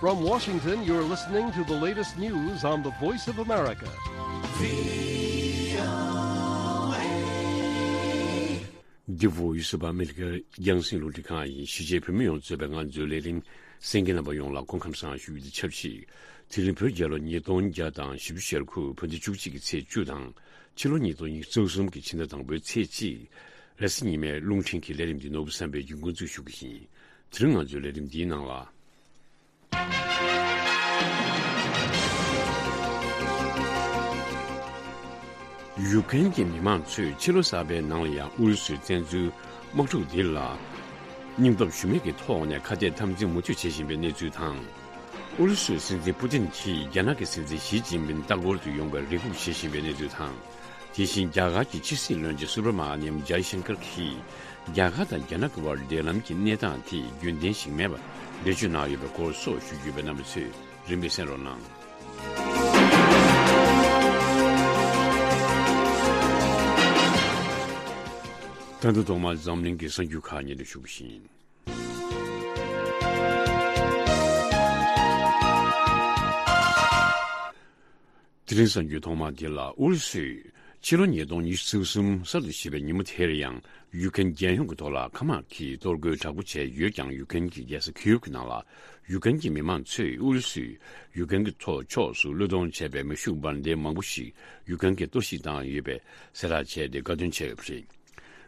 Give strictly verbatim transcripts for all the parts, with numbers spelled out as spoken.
From Washington, you're listening to the latest news on the Voice of America. The Voice of America རྒྱང་སྲིང་རླུང་འཕྲིན་ཁང་ཡིན། གཞིས་བྱེས་བོད་མི་ཡོངས་གཙོས་པའི་ང་ཚོའི་ལས་རིམ་གསན་མཁན་རྣམ་པ་ཡོངས་ལ་སྐུ་ཁམས་བཟང་ཞུ་རྒྱུ་དང་ཆབས་ཅིག་དེ་རིང་བོད་རྒྱལ་ལོ་ཉིས་སྟོང་བརྒྱ་དང་བཞི་བཅུ་ཞེ་དགུ་བོད་ཟླ་བཅུ་གཅིག་གི་ཚེས་བཅུ་དང་། ཕྱི་ལོ་ཉིས་སྟོང་ཉི་ཤུ་རྩ་གསུམ་གྱི་ཕྱི་ཟླ་དང་པོའི་ཚེས་གཅིག་རེས་གཟའ་ཉི་མའི་རླུང་འཕྲིན་གྱི་ལས་རིམ་འདི་ནོར་བུ་བསམ་འཕེལ་གྱིས་འགོ་འཛུགས་ཞུ་གི་ཡིན། དེ་རིང་ང་ཚོའི་ལས་རིམ་འདིའི་ནང་ལ། ཡུཀ་རེན་གྱི་མི་མང་ཚོས་ཕྱི་ལོ་གསར་པའི་ནང་ལ་ཡང་ཨུ་རུ་སུའི་བཙན་འཛུལ་དམག་འཁྲུག་འདི་ལ་སྙིང་སྟོབས་ཞུམ་མེད་ཀྱི་ཐོག་ནས་ཁ་གཏད་འཐབ་འཛིང་མུ་མཐུད་བྱེད་བཞིན་པའི་གནས་ཚུལ་དང་། ཨུ་རུ་སུའི་སྲིད་འཛིན་པུ་ཏིན་གྱིས་རྒྱ་ནག་གི་སྲིད་འཛིན་ཞི་ཅིན་ཕིན་ལྟ་སྐོར་དུ་ཡོང་བའི་རེ་སྒུག་བྱེད་བཞིན་པའི་གནས་ཚུལ་དང་། དེ་བཞིན་རྒྱ་གར་གྱི་ཕྱི་སྲིད་བློན་ཆེན་སུ་བྷྲ་མ་ནིམ་ཇའི་ཤང་ཀར་གྱིས་རྒྱ་གར་དང་རྒྱ་ནག་གི་དབར་འབྲེལ་ལམ་གྱི་གནས་སྟངས་དེ་རྒྱུན་ལྡན་ཞིག་མེད་པར་འགྲེལ་བརྗོད་གནང་ཡོད་པའི་སྐོར་སོགས་ཞུ་རྒྱུ་ཡོད་པས་རྣམ་པ་ཚོས་རིམ་པས་གསན་རོགས་གནང་། ད་དུང་ཐོག་མར་འཛམ་གླིང་གི་གསར་འགྱུར་ཁག་སྙན་སྒྲོན་ཞུ་གི་ཡིན། དེ་རིང་གསར་འགྱུར་ཐོག་མ་དེ་ལ། ཨུ་རུ་སུས་ཕྱི་ལོ་ཉིས་སྟོང་ཉི་ཤུ་རྩ་གསུམ་གསར་དུ་བཞད་པའི་ཉིན་མོ་དེར་ཡང་ཡུཀ་རེན་རྒྱལ་ཡོངས་ཀྱི་ཐོག་ལ་མཁའ་དམག་གིས་གཏོར་རྒོལ་དྲག་པོ་བྱས་ཡོད་ཀྱང་། ཡུཀ་རེན་གྱི་རྒྱལ་ས་ཁིའུབ་ཀྱི་ནང་ལ་ཡུཀ་རེན་གྱི་མི་མང་ཚོས་ཨུ་རུ་སུས་ཡུཀ་རེན་གྱི་ཐོག་ཕྱོགས་སུ་བློས་གཏོང་བྱས་པའི་མེ་ཤུགས་འབར་མདེལ་མང་པོ་ཞིག་ཡུཀ་རེན་གྱིས་གཏོར་བཤིག་བཏང་ཡོད་པའི་གསལ་བསྒྲགས་བྱས་ཏེ་དགའ་སྟོན་བྱས་ཡོད་པ་རེད།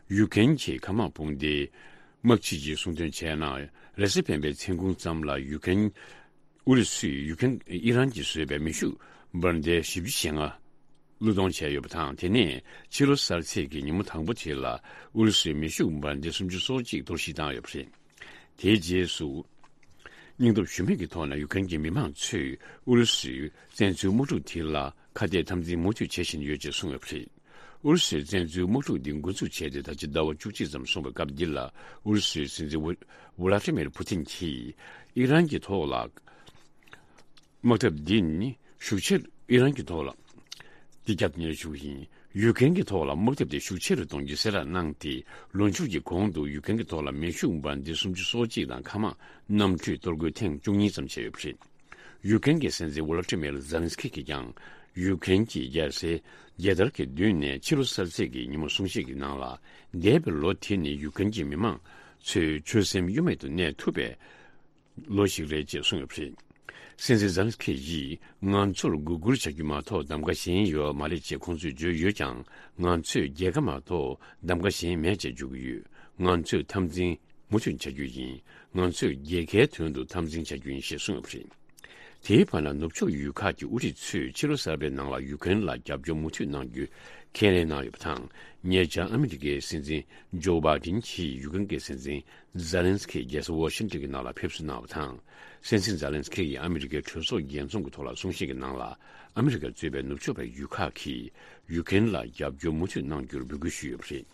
ཡུཀ་རེན་གྱི་མཁའ་དམག་དཔུང་སྡེའི་དམག་སྤྱི་གིས་གསུངས་དོན་བྱས་ན། རེས་གཟའ་སྤེན་པའི་མཚན་གུང་ཙམ་ལ་ཡུཀ་རེན། ཨུ་རུ་སུས་ཡུཀ་རེན་ཨི་རན་གྱིས་བཟོས་པའི་མེ་ཤུགས་འབར་མདེལ་བཞི་བཅུ་ཞེ་ལྔ་བློས་གཏོང་བྱས་ཡོད་པ་དང་། དེ་ནས་ཕྱི་ལོ་གསར་ཚེས་ཀྱི་ཉིན་མོ་དང་པོ་དེ་ལ་ཨུ་རུ་སུས་མེ་ཤུགས་འབར་མདེལ་སུམ་ཅུ་སོ་གཅིག་གཏོར་བཤིག་བཏང་ཡོད་པ་རེད། དེའི་རྗེས་སུ། སྙིང་སྟོབས་ཞུམ་མེད་ཀྱི་ཐོག་ནས་ཡུཀ་རེན་གྱི་མི་མང་ཚོས་ཨུ་རུ་སུའི་བཙན་འཛུལ་དམག་འཁྲུག་དེ་ལ་ཁ་གཏད་འཐབ་འཛིང་མུ་མཐུད་བྱེད་བཞིན་ཡོད་ཅེས་གསུངས་ཡོད་པ་རེད། ཨུ་རུ་སུའི་བཙན་འཛུལ་དམག་འཁྲུག་འདི་འགོ་འཛུགས་བྱས་ཏེ་ད་ཆ་ཟླ་བ་བཅུ་གཅིག་ཙམ་སོང་བའི་སྐབས་འདི་ལ། ཨུ་རུ་སུའི་སྲིད་འཛིན་ཝུ་ཝུ་ལ་ཏི་མིར་ཕུ་ཏིན་གྱིས་ཨི་རན་གྱི་ཐོག་ལ་དམག་འཐབ་འདི་ནི་ཤུགས་ཆེར། ཨི་རན་གྱི་ཐོག་ལ་འདི་བརྒྱབ་ནས་ཞུ་བ་ཡིན། ཡུཀ་རེན་གྱི་ཐོག་ལ་དམག་འཐབ་དེ་ཤུགས་ཆེ་རུ་གཏོང་རྒྱུའི་གསལ་བསྒྲགས་གནང་སྟེ། ལོ་མཇུག་གི་གོང་དུ་ཡུཀ་རེན་གྱི་ཐོག་ལ་མེ་ཤུགས་འབར་མདེལ་སུམ་ཅུ་སོ་གཅིག་དང་མཁའ་དམག་གནམ་གྲུའི་གཏོར་རྒོལ་ཐེངས་བཅུ་གཉིས་ཙམ་བྱས་ཡོད་པ་རེད། ཡུཀ་རེན་གྱི་སྲིད་འཛིན་ཝོ་ལོ་ཏི་མིར་ཛེ་ལན་སི་ཁི་གིས་ཀྱང་ཡུཀ་རེན་གྱི་རྒྱལ་སའི་རྒྱལ་དར་གྱི་མདུན་ནས་ཕྱི་ལོ་གསར་ཚེས་ཀྱི་ཉིན་མོ་གསུང་བཤད་ཀྱི་ནང་ལ། འདས་པའི་ལོ་དེ་ནི་ཡུཀ་རེན་གྱི་མི་མང་ཚོའི་ཆོད་སེམས་གཡོ་མེད་དུ་གནས་ཐུབ་པའི་ལོ་ཞིག་རེད་ཅེས་གསུངས་ཡོད་པ་རེད། སྲིད་འཛིན་ཛེ་ལན་སི་ཁི་ཡིས་ང་ཚོར་མགོ་སྒུར་བྱ་རྒྱུ་མ་གཏོགས་གདམ་ག་གཞན་ཡོད་མ་རེད་ཅེས་ཁོང་ཚོས་བརྗོད་ཡོད་ཀྱང་། ང་ཚོས་རྒྱལ་ཁ་མ་གཏོགས་གདམ་ག་གཞན་མེད་ཅེས་བརྗོད་ཀྱི་ཡོད། ང་ཚོས་འཐབ་འཛིང་མུ་མཐུད་བྱ་རྒྱུ་ཡིན། ང་ཚོས་རྒྱལ་ཁའི་དོན་དུ་འཐབ་འཛིང་བྱ་རྒྱུ་ཡིན་ཞེས་གསུངས་ཡོད་པ་རེད། དེའི་བར་ན་ནུབ་ཕྱོགས་ཡུལ་ཁག་གི་དབུ་ཁྲིད་ཚོས་ཕྱི་ལོ་གསར་པའི་ནང་ལ་ཡུཀ་རེན་ལ་རྒྱབ་སྐྱོར་མུ་མཐུད་གནང་རྒྱུ་ཁས་ལེན་གནང་ཡོད་པ་དང་། ཉེ་ཆར་ཨ་མི་རི་ཀའི་སྲིད་འཛིན་ཇོ་བྷའི་ཌེན་གྱིས་ཡུཀ་རེན་གྱི་སྲིད་འཛིན་ཛེ་ལན་སི་ཁི་རྒྱལ་ས་ཝ་ཤིང་ཏོན་གྱི་ནང་ལ་ཕེབས་བསུ་གནང་བ་དང་། སྲིད་འཛིན་ཛེ་ལན་སི་ཁི་ཡིས་ཨ་མི་རི་ཀའི་གྲོས་ཚོགས་རྒྱས་འཛོམས་ཀྱི་ཐོག་ལ་གསུང་བཤད་ཀྱི་ནང་ལ། ཨ་མི་རི་ཀ་གཙོས་པའི་ནུབ་ཕྱོགས་པའི་ཡུལ་ཁག་གིས་ཡུཀ་རེན་ལ་རྒྱབ་སྐྱོར་མུ་མཐུད་གནང་རྒྱུར་འབོད་སྐུལ་ཞུས་ཡོད་པ་རེད།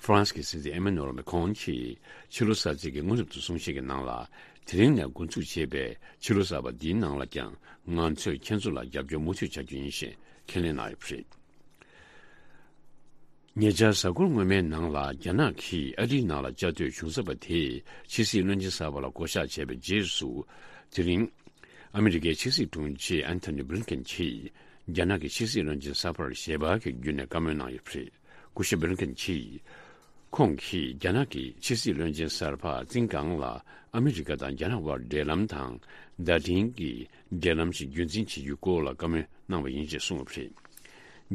ཧྥ་རན་སི་གི་སྲིད་འཛིན་ཨེ་མ་ནུ་ཨེལ་མེ་ཁོང་གིས་ཕྱི་ལོ་གསར་ཚེས་ཀྱི་སྔོན་གཏམ་དུ་གསུང་བཤད་ཀྱི་ནང་ལ། དེ་རིང་ནས་འགོ་འཛུགས་བྱས་པའི་ཕྱི་ལོ་གསར་པ་འདིའི་ནང་ལ་ཀྱང་ང་ཚོས་ཁྱེད་ཚོ་ལ་རྒྱབ་སྐྱོར་མུ་མཐུད་བྱ་རྒྱུ་ཡིན་ཞེས་ཁས་ལེན་གནང་ཡོད་པ་རེད། ཉེ་ཆར་གཟའ་འཁོར་སྔོན་མའི་ནང་ལ་རྒྱ་ནག་གིས་ཨ་རིའི་ནང་ལ་བཅའ་སྡོད་གཞུང་ཚབ་པ་དེས་ཕྱི་སྲིད་བློན་ཆེན་གསར་པ་ལ་བསྐོ་གཞག་བྱས་པའི་རྗེས་སུ། དེ་རིང་ཨ་མི་རི་ཀའི་ཕྱི་སྲིད་དྲུང་ཆེ་ཨན་ཐོ་ནི་བྷི་ལིན་ཀེན་གྱིས་རྒྱ་ནག་གི་ཕྱི་སྲིད་བློན་ཆེན་གསར་པར་ཞལ་པར་གྱི་བརྒྱུད་ནས་བཀའ་མོལ་གནང་ཡོད་པ་རེད། སྐུ་ཞབས་བྷི་ལིན་ཀེན་གྱིས། ཁོང་གིས་རྒྱ་ནག་གི་ཕྱི་སྲིད་བློན་ཆེན་གསར་པ་ཙིན་ཀང་ལ་ཨ་མི་རི་ཀ་དང་རྒྱ་ནག་དབར་འབྲེལ་ལམ་དང་བརྡ་འཕྲིན་གྱི་འབྲེལ་ལམ་ཞིག་རྒྱུན་འཛིན་བྱེད་རྒྱུའི་སྐོར་ལ་བཀའ་མོལ་གནང་བ་ཡིན་ཅེས་གསུངས་ཡོད་པ་རེད།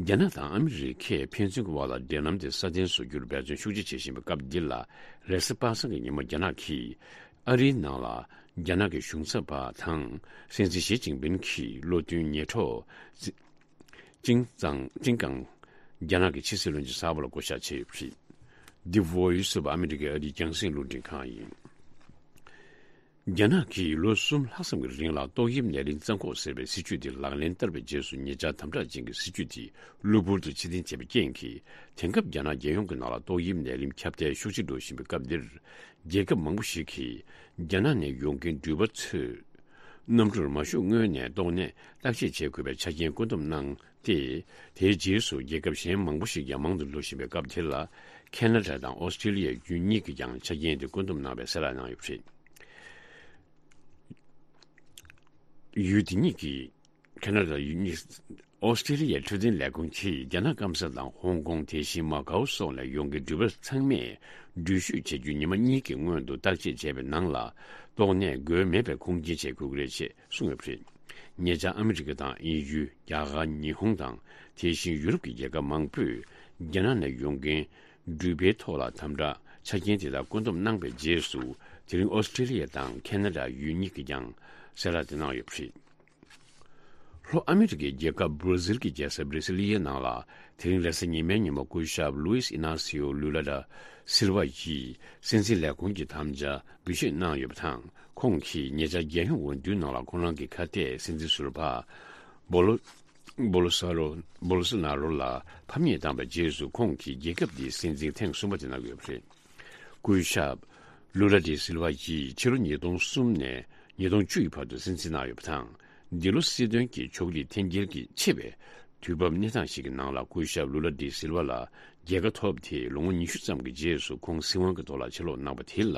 རྒྱ་ནག་དང་ཨ་མི་རི་ཀས་ཕན་ཚུན་གྱི་དབར་ལ་འབྲེལ་ལམ་དེ་སྲ་བརྟན་བཟོ་རྒྱུར་འབད་བརྩོན་ཤུགས་ཆེ་བྱེད་བཞིན་པའི་སྐབས་འདི་ལ། རེས་གཟའ་པ་སངས་ཀྱི་ཉིན་མོ་རྒྱ་ནག་གིས་ཨ་རིའི་ནང་ལ་རྒྱ་ནག་གི་གཞུང་ཚབ་པ་དང་སྲིད་འཛིན་ཞི་ཅིན་ཕིན་གྱི་བློ་མཐུན་ཉེ་གྲོགས་ཙི་ཅིང་ཙང་ཙིང་ཀང་རྒྱ་ནག་གི་ཕྱི་སྲིད་བློན་ཆེན་གསར་པ་ལ་བསྐོ་གཞག་བྱས་ཡོད་པ་རེད། འདི་བྷོ་ཡིས་སུ་ཨ་མི་རི་ཀའི་ཨ་རིའི་རྒྱང་སྲིང་རླུང་འཕྲིན་ཁང་ཡིན། རྒྱ་ནག་གིས་ལོ་གསུམ་ལྷག་ཙམ་གྱི་རིང་ལ་ཏོག་དབྱིབས་ནད་རིམས་བཙན་འགོག་ཟེར་བའི་སྲིད་ཇུས་དེ་ལག་ལེན་བསྟར་བའི་རྗེས་སུ། ཉེ་ཆར་དམ་དྲག་ཅན་གྱི་སྲིད་ཇུས་དེ་གློ་བུར་དུ་ཕྱིར་འཐེན་བྱས་པའི་རྐྱེན་གྱིས། དེང་སྐབས་རྒྱ་ནག་རྒྱལ་ཡོངས་ཀྱི་ནང་ལ་ཏོག་དབྱིབས་ནད་རིམས་ཁྱབ་གདལ་ཤུགས་ཆེ་འགྲོ་བཞིན་པའི་སྐབས་འདིར། རྒྱལ་ཁབ་མང་པོ་ཞིག་གིས་རྒྱ་ནག་ནས་ཡོང་མཁན་འགྲུལ་པ་ཚོའི་གནམ་གྲུར་མ་ཞུགས་སྔོན་ནས་ཏོག་ནད་བརྟག་དཔྱད་བྱེད་དགོས་པའི་ཆ་རྐྱེན་བཀོད་འདོམས་གནང་སྟེ། དེའི་རྗེས་སུ་རྒྱལ་ཁབ་གཞན་མང་པོ་ཞིག་ཀྱང་མང་དུ་འགྲོ་བཞིན་པའི་སྐབས་དེ་ལ། ཁེ་ན་ཌ་དང་ཨོ་སི་ཀྲི་ལི་ཡ་ཡུལ་གཉིས་ཀྱིས་ཀྱང་ཆ་རྐྱེན་དེ་བཀོད་འདོམས་གནང་བའི་གསལ་བསྒྲགས་གནང་ཡོད་པ་རེད། ཡུལ་དེ་གཉིས་ཀྱི་ཁ་ན་ཌ་ཡུལ་གཉིས། ཨོ་སི་ཀྲི་ལི་ཡའི་འཕྲོད་བསྟེན་ལས་ཁུངས་ཀྱིས་རྒྱ་ནག་སྐམ་ས་དང་ཧོང་ཀོང་། དེ་བཞིན་མ་ཀའོ་སོགས་ནས་ཡོང་མཁན་འགྲུལ་པ་ཚང་མས་འགྲུལ་བཞུད་བྱེད་རྒྱུ་ཉི་མ་གཉིས་ཀྱི་སྔོན་དུ་བརྟག་དཔྱད་བྱས་པའི་ནང་ལ། ཏོག་ནད་འགོས་མེད་པའི་ཁུངས་སྐྱེལ་བྱེད་དགོས་ཀྱི་རེད་ཅེས་གསུངས་ཡོད་པ་རེད། ཉེ་ཆར་ཨ་མི་རི་ཀ་དང་དབྱིན་ཡུལ། རྒྱ་གར། ཉི་ཧོང་དང་། དེ་བཞིན་ཡུ་རོབ་ཀྱི་རྒྱལ་ཁབ་མང་པོས་རྒྱ་ནག་ནས་ཡོང་མཁན་འགྲུལ་པའི་ཐོག་ལ་དམ་དྲག་ཆ་རྐྱེན་དེ་དག་བཀོད་འདོམས་གནང་པའི་རྗེས་སུ། དེ་རིང་ཨོ་སི་ཀྲི་ལི་ཡ་དང་ཁ་ན་ཌ་ཡུལ་གཉིས་ཀྱིས་ཀྱང་གསལ་བསྒྲགས་དེ་གནང་ཡོད་པ་རེད། ལྷོ་ཨ་མི་རི་ཀའི་རྒྱལ་ཁབ་བྷར་ཛིལ་གྱི་རྒྱལ་ས་བྷི་རི་སི་ལི་ཡའི་ནང་ལ། དེ་རིང་རེས་གཟའ་ཉི་མའི་ཉིན་མོ། སྐུ་ཞབས་ལུའིས་ཨི་ན་སིའོ་ལུ་ལ་ད་སིལ་ཝ་ཡིས་སྲིད་འཛིན་ལས་ཁུངས་ཀྱི་དམ་བཅའ་འབུལ་བཞེས་གནང་ཡོད་པ་དང་། ཁོང་གིས་ཉེ་ཆར་རྒྱལ་ཡོངས་འོས་བསྡུའི་ནང་ལ་ཁོ་རང་གི་ཁ་གཏད་སྲིད་འཛིན་ཟུར་པ་བོ་ལོ་བོ་ལོ་ས་རོ་བོ་ལོ་སོ་ན་རོ་ལ་ཕམ་ཉེས་བཏང་པའི་རྗེས་སུ། ཁོང་གིས་རྒྱལ་ཁབ་འདིའི་སྲིད་འཛིན་ཐེངས་གསུམ་པ་དེ་གནང་ཡོད་པ་རེད། སྐུ་ཞབས་ལུ་ལ་ཌི་སིལ་ཝ་ཡིས་ཕྱི་ལོ་ཉིས་སྟོང་གསུམ་ནས་ཉིས་སྟོང་བཅུ་ཡི་བར་དུ་སྲིད་འཛིན་གནང་ཡོད་པ་དང་། འདི་ལོ་སྲིད་དོན་གྱི་ཕྱོགས་རིས་འཐེན་འཁྱེར་གྱི་ཆེ་བའི་དུས་བབ་གནས་སྟངས་ཤིག་གི་ནང་ལ། སྐུ་ཞབས་ལུ་ལ་ཌི་སིལ་ཝ་ལ་རྒྱལ་ཁ་ཐོབ་སྟེ་ལོ་ངོ་ཉི་ཤུ་ཙམ་གྱི་རྗེས་སུ། ཁོང་སྲིད་དབང་གི་ཐོག་ལ་ཕྱིར་ལོག་གནང་པ་དེ་ལ།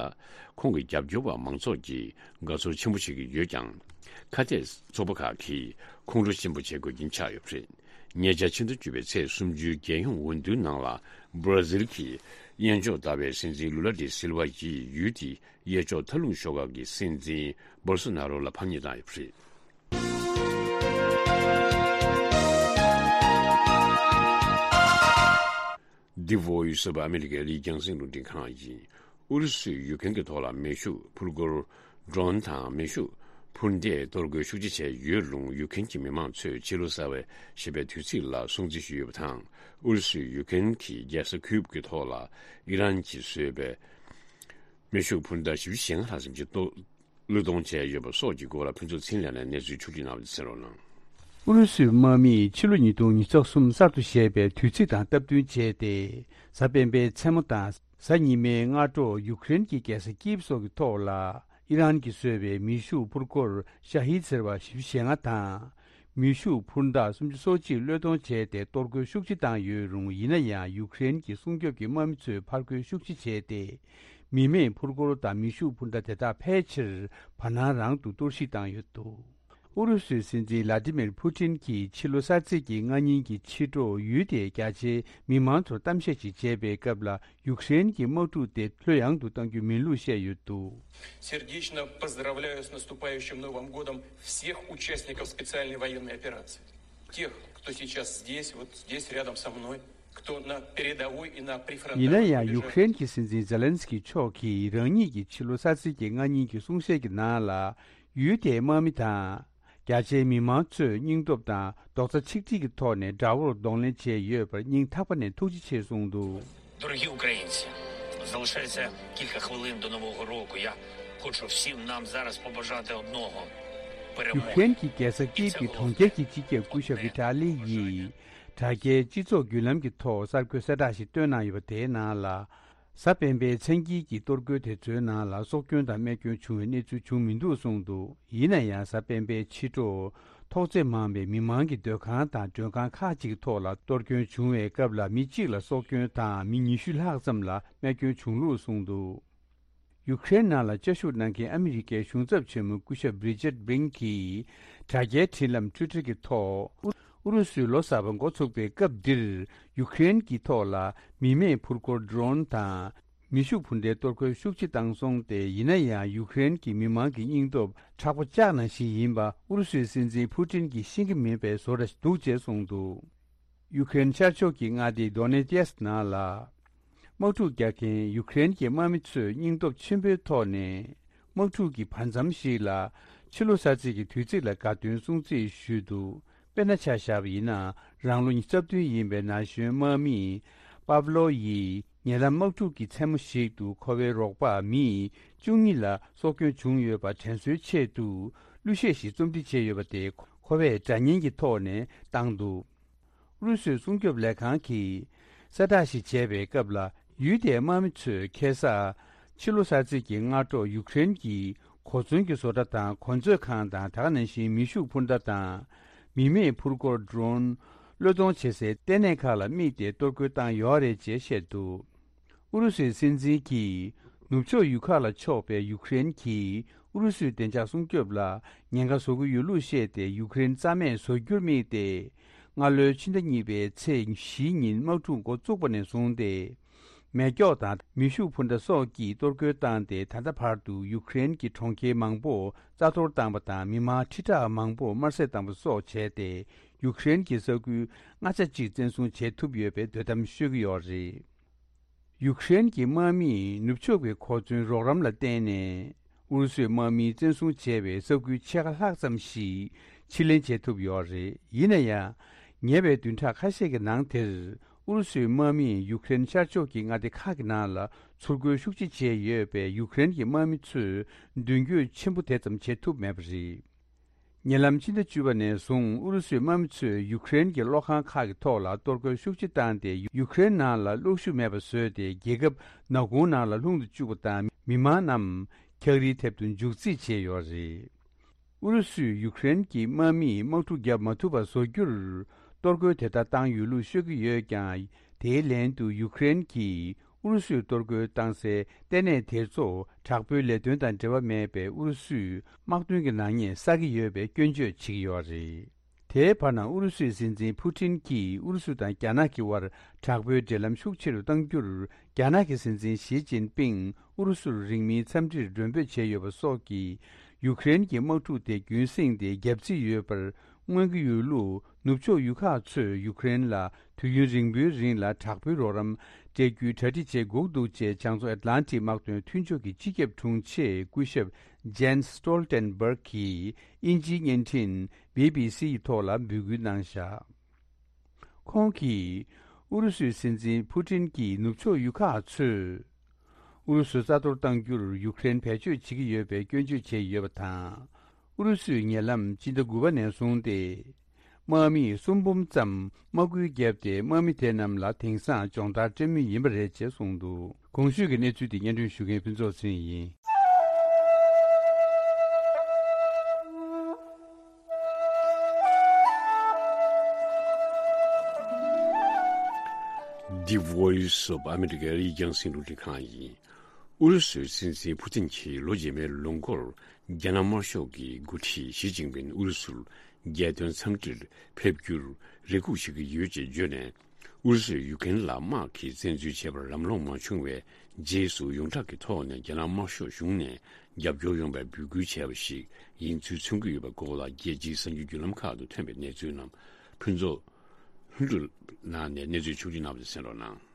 ཁོང་གི་རྒྱབ་སྐྱོར་བ་མང་ཚོགས་ཀྱིས་དགའ་ཚོར་ཆེན་པོ་བྱེད་ཀྱི་ཡོད་ཀྱང་། ཁ་གཏད་ཚོགས་པ་ཁག་གིས་ཁོང་ཁྲོ་ཆེན་པོ་བྱེད་དགོས་ཀྱིན་ཆགས་ཡོད་པ་རེད། ཉེ་ཆར་ཕྱི་ཟླ་བཅུ་པའི་ཚེས་སུམ་ཅུའི་རྒྱལ་ཡོངས་འོས་བསྡུའི་ནང་ལ། བྷར་ཛིལ་གྱི་གཡས་ཕྱོགས་ཟླ་བའི་སྲིད་འཛིན་ལུ་ལ་ཌི་སིལ་ཝ་ཡིས་ཡུལ་དེའི་གཡས་ཕྱོགས་མཐའ་ལྷུང་ཤོག་ཁག་གི་སྲིད་འཛིན་བོལ་སོ་ན་རོ་ལ་ཕམ་ཉེས་བཏང་ཡོད་པ་རེད། འདི་Voice of America ལི་རྒྱང་སྲིང་རླུང་འཕྲིན་ཁང་ཡིན། ཨུ་རུ་སུས་ཡུ་ཀེན་གྱི་ཐོག་ལ་མེ་ཤུགས་འཕུར་འཁོར། ཌྲོན་དང་མེ་ཤུགས་འཕུར་མདེལ་གཏོར་རྒོལ་ཤུགས་ཆེ་བྱས་ཡོད་རུང་། ཡུ་ཀེན་གྱི་མི་མང་ཚོས་ཕྱི་ལོ་གསར་པ་ཞེས་པའི་དུས་ཚིགས་ལ་སྲུང་བརྩི་ཞུས་ཡོད་པ་དང་། ཨུ་རུ་སུས་ཡུ་ཀེན་གྱི་རྒྱལ་ས་ཁིའུབ་ཀྱི་ཐོག་ལ་ཨི་རན་གྱིས་བཟོས་པའི་མེ་ཤུགས་འཕུར་མདའ་བཞི་བཅུ་ཞེ་ལྔ་ལྷག་ཙམ་ཞིག་གཏོར། བློས་གཏོང་བྱས་ཡོད་པ་སོགས་ཀྱི་སྐོར་ལ་ཕུན་ཚོགས་ཚེ་རིང་ལགས་ནས་གནས་ཚུལ་ཕྱོགས་བསྒྲིགས་གནང་བ་དེ་གསན་རོགས་གནང་། ཨུ་རུ་སུའི་དམག་མིས་ཕྱི་ལོ་ཉིས་སྟོང་ཉི་ཤུ་རྩ་གསུམ་གསར་དུ་བཞད་པའི་དུས་ཚིགས་དང་སྟབས་བསྟུན་བྱས་ཏེ། གཟའ་སྤེན་པའི་མཚན་མོ་དང་གཟའ་ཉི་མའི་སྔ་དྲོ་ཡུ་ཀེ་རེན་གྱི་རྒྱལ་ས་ཀིབ་སོགས་ཀྱི་ཐོག་ལ་ཨི་རན་གྱིས་བཟོས་པའི་མེ་ཤུགས་འཕུར་འཁོར་ཤ་ཧིད་ཟེར་བ་བཞི་བཅུ་ཞེ་ལྔ་དང་། མེ་ཤུགས་འཕུར་མདའ་སུམ་ཅུ་སོ་གཅིག་བློས་གཏོང་བྱས་ཏེ། གཏོར་རྒོལ་ཤུགས་ཆེ་བཏང་ཡོད་རུང་། ཡིན་ན་ཡང་ཡུ་ཀེ་རེན་གྱི་སྲུང་སྐྱོབ་ཀྱི་དམག་མི་ཚོས་ཕར་རྒོལ་ཤུགས་ཆེ་བྱས་ཏེ། མི་མེད་འཕུར་འཁོར་དང་མེ་ཤུགས་འཕུར་མདའ་དེ་དག་ཕལ་ཆེར་བར་སྣང་རང་དུ་གཏོར་བཤིག་བཏང་ཡོད་འདུག་ཨུ་རུ་སུའི་སྲིད་འཛིན་ལ་ཏི་མིར་ཕུ་ཏིན་གྱིས་ཕྱི་ལོ་གསར་ཚེས་ཀྱི་སྔ་ཉིན་གྱི་ཕྱི་དྲོ་ཡུལ་དེའི་རྒྱ་ཆེའི་མི་མང་ཚོར་གཏམ་བཤད་ཅིག་བྱས་པའི་སྐབས་ལ། ཡུཀ་རེན་གྱི་དམག་འཁྲུག་དེ་ལྷོད་ཡངས་དུ་གཏང་རྒྱུ་མིན་ལུགས་བཤད་ཡོད་འདུག Сердечно поздравляю с наступающим Новым годом всех участников специальной военной операции. Тех, кто сейчас здесь, вот здесь рядом со мной, кто на передовой и на прифронтовых рубежах. ཡིན་ན་ཡང་ཡུཀ་རེན་གྱི་སྲིད་འཛིན་ཛེ་ལན་སི་ཀི་མཆོག་གིས་རང་ཉིད་ཀྱིས་ཕྱི་ལོ་གསར་ཚེས་ཀྱི་སྔ་ཉིན་གྱི་གསུང་བཤད་ཀྱི་ནང་ལ། ཡུལ་དེའི་དམག་མི་དང་། རྒྱ་ཆེའི་མི་མང་ཚོས་སྙིང་སྟོབས་དང་རྡོག་རྩ་ཆིག་སྒྲིལ་གྱི་ཐོག་ནས་དགྲ་བོར་གདོང་ལེན་བྱས་ཡོད་པར་སྙིང་ཐག་པ་ནས་ཐུགས་རྗེ་ཆེ་གསུངས་འདུག Дорогі українці, залишається кілька хвилин до Нового року. Я хочу всім нам зараз побажати одного. ཡུཀ་རེན་གྱི་རྒྱལ་ས་ཀིབ་ཀྱི་གྲོང་ཁྱེར་གྱི་སྤྱི་ཁྱབ་སྐུ་ཞབས་ཝི་ཏཱ་ལི་ཡིས་དྲ་རྒྱའི་སྤྱི་ཚོགས་བརྒྱུད་ལམ་གྱི་ཐོག་གསར་འགོད་གསལ་བསྒྲགས་ཤིག་བཏོན་གནང་ཡོད་པ་དེའི་ནང་ལ། གཟའ་སྤེན་པའི་མཚན་དཀྱིལ་གྱི་གཏོར་རྒོལ་དེ་ཚོའི་ནང་ལ་སྲོག་སྐྱོན་དང་རྨས་སྐྱོན་བྱུང་བའི་གནས་ཚུལ་བྱུང་མི་འདུག་གསུངས་འདུག་ཡིན་ན་ཡང་། གཟའ་སྤེན་པའི་ཕྱི་དྲོ་ཐོག་བརྩེགས་མང་བའི་མི་མང་གི་སྡོད་ཁང་དང་མགྲོན་ཁང་ཁག་ཅིག་ཐོག་ལ་གཏོར་སྐྱོན་བྱུང་བའི་སྐབས་ལ། མི་གཅིག་ལ་སྲོག་སྐྱོན་དང་མི་ཉི་ཤུ་ལྷག་ཙམ་ལ་རྨས་སྐྱོན་བྱུང་ལུགས་གསུངས་འདུག་ཡུཀ་རེན་ནང་ལ་བཅའ་བཞུགས་གནང་མཁན་ཨ་མི་རི་ཀའི་གཞུང་ཚབ་ཆེན་མོ་སྐུ་ཞབས་རི་ཅར་བྷིང་གིས་དྲ་རྒྱའི་འཕྲིན་ལམ་ཊུའི་ཊར་གྱི་ཐོག་ཨུ་རུ་སུའི་ལོ་གསར་པ་འགོ་ཚུགས་པའི་སྐབས་འདིར། ཡུཀ་རེན་གྱི་ཐོག་ལ་མི་མེད་འཕུར་འཁོར་ཌྲོན་དང་། མེ་ཤུགས་འཕུར་མདའི་གཏོར་རྒོལ་ཤུགས་ཆེ་བཏང་སོང་སྟེ། ཡིན་ན་ཡང་ཡུཀ་རེན་གྱི་མི་མང་གི་སྙིང་སྟོབས་མཁྲེགས་པོ་ལྕགས་ནང་བཞིན་ཡིན་པ་ཨུ་རུ་སུའི་སྲིད་འཛིན་ཕུ་ཏིན་གྱིས་ཤེས་ཀྱི་མེད་པའི་བཟོ་འདྲ་ཞིག་འདུག་ཅེས་གསུངས་འདུག་ཡུ་ཀེ་རེན་ཤར་ཕྱོགས་ཀྱི་མངའ་སྡེ་དོ་ནེ་ཏེ་སི་ནང་ལ། དམག་འཁྲུག་རྒྱག་མཁན་ཡུ་ཀེ་རེན་གྱི་དམག་མི་ཚོས་སྙིང་སྟོབས་ཆེན་པོའི་ཐོག་ནས། དམག་འཁྲུག་གི་བར་མཚམས་ཤིག་ལ། ཕྱི་ལོ་གསར་ཚེས་ཀྱི་དུས་ཚིགས་ལ་དགའ་སྟོན་སྲུང་བརྩི་ཞུས་འདུག་དཔེར་ན་ཆ་བཞག་པ་ཡིན་ན། རང་ལོ་ཉི་ཤུ་རྩ་བདུན་ཡིན་པའི་ན་གཞོན་དམག་མི་པབ་ལོ་ཡིས། ཉེ་ལམ་དམག་འཁྲུག་གི་མཚན་མོ་ཞིག་ཏུ་ཁོ་པའི་རོགས་པ་མི་བཅུ་གཉིས་ལ་སྲོག་སྐྱོན་བྱུང་ཡོད་པ་དྲན་གསོའི་ཆེད་དུ། གླུ་གཞས་ཤིག་རྩོམ་སྒྲིག་བྱས་ཡོད་པ་དེ། ཁོ་པས་སྒྲ་སྙན་གྱི་ཐོག་ནས་བཏང་འདུག་ཨུ་རུ་སུའི་སྲུང་སྐྱོབ་ལས་ཁང་གིས་གསལ་བསྒྲགས་ཤིག་བྱས་པའི་སྐབས་ལ། ཡུལ་དེའི་དམག་མི་ཚོས་ཁ་སང་ཕྱི་ལོ་གསར་ཚེས་ཀྱི་སྔ་དྲོ་ཡུཀ་རེན་གྱི་གོ་མཚོན་གྱི་བཟོ་གྲྭ་དང་གོ་མཛོད་ཁང་དང་། དེ་ག་ནང་བཞིན་མེ་ཤུགས་འཕུར་མདའ་དང་མི་མེད་འཕུར་འཁོར་ཌྲོན། བློས་གཏོང་བྱེད་སའི་ལྟེ་གནས་ཁག་ལ་དམིགས་ཏེ་གཏོར་རྒོལ་བཏང་ཡོད་རེད་ཅེས་བཤད་འདུག་ཨུ་རུ་སུའི་སྲིད་འཛིན་གྱིས་ནུབ་ཕྱོགས་ཡུལ་ཁག་ལ་ཕྱོགས་པའི་ཡུཀ་རེན་གྱི་ ཨུ་རུ་སུའི་བདེ་འཇགས་སྲུང་སྐྱོབ་ལ་ཉེན་ཁ་བཟོ་གི་ཡོད་ལུགས་བཤད་དེ། ཡུཀ་རེན་རྩ་མེད་བཟོ་རྒྱུར་དམིགས་ཏེ། སྔ་ལོའི་ཕྱི་ཟླ་གཉིས་པའི་ཚེས་བཞི་ཉིན་དམག་འཁྲུག་འགོ་བཙུགས་པ་ནས་བཟུང་སྟེ། མེ་སྒྱོགས་དང་མེ་ཤུགས་འཕུར་མདའ་སོགས་ཀྱིས་གཏོར་རྒོལ་བཏང་སྟེ། ད་ལྟ་བར་དུ་ཡུཀ་རེན་གྱི་གྲོང་ཁྱེར་མང་པོ་རྩ་གཏོར་བཏང་པ་དང་། མི་མང་ཁྲི་ཕྲག་མང་པོ་དམར་བསད་བཏང་པ་སོགས་བྱས་ཏེ། ཡུཀ་རེན་གྱི་ས་ཁུལ་ལྔ་ཆ་གཅིག་བཙན་བཟུང་བྱེད་ཐུབ་ཡོད་པའི་འདོད་གཏམ་ཤོད་ཀྱི་ཡོད་རེད། ཡུཀ་རེན་གྱི་དམག་མིས་ནུབ་ཕྱོགས་ཀྱི་གོ་མཚོན་རོགས་རམ་ལ་བརྟེན་ནས། ཨུ་རུ་སུའི་དམག་མིས་བཙན་བཟུང་བྱས་པའི་ས་ཁུལ་ཕྱེད་ཀ་ལྷག་ཙམ་ཞིག་ཕྱིར་ལེན་བྱེད་ཐུབ་ཡོད་རེད། ཡིན་ན་ཡང་། ཉེ་བའི་བདུན་ཕྲག་ཁ་ཤས་ཀྱི་ནང་དེར། ཨུ་རུ་སུའི་དམག་མིས་ཡུཀ་རེན་ཤར་ཕྱོགས་ཀྱི་མངའ་སྡེ་ཁག་གི་ནང་ལ་ཚུར་རྒོལ་ཤུགས་ཆེ་བྱས་ཡོད་པས། ཡུཀ་རེན་གྱི་དམག་མི་ཚོས་མདུན་སྐྱོད་ཆེན་པོ་དེ་ཙམ་བྱེད་ཐུབ་མེད་པ་རེད། ཉེ་ལམ་ཕྱི་ཟླ་བཅུ་པ་ནས་བཟུང་ཨུ་རུ་སུའི་དམག་མི་ཚོས་ཡུཀ་རེན་གྱི་གློག་ཁང་ཁག་གི་ཐོག་ལ་གཏོར་རྒོལ་ཤུགས་ཆེ་བཏང་སྟེ། ཡུཀ་རེན་ནང་ལ་གློག་ཤུགས་མེད་པ་བཟོས་ཏེ། རྒྱལ་ཁབ་ནག་ཁུང་ནང་ལ་ལྷུང་དུ་བཅུག་པ་དང་། མི་མང་རྣམས་འཁྱགས་རིའི་དེབ་ཏུ་འཇུག་རྩིས་བྱས་ཡོད་རེད། ཨུ་རུ་སུས་ཡུཀ་རེན་གྱི་དམག་མིས་དམག་འཁྲུག་བརྒྱབ་མ་ཐུབ་པ་བཟོ་རྒྱུར་གཏོར་རྒོལ་དེ་ལྟར་བཏང་ཡོད་ལུགས་ཤོད་ཀྱི་ཡོད་ཀྱང་། དེའི་ལན་དུ་ཡུཀ་རེན་གྱིས་ཨུ་རུ་སུས་གཏོར་རྒོལ་བཏང་སའི་ལྟེ་གནས་དེ་ཚོ་དྲག་པོའི་ལས་དོན་དང་འབྲེལ་བ་མེད་པའི་ཨུ་རུ་སུའི་དམག་དོན་གྱི་ནག་ཉེས་བསགས་ཀྱི་ཡོད་པའི་སྐྱོན་བརྗོད་བྱེད་ཀྱི་ཡོད་རེད། དེའི་བར་ན། ཨུ་རུ་སུའི་སྲིད་འཛིན་ཕུ་ཏིན་གྱིས་ཨུ་རུ་སུ་དང་རྒྱ་ནག་གི་དབར་དྲག་པོའི་འབྲེལ་ལམ་ཤུགས་ཆེ་རུ་གཏང་རྒྱུར། རྒྱ་ནག་གི་སྲིད་འཛིན་ཞི་ཅིན་ཕིང་ཨུ་རུ་སུར་རིང་མིན་འཚམས་འདྲིར་མགྲོན་འབོད་བྱས་ཡོད་པ་སོགས་ཀྱིས། ཡུཀ་རེན་གྱི་དམག་འཁྲུག་དེ་རྒྱུན་བསྲིངས་ཏེ་རྒྱག་རྩིས་ཡོད་པར་མངོན་གྱི་ཡོད་ལུགས། ནུབ་ཕྱོགས་ཡུལ་ཁག་ཚོས་ཡུཀ་རེན་ལ་དུས་ཡུན་རིང་པོའི་རིང་ལ་དྲག་པོའི་རོགས་རམ་སྤྲད་རྒྱུའི་གྲ་སྒྲིག་བྱེད་དགོས་འདུག་ཅེས། བྱང་མཚོ་ཨེཊ་ལན་ཊིག་དམག་དོན་མཐུན་ཕྱོགས་ཀྱི་སྤྱི་ཁྱབ་དྲུང་ཆེ་སྐུ་ཞབས་ཇན་སི་ཊོལ་ཊེན་བྷརག་གིས་དབྱིན་ཇིའི་བརྙན་འཕྲིན་བྷི་བྷི་སི་ཡི་ཐོག་ལ་འབོད་སྐུལ་གནང་བཞག་ཁོང་གིས། ཨུ་རུ་སུའི་སྲིད་འཛིན་ཕུ་ཏིན་གྱིས་ནུབ་ཕྱོགས་ཡུལ་ཁག་ཚོས། ཨུ་རུ་སུ་རྩ་གཏོར་གཏང་རྒྱུར་ཡུཀ་རེན་བེད་སྤྱོད་བྱེད་ཀྱི་ཡོད་པའི་སྐྱོན་བརྗོད་བྱས་ཡོད་པ་དང་། ཨུ་རུ་སུས་ཉེ་ལམ་སྤྱི་ཟླ་དགུ་པ་ནས་བཟུང་སྟེ། དམག་མི་སུམ་འབུམ་ཙམ་དམག་སྐུལ་བརྒྱབ་སྟེ། དམག་མི་དེ་རྣམས་ལ་དེང་སང་སྦྱོང་བརྡར་སྤྲད་མུས་ཡིན་པ་རེད་ཅེས་གསུངས་འདུག་གོང་ཞུས་ཀྱི་གནས་ཚུལ་དེ་སྙན་སྒྲོན་ཞུ་མཁན་ཕུན་ཚོགས་ཚེ་རིང་ཡིན། The Voice of America ཡིག་རྒྱང་སྲིང་རླུང་འཕྲིན་ཁང་ཡིན། ཨུ་རུ་སུའི་སྲིད་འཛིན་ཕུ་ཏིན་གྱིས་ལོ་རྗེས་མའི་ལོ་འགོར་རྒྱ་ནག་དམར་ཤོག་གི་འགོ་ཁྲིད་ཞི་ཅིན་ཕིན་ཨུ་རུ་སུར་རྒྱལ་དོན་འཚམས་འདྲིར་ཕེབས་རྒྱུར་རེ་སྒུག་བྱེད་ཀྱི་ཡོད་ཅེས་བརྗོད་ནས། ཨུ་རུ་སུས་ཡུཀ་རེན་ལ་དམག་གིས་བཙན་འཛུལ་བྱས་པར་ལམ་ལྷོང་མ་བྱུང་བའི་རྗེས་སུ། ཡོངས་གྲགས་ཀྱི་ཐོག་ནས་རྒྱ་ནག་དམར་ཤོག་གཞུང་ནས་རྒྱབ་སྐྱོར་ཡོང་བའི་འབོད་སྐུལ་བྱས་པ་ཞིག་ཡིན་ཚུལ་མཚོན་གྱི་ཡོད་པའི་སྐོར་ལ། རྒྱལ་སྤྱིའི་གསར་འགྱུར་བརྒྱུད་ལམ་ཁག་ཏུ་ཐོན་པའི་གནས་ཚུལ་རྣམས་ཕུན་ཚོགས་ལྷུན་གྲུབ་ནང་ནས་གནས་ཚུལ་ཕྱོགས་བསྒྲིགས་གནང་བ་དེ་གསན་རོགས་གནང་།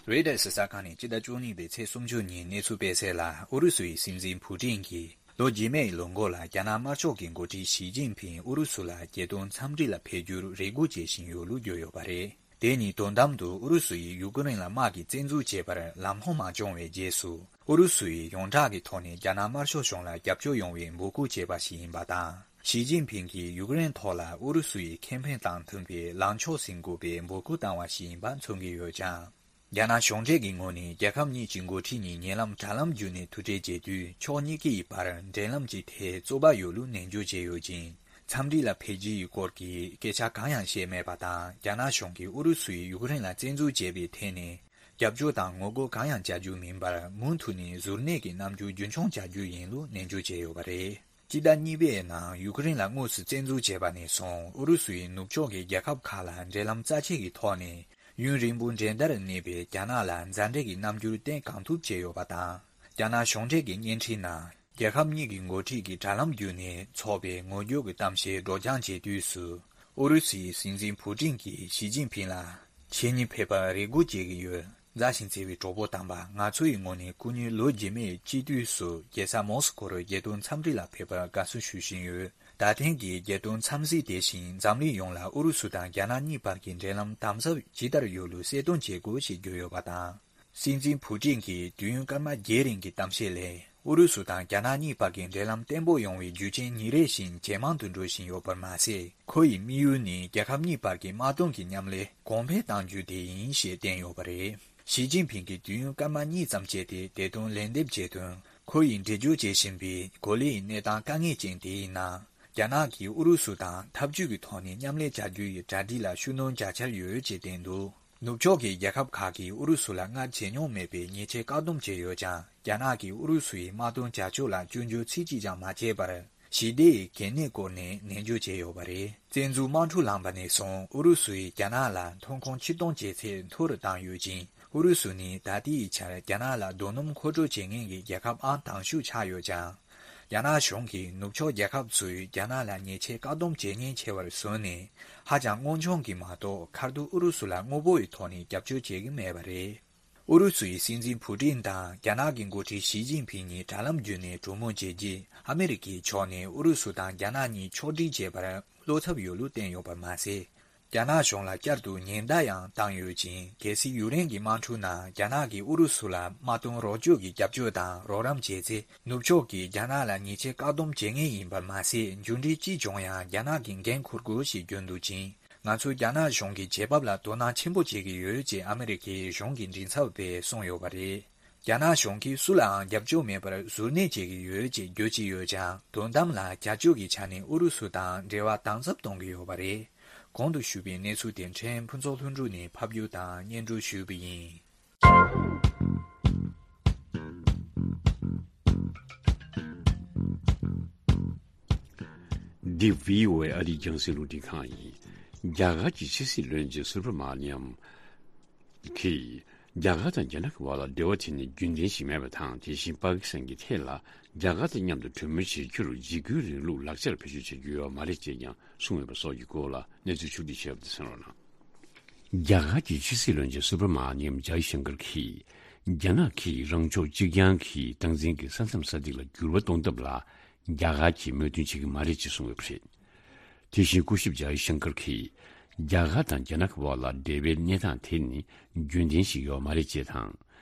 རོའི་ཊར་གསར་ཁང་ནས་སྤྱི་ཟླ་བཅུ་གཉིས་པའི་ཚེས་སུམ་ཅུ་ཉིན་གནས་ཚུལ་སྤེལ་གསལ་ལ། ཨུ་རུ་སུའི་སྲིད་འཛིན་ཕུ་ཏིན་གྱིས་ལོ་རྗེས་མའི་ལོ་འགོ་ལ་རྒྱ་ནག་དམར་ཤོག་གི་འགོ་ཁྲིད་ཞི་ཅིན་ཕིང་ཨུ་རུ་སུ་ལ་རྒྱལ་དོན་འཚམས་འདྲི་ལ་ཕེབས་རྒྱུར་རེ་སྒུག་བྱེད་བཞིན་ཡོད་ལུགས་བརྗོད་ཡོད་པ་རེད། དེ་ནི་དོན་དམ་དུ་ཨུ་རུ་སུ་ཡིས་ཡུཀ་རེན་ལ་དམག་གིས་བཙན་འཛུལ་བྱས་པར་ལམ་ལྷོང་མ་བྱུང་བའི་རྗེས་སུ། ཨུ་རུ་སུ་ཡིས་ཡོངས་གྲགས་ཀྱི་ཐོག་ནས་རྒྱ་ནག་དམར་ཤོག་གཞུང་ལ་རྒྱབ་སྐྱོར་ཡོང་བའི་འབོད་སྐུལ་བྱས་པ་ཞིག་ཡིན་པ་དང་། ཞི་ཅིན་ཕིང་གིས་ཡུཀ་རེན་ཐོག་ལ་ཨུ་རུ་སུ་ཡི་ཁེ་ཕན་དང་མཐུན་པའི་ལངས་ཕྱོགས་ཟིན་དགོས་པའི་འབོད་སྐུལ་བཏང་བ་ཞིག་ཡིན་པ་མཚོན་གྱི་ཡོད་ཀྱང་། རྒྱ་ནག་གཞུང་འབྲེལ་གྱི་ངོས་ནས་རྒྱལ་ཁབ་གཉིས་ཀྱི་འགོ་ཁྲིད་གཉིས་ཉེ་ལམ་དྲ་ལམ་བརྒྱུད་ནས་ཐུག་འཕྲད་བྱེད་དུས། ཕྱོགས་གཉིས་ཀའི་བར་འབྲེལ་ལམ་གྱི་ཐད་རྩོད་པ་ཡོད་ལུགས་ནན་བརྗོད་བྱས་ཡོད་ཅིང་། འཚམས་འདྲི་ལ་ཕེབས་རྒྱུའི་སྐོར་གྱི་སྐད་ཆ་གང་ཡང་བཤད་མེད་པ་དང་། རྒྱ་ནག་གཞུང་གིས་ཨུ་རུ་སུ་ཡིས་ཡུཀ་རེན་ལ་བཙན་འཛུལ་བྱས་པའི་ཐད་ནས་རྒྱབ་སྐྱོར་དང་ངོ་རྒོལ་གང་ཡང་བྱ་རྒྱུ་མིན་པར། མུ་མཐུད་ནས་གཟུར་གནས་ཀྱི་རྣམ་འགྱུར་རྒྱུན་འཁྱོངས་བྱ་རྒྱུ་ཡིན་ལུགས་ནན་བརྗོད་བྱས་ཡོད་པ་རེད། སྤྱི་ཟླ་གཉིས་པའི་ནང་ཡུཀ་རེན་ལ་དངོས་སུ་བཙན་འཛུལ་བྱས་པ་ནས་བཟུང་། ཨུ་རུ་སུ་ཡིས་ནུབ་ཕྱོགས་ཀྱི་རྒྱལ་ཁབ་ཁག་ལ་འབྲེལ་ལམ་རྩ་ཆེ་གི་ཐོག་ནས་ཡུན་རིང་པོ་འགྲན་ཟླར་གནས་པའི་རྒྱ་ནག་ལ་མཛའ་འབྲེལ་གྱི་རྣམ་འགྱུར་བསྟན་གང་ཐུབ་བྱས་ཡོད་པ་དང་། རྒྱ་ནག་གཞུང་འབྲེལ་གྱི་བརྙན་འཕྲིན་ནང་། རྒྱལ་ཁབ་གཉིས་ཀྱི་འགོ་ཁྲིད་ཀྱིས་དྲ་ལམ་བརྒྱུད་ནས་འཚོགས་པའི་ངོ་རྒོལ་གྱི་གཏམ་བཤད་སྒྲོག་སྦྱང་བྱེད་དུས་སུ། ཨུ་རུ་སུའི་སྲིད་འཛིན་ཕུ་ཏིན་གྱིས་ཞི་ཅིན་ཕིང་ལ། ཁྱེད་གཉིས་ཕེབས་པར་རེ་སྒུག་བྱེད་ཀྱི་ཡོད། མཛའ་ཞིང་བརྩེ་བའི་གྲོགས་པོ་དམ་པ། ང་ཚོ་ཡི་ངོས་ནས་སྐུ་ཉིད་ལོ་རྗེས་མའི་དཔྱིད་དུས་སུ་རྒྱལ་ས་མོ་སི་ཀོར་རྒྱལ་དོན་འཚམས་འདྲི་ལ་ཕེབས་པར་དགའ་བསུ་ཞུ་བཞིན་ཡོད། ད་ཐེངས་ཀྱི་རྒྱལ་དོན་འཚམས་གཟིགས་དེ་བཞིན་འཛམ་གླིང་ཡོངས་ལ་ཨུ་རུ་སུ་དང་རྒྱ་ནག་གཉིས་བར་གྱི་འབྲེལ་ལམ་དམ་ཟབ་ཇི་ལྟར་ཡོད་ལུགས་གསལ་སྟོན་བྱེད་དགོས་ཞེས་བརྗོད་ཡོད་པ་དང་། སྲིད་འཛིན་ཕུ་ཏིན་གྱི་དུས་ཡུན་སྐར་མ་བརྒྱད་རིང་གི་གཏམ་བཤད་ལས། ཨུ་རུ་སུ་དང་རྒྱ་ནག་གཉིས་བར་གྱི་འབྲེལ་ལམ་བརྟན་པོ་ཡོང་བའི་རྒྱུ་རྐྱེན་ཉིན་རེ་བཞིན་ཇེ་མང་དུ་འགྲོ་བཞིན་ཡོད་པར་མ་ཟད། ཁོ་ཡི་དམིགས་ཡུལ་ནི་རྒྱལ་ཁབ་གཉིས་བར་གྱི་དམག་དོན་གྱི་མཉམ་ལས་གོང་འཕེལ་གཏང་རྒྱུ་དེ་ཡིན་ཞེས་བསྟན་ཡོད་པ་རེད། ཞི་ཅིན་ཕིང་གིས་དུས་ཡུན་སྐར་མ་གཉིས་ཙམ་སྤྱད་དེ་བདེ་དོན་ལན་འདེབས་བྱས་དོན། ཁོ་ཡིས་འགྲེལ་བརྗོད་བྱེད་བཞིན་པའི་གོ་ལའི་གནས་སྟངས་དཀའ་ངལ་ཅན་དེའི་ནང་། རྒྱ་ནག་གིས་ཨུ་རུ་སུ་དང་འཐབ་ཇུས་ཀྱི་ཐོག་ནས་མཉམ་ལས་བྱ་རྒྱུ་ཡི་གྲ་སྒྲིག་ལ་ཤུགས་སྣོན་རྒྱག་འཆར་ཡོད་ཅེས་བསྟན་འདུག་ནུབ་ཕྱོགས་ཀྱི་རྒྱལ་ཁབ་ཁག་གིས་ཨུ་རུ་སུ་ལ་སྔར་བྱེད་མྱོང་མེད་པའི་ཉེས་ཆད་བཀག་སྡོམ་བྱས་ཡོད་ཀྱང་། རྒྱ་ནག་གིས་ཨུ་རུ་སུ་ཡི་དམག་དོན་བྱ་སྤྱོད་ལ་སྐྱོན་བརྗོད་ཚིག་གཅིག་ཀྱང་མ་བྱས་པར། ཞི་བདེ་ཡི་གལ་གནད་སྐོར་ནས་ནན་བརྗོད་བྱས་ཡོད་པ་རེད། བཙན་འཛུལ་དམག་འཁྲུག་ལངས་པ་ནས་བཟུང་ཨུ་རུ་སུ་ཡིས་རྒྱ་ནག་ལ་ཐོན་ཁུངས་ཕྱིར་གཏོང་བྱེད་ཚད་མཐོ་རུ་བཏང་ཡོད་ཅིང་། ཨུ་རུ་སུ་ནི་ད་ལྟའི་ཆར་རྒྱ་ནག་ལ་རྡོ་སྣུམ་མཁོ་སྤྲོད་བྱེད་མཁན་གྱི་རྒྱལ་ཁབ་ཨང་དང་ཤོས་ཆགས་ཡོད་ཀྱང་། རྒྱ་ནག་གཞུང་གིས་ནུབ་ཕྱོགས་རྒྱལ་ཁབ་ཚོས་རྒྱ་ནག་ལ་ཉེས་ཆད་བཀག་སྡོམ་བྱེད་མཁན་ཆེ་བར་བཟོས་ནས། ཧ་ཅང་དངོས་བྱུང་གི་མ་གཏོགས་ཁ་ཐུག་ཨུ་རུ་སུ་ལ་དངོས་པོ་ཡི་ཐོག་ནས་རྒྱབ་སྐྱོར་བྱེད་ཀྱི་མེད་པ་རེད། ཨུ་རུ་སུའི་སྲིད་འཛིན་ཕུ་ཏིན་དང་རྒྱ་ནག་གི་འགོ་ཁྲིད་ཞི་ཅིན་ཕིང་གཉིས་དྲ་ལམ་བརྒྱུད་ནས་གྲོས་མོལ་བྱས་རྗེས། ཨ་མི་རི་ཀའི་ཕྱོགས་ནས་ཨུ་རུ་སུ་དང་རྒྱ་ནག་གཉིས་ཕྱོགས་སྒྲིག་བྱས་པར་བློ་འཚབ་ཡོད་ལུགས་བསྟན་ཡོད་པ་མ་ཟད། རྒྱ་ནག་གཞུང་ལ་བསྐྱར་དུ་ཉེན་བརྡ་ཡང་བཏང་ཡོད་ཅིང་། གལ་སྲིད་ཡུཀ་རེན་གྱི་དམག་འཁྲུག་ནང་རྒྱ་ནག་གིས་ཨུ་རུ་སུ་ལ་དམག་དོན་རོགས་སྐྱོར་གྱི་རྒྱབ་སྐྱོར་དང་རོགས་རམ་བྱས་ཚེ། ནུབ་ཕྱོགས་ཀྱིས་རྒྱ་ནག་ལ་ཉེས་ཆད་བཀག་སྡོམ་བྱེད་ངེས་ཡིན་པ་མ་ཟད། མཇུག་འབྲས་ཅི་བྱུང་ཡང་རྒྱ་ནག་གིས་འགན་འཁུར་དགོས་ཞེས་བརྗོད་འདུག་ཅིང་། ང་ཚོས་རྒྱ་ནག་གཞུང་གི་བྱེད་བབ་ལ་དོ་སྣང་ཆེན་པོ་བྱེད་ཀྱི་ཡོད་ཅེས་ཨ་མི་རི་ཀའི་གཞུང་གི་མགྲིན་ཚབ་པས་གསུངས་ཡོད་པ་རེད། རྒྱ་ནག་གཞུང་གིས་སུ་ལའང་རྒྱབ་སྐྱོར་མེད་པར་གཟུར་གནས་བྱེད་ཀྱི་ཡོད་ཅེས་བརྗོད་ཀྱི་ཡོད་ཀྱང་། དོན་དམ་ལ་བྱ་སྤྱོད་ཀྱི་ཆ་ནས་ཨུ་རུ་སུ་དང་འབྲེལ་བ་དམ་ཟབ་གཏོང་གི་ཡོད་པ་རེད། གོང་དུ་ཞུས་པའི་གནས་ཚུལ་དེ་ཕྲན་ཕུན་ཚོགས་ལྷུན་གྲུབ་ནས་ཕབ་སྒྱུར་དང་སྙན་སྒྲོན་ཞུས་པ་ཡིན། འདི་བྷི་ཨོ་ཨེ་ཨ་རིའི་རྒྱང་སྲིང་རླུང་འཕྲིན་ཁང་ཡིན། རྒྱ་གར་གྱི་ཕྱི་སྲིད་བློན་ཆེན་སུ་བྷ་མ་ནི་ཡམ། གིས། རྒྱ་གར་དང་རྒྱ་ནག་གི་བར་ལ་འབྲེལ་བ་དེ་ནི་རྒྱུན་ལྡན་ཞིག་མེད་པ་དང་། དེ་བཞིན་པ་ཀི་སི་ཐན་གྱི་ཐད་ལ་རྒྱ་གར་དང་མཉམ་དུ་གྲོས་མོལ་བྱེད་རྒྱུར་འཇིགས་སྐུལ་རིང་ལུགས་ལག་ཆར་བེད་སྤྱོད་བྱེད་རྒྱུ་ཡོད་མ་རེད་ཅེས་ཀྱང་གསུངས་ཡོད་པ་སོགས་ཀྱི་སྐོར་ལ་གནས་ཚུལ་ཕྱོགས་བསྒྲིགས་བྱས་པ་དེ་གསན་རོགས་གནང་། རྒྱ་གར་གྱི་ཕྱི་སྲིད་བློན་ཆེན་སུ་བྷ་མ་ནི་ཡམ་ཇའི་ཤང་ཀར་གྱིས། རྒྱ་ནག་གིས་རང་ཕྱོགས་གཅིག་རྐྱང་གི་སྟངས་འཛིན་གྱི་ས་མཚམས་ས་ཐིག་ལ་འགྱུར་བ་གཏོང་ཐབས་ལ་རྒྱ་གར་གྱིས་མོས་མཐུན་བྱེད་ཀྱི་མ་རེད་ཅེས་གསུངས་ཡོད་པ་རེད། དེ་བཞིན་སྐུ་ཞབས་ཇའི་ཤང་ཀར་གྱིས། རྒྱ་གར་དང་རྒྱ་ནག་གི་བར་ལ་འབྲེལ་བའི་གནས་སྟངས་དེ་ནི་རྒྱུན་ལྡན་ཞིག་ཡོད་མ་རེད་ཅེས་དང་།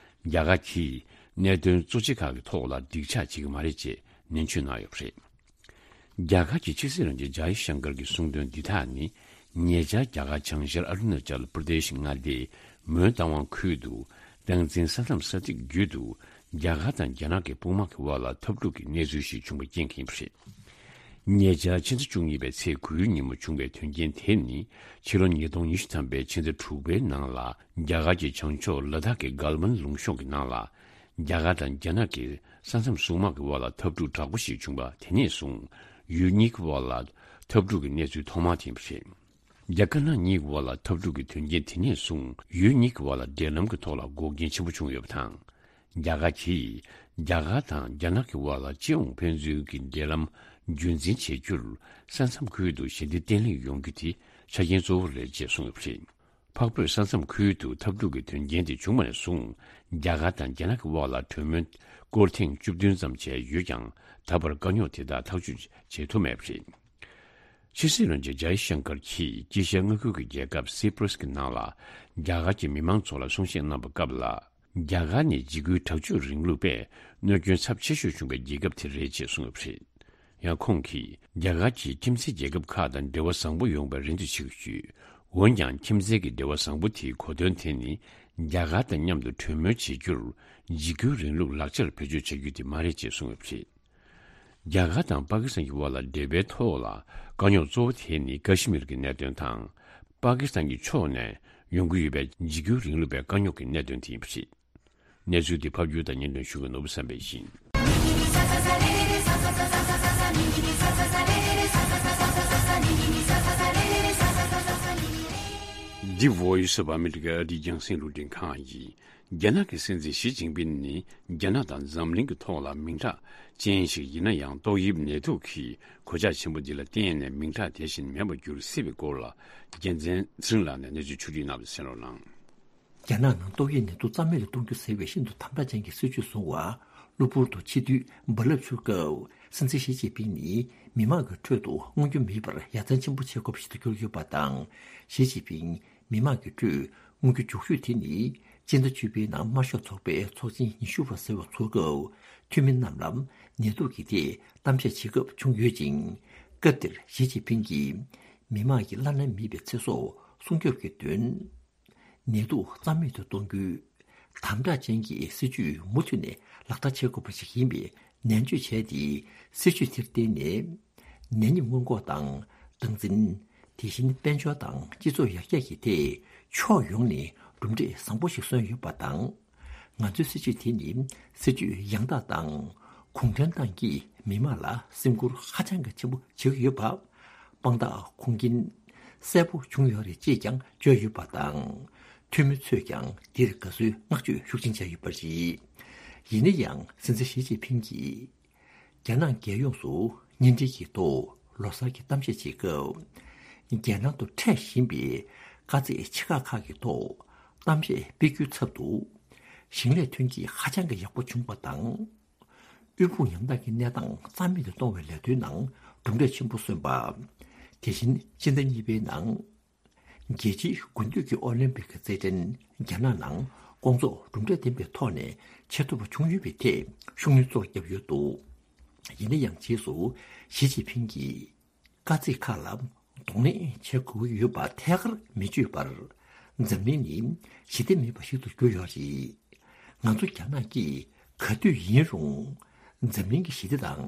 རྒྱ་གར་གྱིས་གནད་དོན་གཙོ་ཆེ་ཁག་གི་ཐོག་ལ་འགྲིག་ཆགས་བྱེད་ཀྱི་མ་རེད་ཅེས་ནན་བརྗོད་གནང་ཡོད་པ་རེད། རྒྱ་གར་གྱི་ཕྱི་སྲིད་བློན་ཆེན་ཇའི་ཤང་ཀར་གྱི་གསུང་དོན་འདི་དག་ནི། ཉེ་ཆར་རྒྱ་གར་བྱང་ཤར་ཨ་རུ་ན་ཅལ་པར་དེ་ཤི་མངའ་སྡེའི་མོན་རྟ་དབང་ཁུལ་དུ། སྟངས་འཛིན་ས་མཚམས་ས་ཐིག་བརྒྱུད་དུ། རྒྱ་གར་དང་རྒྱ་ནག་གི་དཔུང་དམག་གི་དབར་ལ་འཐབ་འཁྲུག་གི་གནས་ཚུལ་ཞིག་བྱུང་བ་རྐྱེན་གྱིས་ཡིན་པ་རེད། ཉེ་ཆར་ཕྱི་ཟླ་བཅུ་གཉིས་པའི་ཚེས་དགུའི་ཉིན་མོ་བྱུང་བའི་དོན་རྐྱེན་དེ་ནི། ཕྱི་ལོ་ཉིས་སྟོང་ཉི་ཤུ་ཐམ་པའི་ཕྱི་ཟླ་དྲུག་པའི་ནང་ལ། རྒྱ་གར་གྱི་བྱང་ཕྱོགས་ལ་དྭགས་ཀྱི་གལ་ཝན་ལུང་གཤོང་གི་ནང་ལ། རྒྱ་གར་དང་རྒྱ་ནག་གི་ས་མཚམས་སྲུང་དམག་གི་དབར་ལ་འཐབ་འཁྲུག་དྲག་པོ་ཞིག་བྱུང་བ་དེ་ནས་བཟུང་། ཡུལ་གཉིས་ཀྱི་དབར་ལ་འཐབ་འཁྲུག་གི་གནས་ཚུལ་ཐོག་མ་དེ་ཡིན་པ་རེད། རྒྱ་དཀར་ནག་གཉིས་ཀྱི་དབར་ལ་འཐབ་འཁྲུག་གི་དོན་རྐྱེན་དེ་ནས་བཟུང་ཡུལ་གཉིས་ཀྱི་དབར་ལ་འབྲེལ་ལམ་གྱི་ཐོག་ལ་འགོག་རྐྱེན་ཆེན་པོ་བྱུང་ཡོད་པ་དང་། རྒྱ་གར་གྱིས་རྒྱ་གར་དང་རྒྱ་ནག་གི་དབར་ལ་སྤྱི་ཡོངས་ཕན་ཚུན་གྱི་འབྲེལ་ལམ་རྒྱུན་འཛིན་བྱེད་རྒྱུར་ས་མཚམས་ཁུལ་དུ་ཞི་བདེ་བརྟན་ལྷིང་ཡོང་རྒྱུ་དེ་ཆ་རྐྱེན་གཙོ་བོ་རེད་ཅེས་གསུངས་ཡོད་པ་རེད། འཕགས་བོད་ས་མཚམས་ཁུལ་དུ་འཐབ་འཁྲུག་གི་དོན་རྐྱེན་དེ་བྱུང་བ་ནས་བཟུང་རྒྱ་གར་དང་རྒྱ་ནག་གི་དབར་ལ་གྲོས་མོལ་སྐོར་ཐེངས་བཅུ་བདུན་ཙམ་བྱས་ཡོད་ཀྱང་། ད་བར་དཀའ་རྙོག་དེ་དག་ཐག་གཅོད་བྱེད་ཐུབ་མེད་པ་རེད། ཕྱི་སྲིད་བློན་ཆེན་ཇའི་ཤང་ཀར་གྱིས་དཀྱིལ་ཤར་མངའ་ཁུལ་གྱི་རྒྱལ་ཁབ་སི་པྲ་སི་གི་ནང་ལ་རྒྱ་གར་གྱི་མི་མང་ཚོ་ལ་གསུང་བཤད་གནང་བའི་སྐབས་ལ། རྒྱ་གར་ནི་འཇིགས་སྐུལ་དྲག་སྤྱོད་རིང་ལུགས་པས་གནོད་སྐྱོན་ཚབས་ཆེ་ཤོས་བྱུང་བའི་རྒྱལ་ཁབ་དེ་རེད་ཅེས་གསུངས་ཡོད་པ་རེད། ཡང་ཁོང་གིས་རྒྱ་གར་གྱིས་ཁྱིམ་མཚེས་རྒྱལ་ཁབ་ཁག་དང་འབྲེལ་བ་བཟང་པོ་ཡོང་བའི་རེ་འདུན་བྱེད་ཀྱི་ཡོད། འོན་ཀྱང་ཁྱིམ་མཚེས་ཀྱི་འབྲེལ་བ་བཟང་པོ་དེའི་གོ་དོན་དེ་ནི་རྒྱ་གར་དང་མཉམ་དུ་གྲོས་མོལ་བྱེད་རྒྱུར་འཇིགས་སྐུལ་རིང་ལུགས་ལག་ཆར་བེད་སྤྱོད་བྱ་རྒྱུ་དེ་མ་རེད་ཅེས་གསུངས་ཡོད་པ་རེད། རྒྱ་གར་དང་པ་ཀི་སི་ཐན་གྱི་དབར་ལ་འབྲེལ་བའི་ཐོག་ལ་དཀའ་རྙོག་གཙོ་བོ་དེ་ནི་ཀ་ཤི་མིར་གྱི་གནད་དོན་དང་། པ་ཀི་སི་ཐན་གྱི་ཕྱོགས་ནས་ཡོང་གི་ཡོད་པའི་འཇིགས་སྐུལ་རིང་ལུགས་པའི་དཀའ་རྙོག་གི་གནད་དོན་དེ་ཡིན་པ་རེད། གནས་ཚུལ་འདི་ཕབ་སྒྱུར་དང་སྙན་སྒྲོན་ཞུ་མཁན་ནོར་བུ་བསམ་འཕེལ་ཡིན། འདི་Voice of America ཨ་རིའི་རྒྱང་སྲིང་རླུང་འཕྲིན་ཁང་ཡིན། རྒྱ་ནག་གི་སྲིད་འཛིན་ཞི་ཅིན་ཕིན་ནི་རྒྱ་ནག་དང་འཛམ་གླིང་གི་ཐོག་ལ་མིང་གྲགས་ཅན་ཞིག་ཡིན་ན་ཡང་། ཏོག་དབྱིབས་ནད་དུག་གི་གོད་ཆག་ཆེན་པོ་འདི་ལ་བརྟེན་ནས་མིང་གྲགས་དེ་བཞིན་མེད་པར་འགྱུར་སྲིད་པའི་སྐོར་ལ། རྒྱལ་མཚན་ཚེ་རིང་ལགས་ནས་གནས་ཚུལ་ཕྱོགས་བསྒྲིགས་གནང་བ་གསན་རོགས་གནང་། རྒྱ་ནག་ནང་ཏོག་དབྱིབས་ནད་དུག་རྩ་མེད་ལ་གཏོང་རྒྱུ་ཟེར་བའི་ཤིན་ཏུ་དམ་དྲག་ཅན་གྱི་སྲིད་བྱུས་བཟུང་བ། གློ་བུར་དུ་ཕྱི་དུས་རྦ་རླབས་འཕྱུར་སྐབས། སྲིད་འཛིན་ཞི་ཅིན་ཕིང་ནི་མི་དམངས་ཀྱི་ཁྲོད་དུ་མངོན་རྒྱུ་མེད་པར་ཡ་མཚན་ཆེན་པོ་བྱེད་དགོས་པ་ཞིག་ཏུ་གྱུར་ཡོད་པ་དང་། ཞི་ཅིན་ཕིང་མི་དམངས་ཀྱི་ཁྲོད་མངོན་རྒྱུ་མགྱོགས་ཤོས་དེ་ནི། སྤྱི་ཟླ་བཅུ་པའི་ནང་དམར་ཤོག་ཚོགས་པའི་ཚོགས་ཆེན་ཉི་ཤུ་པ་ཟེར་བ་ཚོགས་སྐབས། འཐུས་མི་རྣམས་ལ་ནད་དུག་གི་ཐད་གཏམ་བཤད་བྱེད་སྐབས་བྱུང་ཡོད་ཅིང་། སྐབས་དེར་ཞི་ཅིན་ཕིང་གིས་མི་དམངས་ཀྱི་བླ་ན་མེད་པའི་ཚེ་སྲོག་སྲུང་སྐྱོབ་ཀྱི་དོན། ནད་དུག་རྩ་མེད་དུ་གཏོང་རྒྱུའི་དམ་དྲག་ཅན་གྱི་སྲིད་ཇུས་མུ་མཐུད་ནས་ལག་བསྟར་བྱེད་དགོས་པ་ཞིག་ཡིན་པའི་ནན་བརྗོད་བྱས་ཏེ། སྲིད་ཇུས་དེར་བརྟེན་ནས་ནད་ཡམས་སྔོན་འགོག་དང་སྟངས་འཛིན། དེ་བཞིན་དཔལ་འབྱོར་དང་སྤྱི་ཚོགས་ཡར་རྒྱས་ཀྱི་ཐད་ཕྱོགས་ཡོངས་ནས་ གྲུབ་འབྲས་བཟང་པོ་ཞིག་སོན་ཡོད་པ་དང་། ང་ཚོའི་སྲིད་བྱུས་དེ་ནི་སྲིད་བྱུས་ཡང་དག་དང་གུང་ཁྲན་ཏང་གིས་མི་དམངས་ལ་སེམས་ཁུར་ཧ་ཅང་གི་ཆེན་པོ་བྱེད་ཀྱི་ཡོད་པ། དཔང་རྟགས་ཁུངས་སྐྱེལ་གསལ་པོ་བྱུང་ཡོད་རེད་ཅེས་ཀྱང་བརྗོད་ཡོད་པ་དང་། འཐུས་མི་ཚོས་ཀྱང་འདིར་དགའ་བསུའི་བསྔགས་བརྗོད་ཤུགས་ཆེན་བྱས་ཡོད་པ་རེད། ཡིན་ན་ཡང་སྲིད་འཛིན་ཞི་ཅིན་ཕིང་གིས། རྒྱ་ནག་རྒྱལ་ཡོངས་སུ་བརྙན་འཕྲིན་གྱི་ཐོག་ལོ་གསར་གྱི་གཏམ་བཤད་བྱེད་སྐབས། རྒྱལ་ནང་དུ་འཕྲད་བཞིན་པའི་དཀའ་ཚེགས་ཆེ་ཁག་ཁག་གི་ཐོག་གཏམ་བཤད་སྤེལ་རྒྱུའི་ཚབ་ཏུ། ཞིང་ལས་ཐོན་སྐྱེད་ཧ་ཅང་གི་ཡག་པོ་བྱུང་བ་དང་། དབུལ་ཕོངས་ཡང་དག་གི་གནས་སྟངས་རྩ་མེད་དུ་གཏོང་བའི་ལས་དོན་ནང་གྲུབ་འབྲས་ཆེན་པོ་སོན་པ། དེ་བཞིན་སྤྱི་ཟླ་གཉིས་པའི་ནང་། རྒྱལ་སྤྱིའི་དགུན་དུས་ཀྱི་ཨོ་ལིམ་པིག་གི་རྩེད་འགྲན་རྒྱ་ནག་ནང་སྐོང་ཚོགས་གྲུབ་འབྲས་ལྡན་པའི་ཐོག་ནས་བྱེད་ཐུབ་པ་བྱུང་ཡོད་པའི་ཐད་ཤུགས་སྣོན་གཙོ་བོར་བརྒྱབ་ཡོད་འདུག་ཡིན་ན་ཡང་རྗེས་སུ་ཞི་ཅིན་ཕིང་གིས། དཀའ་ཚེགས་ཁག་ལ་གདོང་ལེན་བྱེད་དགོས་ཀྱི་ཡོད་པ་ཐད་ཀར་མི་བརྗོད་པར། འཛམ་གླིང་ནི་ཞི་བདེ་མེད་པ་ཞིག་ཏུ་གྱུར་ཡོད་རེད། ང་ཚོ་རྒྱ་ནག་གིས་ག་དུས་ཡིན་རུང་། འཛམ་གླིང་གི་ཞི་བདེ་དང་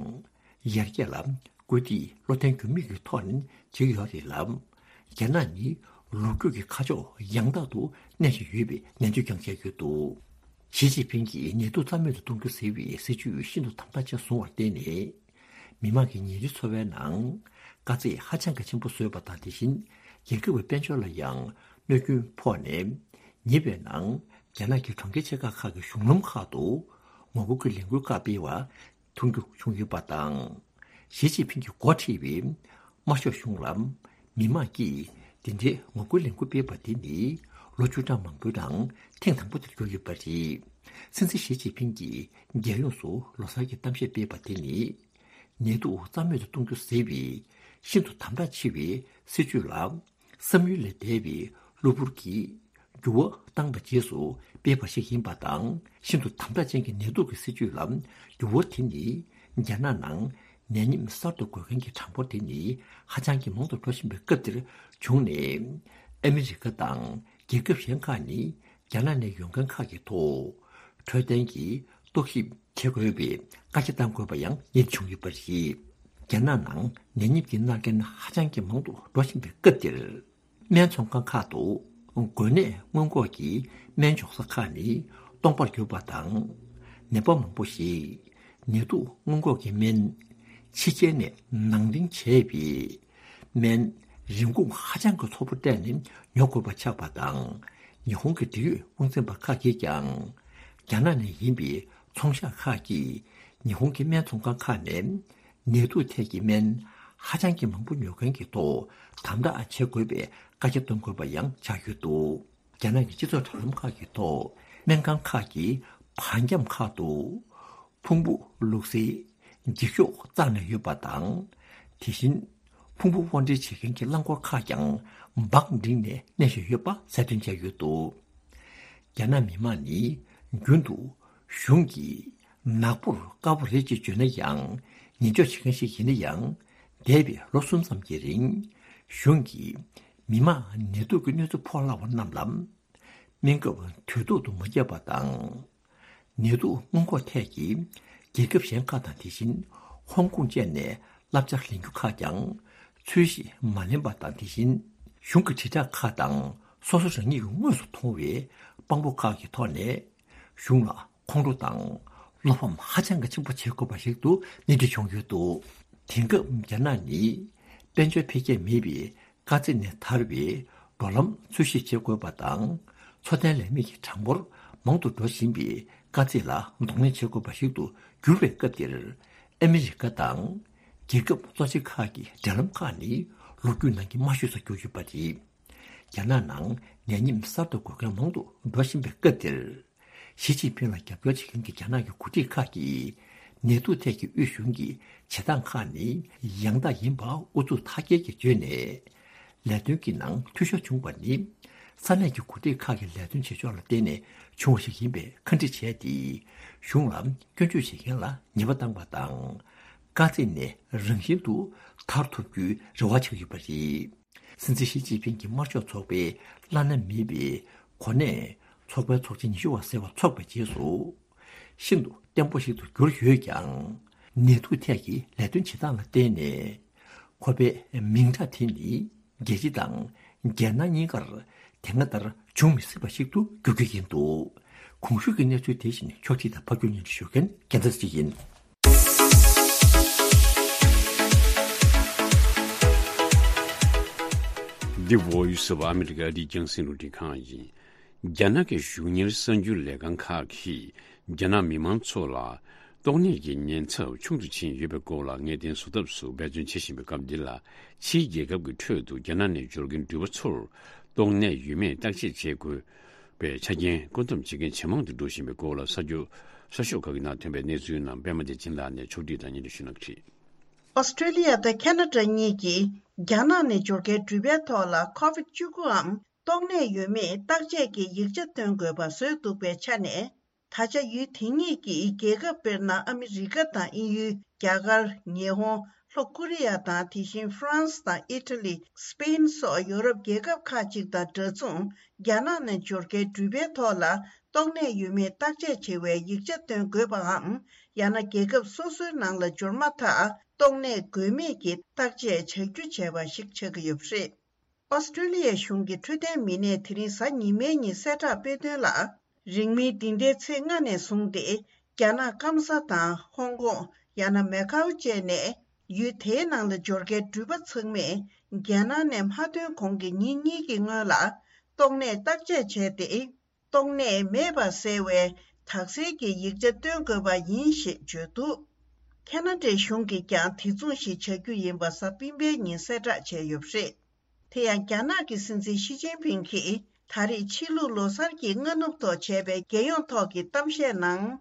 ཡར་རྒྱས་ལ་སྐུལ་འདེད་བློ་བརྟན་འགྱུར་མེད་ཀྱི་ཐོག་ནས་བྱེད་ཀྱི་ཡོད་རེད་ལ། རྒྱ་ནག་ནི་ལོ་རྒྱུས་ཀྱི་ཁ་ཕྱོགས་ཡང་དག་ཏུ་གནས་བཞིན་ཡོད་པའི་ནན་བརྗོད་ཀྱང་བྱས་ཡོད་འདུག་ཞི་ཅིན་ཕིང་གིས་ནད་དུག་རྩ་མེད་དུ་གཏོང་རྒྱུ་ཟེར་བའི་སྲིད་ཇུས་ཤིན་ཏུ་དམ་དྲག་ཆེ་བཟུང་བར་བརྟེན་ནས། མི་དམངས་ཀྱི་ཉིན་རེའི་འཚོ་བའི་ནང་དཀའ་ཚེགས་ཧ་ཅང་གི་ཆེན་པོ་བཟོས་པ་དང་། དེ་བཞིན་རྒྱལ་ཁབ་ཀྱི་དཔལ་འབྱོར་ལ་ཡང་གནོད་སྐྱོན་ཕོག་ནས། ཉེ་བའི་ནང་རྒྱ་ནག་གི་གྲོང་ཁྱེར་ཆེ་ཁག་ཁག་གི་གཞུང་ལམ་ཁག་ཏུ་ངོ་རྒོལ་གྱི་ལས་འགུལ་ཁག་སྤེལ་བ་མཐོང་རྒྱུ་བྱུང་ཡོད་པ་དང་། ཞི་ཅིན་ཕིང་གིས་འགོ་ཁྲིད་པའི་དམར་ཤོག་གཞུང་ལ་མི་དམངས་ཀྱིས་འདི་འདྲའི་ངོ་རྒོལ་ལས་འགུལ་སྤེལ་བ་དེ་ནི་ལོ་བཅུ་ཕྲག་མང་པོའི་ནང་ཐེངས་དང་པོ་དེར་གྱུར་ཡོད་པ་རེད། སྲིད་འཛིན་ཞི་ཅིན་ཕིང་གིས་རྒྱལ་ཡོངས་སུ་ལོ་གསར་གྱི་གཏམ་བཤད་སྤེལ་བ་དེ་ནི། ནད་དུག་རྩ་མེད་དུ་གཏོང་རྒྱུ་ཟེར་བའི་ཤིན་ཏུ་དམ་དྲག་ཆེ་བའི་སྲིད་ཇུས་ལ། བསམ་ཡུལ་ལས་འདས་པའི་གློ་བུར་གྱི་འགྱུར་བ་བཏང་བའི་རྗེས་སུ་སྤེལ་བ་ཞིག་ཡིན་པ་དང་། ཤིན་ཏུ་དམ་དྲག་ཅན་གྱི་ནད་དུག་གི་སྲིད་ཇུས་ལ་འགྱུར་བ་དེ་ནི། རྒྱ་ནག་ནང་ནད་ཡམས་གསར་དུ་འགོས་མཁན་གྱི་གྲངས་འབོར་དེ་ནི་ཧ་ཅང་གི་མང་དུ་འགྲོ་བཞིན་པའི་སྐབས་འདིར་བྱུང་ནས། ཨ་མི་རི་ཀ་དང་རྒྱལ་ཁབ་གཞན་ཁག་ནི། རྒྱ་ནག་ནས་ཡོང་མཁན་ཁག་གི་ཐོག་འཕྲོད་བསྟེན་གྱི་རྟོག་ཞིབ་བྱེད་དགོས་པའི་བཀའ་རྒྱ་བཏང་དགོས་པ་ཡང་རྙེད་བྱུང་ཡོད་པ་རེད། རྒྱ་ནག་ནང་ནད་ཡམས་ཀྱི་མནར་མཁན་ཧ་ཅང་གི་མང་དུ་འགྲོ་བཞིན་པའི་སྐབས་འདིར། སྨན་ཚོང་ཁང་ཁག་ཏུ་འགོས་ནད་སྔོན་འགོག་གི་སྨན་འཇོག་ས་ཁག་ནི་སྟོང་པར་གྱུར་པ་དང་། ནད་པ་མང་པོ་ཞིག་ནད་དུག་སྔོན་འགོག་གི་སྨན་ཕྱི་རྒྱལ་ནས་ནང་འདྲེན་བྱས་པའི་སྨན་རིན་གོང་ཧ་ཅང་གི་མཐོ་པོ་སྤྲད་ནས་ཉོ་དགོས་པ་ཆགས་པ་དང་། ཉི་ཧོང་གི་འབྲེལ་ཡོད་དབང་འཛིན་པ་ཁག་གིས་ཀྱང་། རྒྱ་ནག་ནས་ཡིན་པའི་ཚོང་ཤག་ཁག་གིས་ཉི་ཧོང་གི་སྨན་ཚོང་ཁང་ཁག་ནས་ནད་དུག་ཐད་ཀྱི་སྨན་ཧ་ཅང་གི་མང་པོ་ཉོ་མཁན་གྱི་ཐོག་དམ་དྲག་བྱེད་དགོས་པའི་བཀའ་རྒྱ་གཏོང་དགོས་པ་ཡང་ཆགས་ཡོད་འདུག་རྒྱ་ནག་གི་སྤྱི་ཚོགས་དྲ་ལམ་ཁག་གི་ཐོག་སྨན་ཁང་ཁག་གི་བར་འཁྱམས་ཁག་ཏུ་ཕུང་པོ་བླུགས་སའི་འགྱིག་ཤོག་བཙགས་ནས་ཡོད་པ་དང་། དེ་བཞིན་ཕུང་པོ་དབོར་འདྲེན་བྱེད་མཁན་གྱི་རླངས་འཁོར་ཁག་ཀྱང་འབག་བསྒྲིགས་ནས་གནས་བཞིན་ཡོད་པ་གསལ་སྟོན་བྱས་ཡོད་འདུག་རྒྱ་ནག་མི་དམངས་ནི་རྒྱུན་དུ་གཞུང་གི་ནག་པོར་དཀར་པོ་རེད་ཅེས་བརྗོད་ན་ཡང་། ཉེས་འཇོག་བྱེད་མཁན་ཞིག་ཡིན་ན་ཡང་། འདས་པའི་ལོ་གསུམ་ཙམ་གྱི་རིང་། གཞུང་གིས་མི་དམངས་ནད་དུག་གི་གནོད་འཚེ་ཕོག་སླ་བ་རྣམས་ལ། སྨན་ཁབ་དུས་ཐོག་ཏུ་མ་བརྒྱབ་པ་དང་། ནད་དུག་སྔོན་འགོག་ཐད་ཀྱི་རྒྱལ་ཁབ་གཞན་ཁག་དང་། དེ་བཞིན་ཧོང་ཀོང་བཅས་ནས་བསླབ་བྱ་ལེན་རྒྱུ་ཁག་ཀྱང་ཚུལ་བཞིན་མ་ལེན་པ་དང་། དེ་བཞིན་གཞུང་གི་དྲིལ་བསྒྲགས་ཁག་དང་སོ་སོ་རང་ཉིད་ཀྱིས་དངོས་སུ་མཐོང་བའི་དཔང་པོ་ཁག་གི་ཐོག་ནས། གཞུང་ལ་ཁོང་ཁྲོ་དང་བློ་ཕམ་ཧ་ཅང་གི་ཆེན་པོ་བྱེད་དགོས་པ་ཞིག་ཏུ་སྣེ་ཁྲིད་བྱུང་ཡོད་འདུག་དེང་སྐབས་རྒྱ་ནག་ནི་དཔལ་འབྱོར་འཕེལ་རྒྱས་མེད་པའི་དཀའ་ཚེགས་ནས་ཐར་བའི་འགྲོ་ལམ་འཚོལ་ཞིབ་བྱེད་དགོས་པ་དང་། འཚོ་རྟེན་ལས་མེད་ཀྱི་གྲངས་འབོར་མང་དུ་འགྲོ་བཞིན་པའི་དཀའ་ཚེགས་ལ་གདོང་ལེན་བྱེད་དགོས་པ་ཞིག་ཏུ་གྱུར་བའི་སྐབས་འདིར། ཨ་མི་རི་ཀ་དང་རྒྱལ་ཁབ་གཙོ་ཆེ་ཁག་གི་འབྲེལ་ལམ་ཁག་ནི་ལོ་རྒྱུས་ནང་གི་དམའ་ཤོས་སུ་གྱུར་ཡོད་པ་རེད། རྒྱ་ནག་ནང་ནད་ཡམས་གསར་དུ་འགོས་མཁན་མང་དུ་འགྲོ་བཞིན་པའི་སྐབས་འདིར། ཞི་ཅིན་ཕིང་ལ་རྒྱབ་སྐྱོར་བྱེད་མཁན་གྱི་རྒྱ་ནག་གི་འགོ་ཁྲིད་ཁག་གིས། ནད་དུག་ཐད་ཀྱི་དབུས་གཞུང་གི་བྱེད་སྟངས་ཁག་ནི་ཡང་དག་ཡིན་པ་ཨུ་ཚུགས་མཐའ་སྐྱེལ་གྱིས་བརྗོད་ནས། ལས་དོན་གྱི་ནང་འཐུས་ཤོར་བྱུང་བ་ནི། ས་གནས་ཀྱི་འགོ་ཁྲིད་ཁག་གི་ལས་དོན་བྱེད་ཕྱོགས་ལ་བརྟེན་ནས་བྱུང་བ་ཞིག་ཡིན་པའི་ཁ་འདྲི་བྱས་ཏེ། གཞུང་ལ་སྐྱོན་བརྗོད་བྱེད་མཁན་ལ་ཉེས་པ་བཏང་བ་དང་། དཀའ་ཚེགས་ནས་རང་བཞིན་དུ་ཐར་ཐུབ་རྒྱུའི་རེ་བ་བྱེད་ཀྱི་ཡོད་པ་རེད། སྲིད་འཛིན་ཞི་ཅིན་ཕིང་གི་དམར་ཤོག་ཚོགས་པའི་བླ་ན་མེད་པའི་གོ་གནས་ཚོགས་པའི་ཚོགས་ཆེན་ཉི་ཤུ་བ་ཟེར་བ་འཚོགས་པའི་རྗེས་སུ། ཤིན་ཏུ་བརྟན་པོ་ཞིག་ཏུ་གྱུར་ཡོད་ཀྱང་། ནད་དུག་ཐད་ཀྱི་ལས་དོན་བྱེད་སྟངས་ལ་བརྟེན་ནས། ཁོ་པའི་མིང་གྲགས་དེ་ནི་རྒྱལ་སྤྱི་དང་རྒྱལ་ནང་གཉིས་ཀར་དེ་སྔ་ལྟར་ འབྱུང་མི་སྲིད་པ་ཞིག་ཏུ་འགྱུར་གྱི་ཡིན་འདུག་གོང་ཞུས་ཀྱི་གནས་ཚུལ་དེ་བཞིན་ཕྱོགས་སྒྲིག་དང་ཕབ་སྒྱུར་སྙན་སྒྲོན་ཞུ་མཁན་རྒྱལ་མཚན་ཅིག་ཡིན། The Voice of America ཨ་རིའི་རྒྱང་སྲིང་རླུང་འཕྲིན་ཁང་ཡིན། རྒྱ་ནག་གི་གཞུང་གཉེར་གསར་འགྱུར་ལས་ཁང་ཁག་གིས་རྒྱ་ནག་མི་མང་ཚོ་ལ་ཏོག་ནད་ཀྱི་ཉེན་ཚབས་ཆུང་དུ་ཕྱིན་ཡོད་པའི་སྐོར་ལ་ངེས་གཏན་བཟོ་ཐབས་སུ་འབད་བརྩོན་བྱེད་བཞིན་པའི་སྐབས་འདི་ལ། ཕྱིའི་རྒྱལ་ཁབ་ཀྱི་ཁྲོད་དུ་རྒྱ་ནག་ནས་འབྱོར་མཁན་འགྲུལ་པ་ཚོར་ཏོག་ནད་ཡོད་མེད་བརྟག་དཔྱད་བྱེད་དགོས་པའི་ཆ་རྐྱེན་བཀོད་འདོམས་བྱེད་མཁན་ཇེ་མང་དུ་འགྲོ་བཞིན་པའི་སྐོར་ལ་གསར་འགྱུར་གསར་ཤོག་ཁག་གི་ནང་ཐོན་པའི་གནས་ཚུལ་རྣམས་པད་མ་བདེ་ཆེན་ལགས་ནས་ཕྱོགས་སྒྲིག་དང་སྙན་སྒྲོན་ཞུ་གནང་གི་རེད། ཨོ་སི་ཀྲི་ལི་ཡ་དང་ཁེ་ན་ཌ་གཉིས་ཀྱིས་རྒྱ་ནག་ནས་འབྱོར་མཁན་འགྲུལ་པའི་ཐོག་ལ་ཀོ་ཝིད་བཅུ་དགུའམ་ཏོག་ནད་ཡོད་མེད་བརྟག་དཔྱད་ཀྱི་ཡིག་ཆ་སྟོན་དགོས་པ་བཟོས་འདུག་པའི་ཆ་ནས། ད་ཆ་ཡུལ་དེ་གཉིས་ཀྱི་རྒྱལ་ཁབ་དཔེར་ན་ཨ་མི་རི་ཀ་དང་དབྱིན་ཡུལ། རྒྱ་གར། ཉི་ཧོང་། ལྷོ་ཀོ་རི་ཡ་དང་དེ་བཞིན་ཧྥ་རན་སི་དང་ཨི་ཊ་ལི། སི་པེན་སོགས་ཡོ་རོབ་རྒྱལ་ཁབ་ཁག་ཅིག་དང་འདྲ་མཚུངས་རྒྱ་ནག་ནས་འབྱོར་མཁན་འགྲུལ་པའི་ཐོག་ལ་ཏོག་ནད་ཡོད་མེད་བརྟག་དཔྱད་བྱེད་པའི་ཡིག་ཆ་སྟོན་དགོས་པའམ། ཡང་ན་རྒྱལ་ཁབ་སོ་སོའི་ནང་ལ་འབྱོར་མ་ཐག་ཏོག་ནད་དགོས་མེད་ཀྱི་བརྟག་དཔྱད་བྱ་རྒྱུ་བྱས་པ་ཞིག་ཆགས་ཀྱི་ཡོད་པ་རེད། ཨོ་སི་ཀྲི་ལི་ཡའི་གཞུང་གི་འཕྲོད་བསྟེན་མི་སྣས་དེ་རིང་གཟའ་ཉི་མའི་ཉིན་གསལ་བསྒྲགས་སྤེལ་དོན་ལ། རིང་མིན་འདི་ཟླའི་ཚེས་ལྔ་ནས་བཟུང་སྟེ། རྒྱ་ནག་སྐམ་ས་དང་ཧོང་ཀོང་། ཡང་ན་མེ་ཁའུ་བཅས་ནས། ཡུལ་དེའི་ནང་ལ་འབྱོར་མཁན་འགྲུལ་པ་ཚང་མས། རྒྱལ་ནང་ནས་མ་ཐོན་གོང་གི་ཉིན་གཉིས་ཀྱི་སྔོན་ལ། ཏོག་ནད་བརྟག་དཔྱད་བྱས་ཏེ། ཏོག་ནད་མེད་པ་གསལ་བའི་དག་སེལ་གྱི་ཡིག་ཆ་སྟོན་དགོས་པ་ཡིན་ཞེས་བརྗོད་འདུག་ཁེ་ན་ཌའི་གཞུང་གིས་ཀྱང་དེ་མཚུངས་ཤིག་བྱ་རྒྱུ་ཡིན་པ་གཟའ་སྤེན་པའི་ཉིན་གསལ་བསྒྲགས་བྱས་ཡོད་པ་རེད། དེ་ཡང་རྒྱ་ནག་གི་སྲིད་འཛིན་ཞི་ཅིན་ཕིང་གིས་ད་རེས་ཕྱི་ལུགས་ལོ་གསར་གྱི་སྔ་ནུབ་ཐོག་བྱས་པའི་རྒྱལ་ཡོངས་ཐོག་གི་གཏམ་བཤད་ནང་།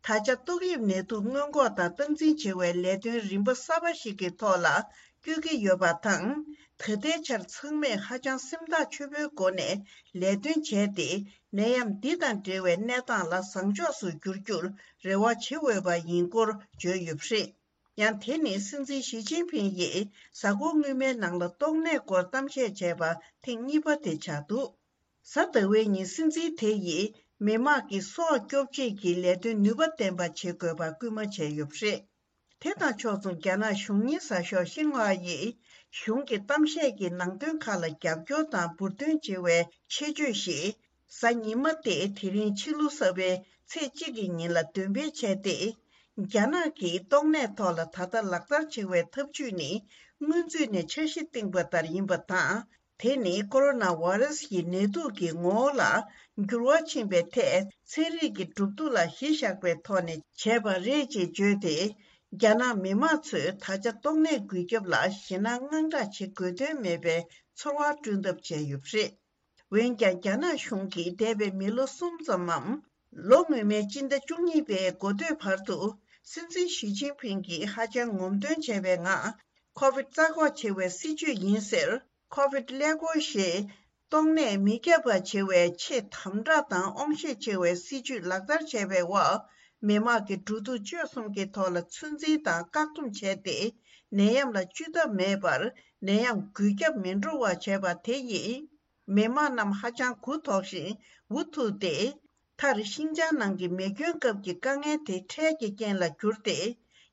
ད་ཆ་ཏོག་དབྱིབས་ནད་དུག་སྔོན་འགོག་དང་སྟངས་འཛིན་བྱེད་པའི་ལས་དོན་རིམ་པ་གསར་པ་ཞིག་གི་ཐོག་ལ་བསྐྱོད་ཀྱི་ཡོད་པ་དང་། ད་ལྟའི་ཆར་ཚང་མས་ཧ་ཅང་སེམས་ཐག་ཆོད་པོའི་སྒོ་ནས་ལས་དོན་བྱས་ཏེ། ནད་ཡམས་འདི་དང་འབྲེལ་བའི་གནས་སྟངས་ལ་བཟང་ཕྱོགས་སུ་བསྒྱུར་རྒྱུར་རེ་བ་བྱེད་འོས་པ་ཡིན་སྐོར་བརྗོད་ཡོད་པ་རེད། ཡང་དེ་ནི་སྲིད་འཛིན་ཞི་ཅིན་ཕིང་ཡིས་གཟའ་འཁོར་སྔོན་མའི་ནང་ལ་ཏོག་ནད་སྐོར་གཏམ་བཤད་བྱས་པ་ཐེངས་གཉིས་པ་དེ་ཆགས་འདུག་གཟའ་ཟླ་བའི་ཉིན་སྲིད་འཛིན་དེ་ཡིས་མི་དམངས་ཀྱི་སྲོག་སྐྱོབ་ཆེད་ཀྱི་ལས་དོན་ནུས་པ་ལྡན་པ་བྱེད་དགོས་པ་སྐུལ་མ་བྱས་ཡོད་པ་རེད། དེ་དང་ཕྱོགས་མཚུངས་རྒྱ་ནག་གཞུང་གཉེར་གསར་ཤོག་ཤིན་ཧྭ་ཡིས་གཞུང་གི་གཏམ་བཤད་ཀྱི་ནང་དོན་ཁག་ལ་རྒྱབ་སྐྱོར་དང་འབུར་འདོན་བྱེད་པའི་ཆེད་བརྗོད་ཞིག་གཟའ་ཉི་མ་སྟེ་དེ་རིང་ཕྱི་ལོ་གསར་པའི་ཚེས་གཅིག་གི་ཉིན་ལ་འདོན་སྤེལ་བྱས་ཏེ། རྒྱ་ནག་གིས་ཏོག་ནད་ཐོག་ལ་ད་ལྟ་ལག་བསྟར་བྱེད་པའི་ཐབས་ཇུས་ནི་སྔོན་ཚུད་ནས་འཆར་གཞི་བཏིང་པ་ལྟར་ཡིན་པ་དང་། དེ་ནི་ཀོ་རོ་ན་ཝེ་རུ་སི་ཡི་ནད་དུག་གི་ངོ་བོ་ལ་འགྱུར་བ་ཕྱིན་པའི་ཐད་ཚན་རིག་གི་གྲུབ་འདུག་ལ་གཞི་བཞག་པའི་ཐོག་ནས་བྱས་པ་རེད་ཅེས་བརྗོད་དེ། རྒྱ་ནག་མི་དམངས་ཚོས་ད་ཆ་ཏོག་ནད་འགོས་ཁྱབ་ལ་ཞེད་སྣང་དངངས་སྐྲག་བྱེད་དགོས་དོན་མེད་པའི་ཚོར་བ་བསྐྲུན་ཐབས་བྱས་ཡོད་པ་རེད། འོན་ཀྱང་རྒྱ་ནག་གཞུང་གིས་འདས་པའི་མི་ལོ་གསུམ་ཙམ་མམ། ལོ་སྔོན་མའི་སྤྱི་ཟླ་བཅུ་གཉིས་པའི་འགོ་སྟོད་བར་དུ་སྲིད་འཛིན་ཞི་ཅིན་ཕིང་གིས་ཧ་ཅང་ངོམ་སྟོན་བྱས་པའི་ངང་། ཁོ་ཝིད་རྩ་འགོག་བྱེད་པའི་སྲིད་ཇུས་ཡིན་ཟེར། ཁོ་ཝིད་ཀླད་ཀོར་ཞེས་ཏོག་ནད་མི་ཁྱབ་པ་བྱེད་པའི་ཆེས་དམ་དྲག་དང་དབང་ཤེད་ཆེ་བའི་སྲིད་ཇུས་ལག་བསྟར་བྱས་པའི་འོག་མི་དམངས་ཀྱི་འགྲོ་འདུག་སྤྱོད་གསུམ་གྱི་ཐོག་ལ་ཚོད་འཛིན་དང་བཀག་སྡོམ་བྱས་ཏེ། ནད་ཡམས་ལ་བཅོས་ཐབས་མེད་པར་ནད་ཡམས་འགོས་ཁྱབ་མི་འགྲོ་བ་བྱས་པ་དེ་ཡིས། མི་དམངས་རྣམས་ཧ་ཅང་མགུ་འཐོམས་ཤིང་འུ་ཐུག་སྟེ། མཐར་ཤིན་ཅང་ནང་གི་མེ་སྐྱོན་སྐབས་ཀྱི་དཀའ་ངལ་དེ་འཕྲལ་གྱི་རྐྱེན་ལ་གྱུར་ཏེ།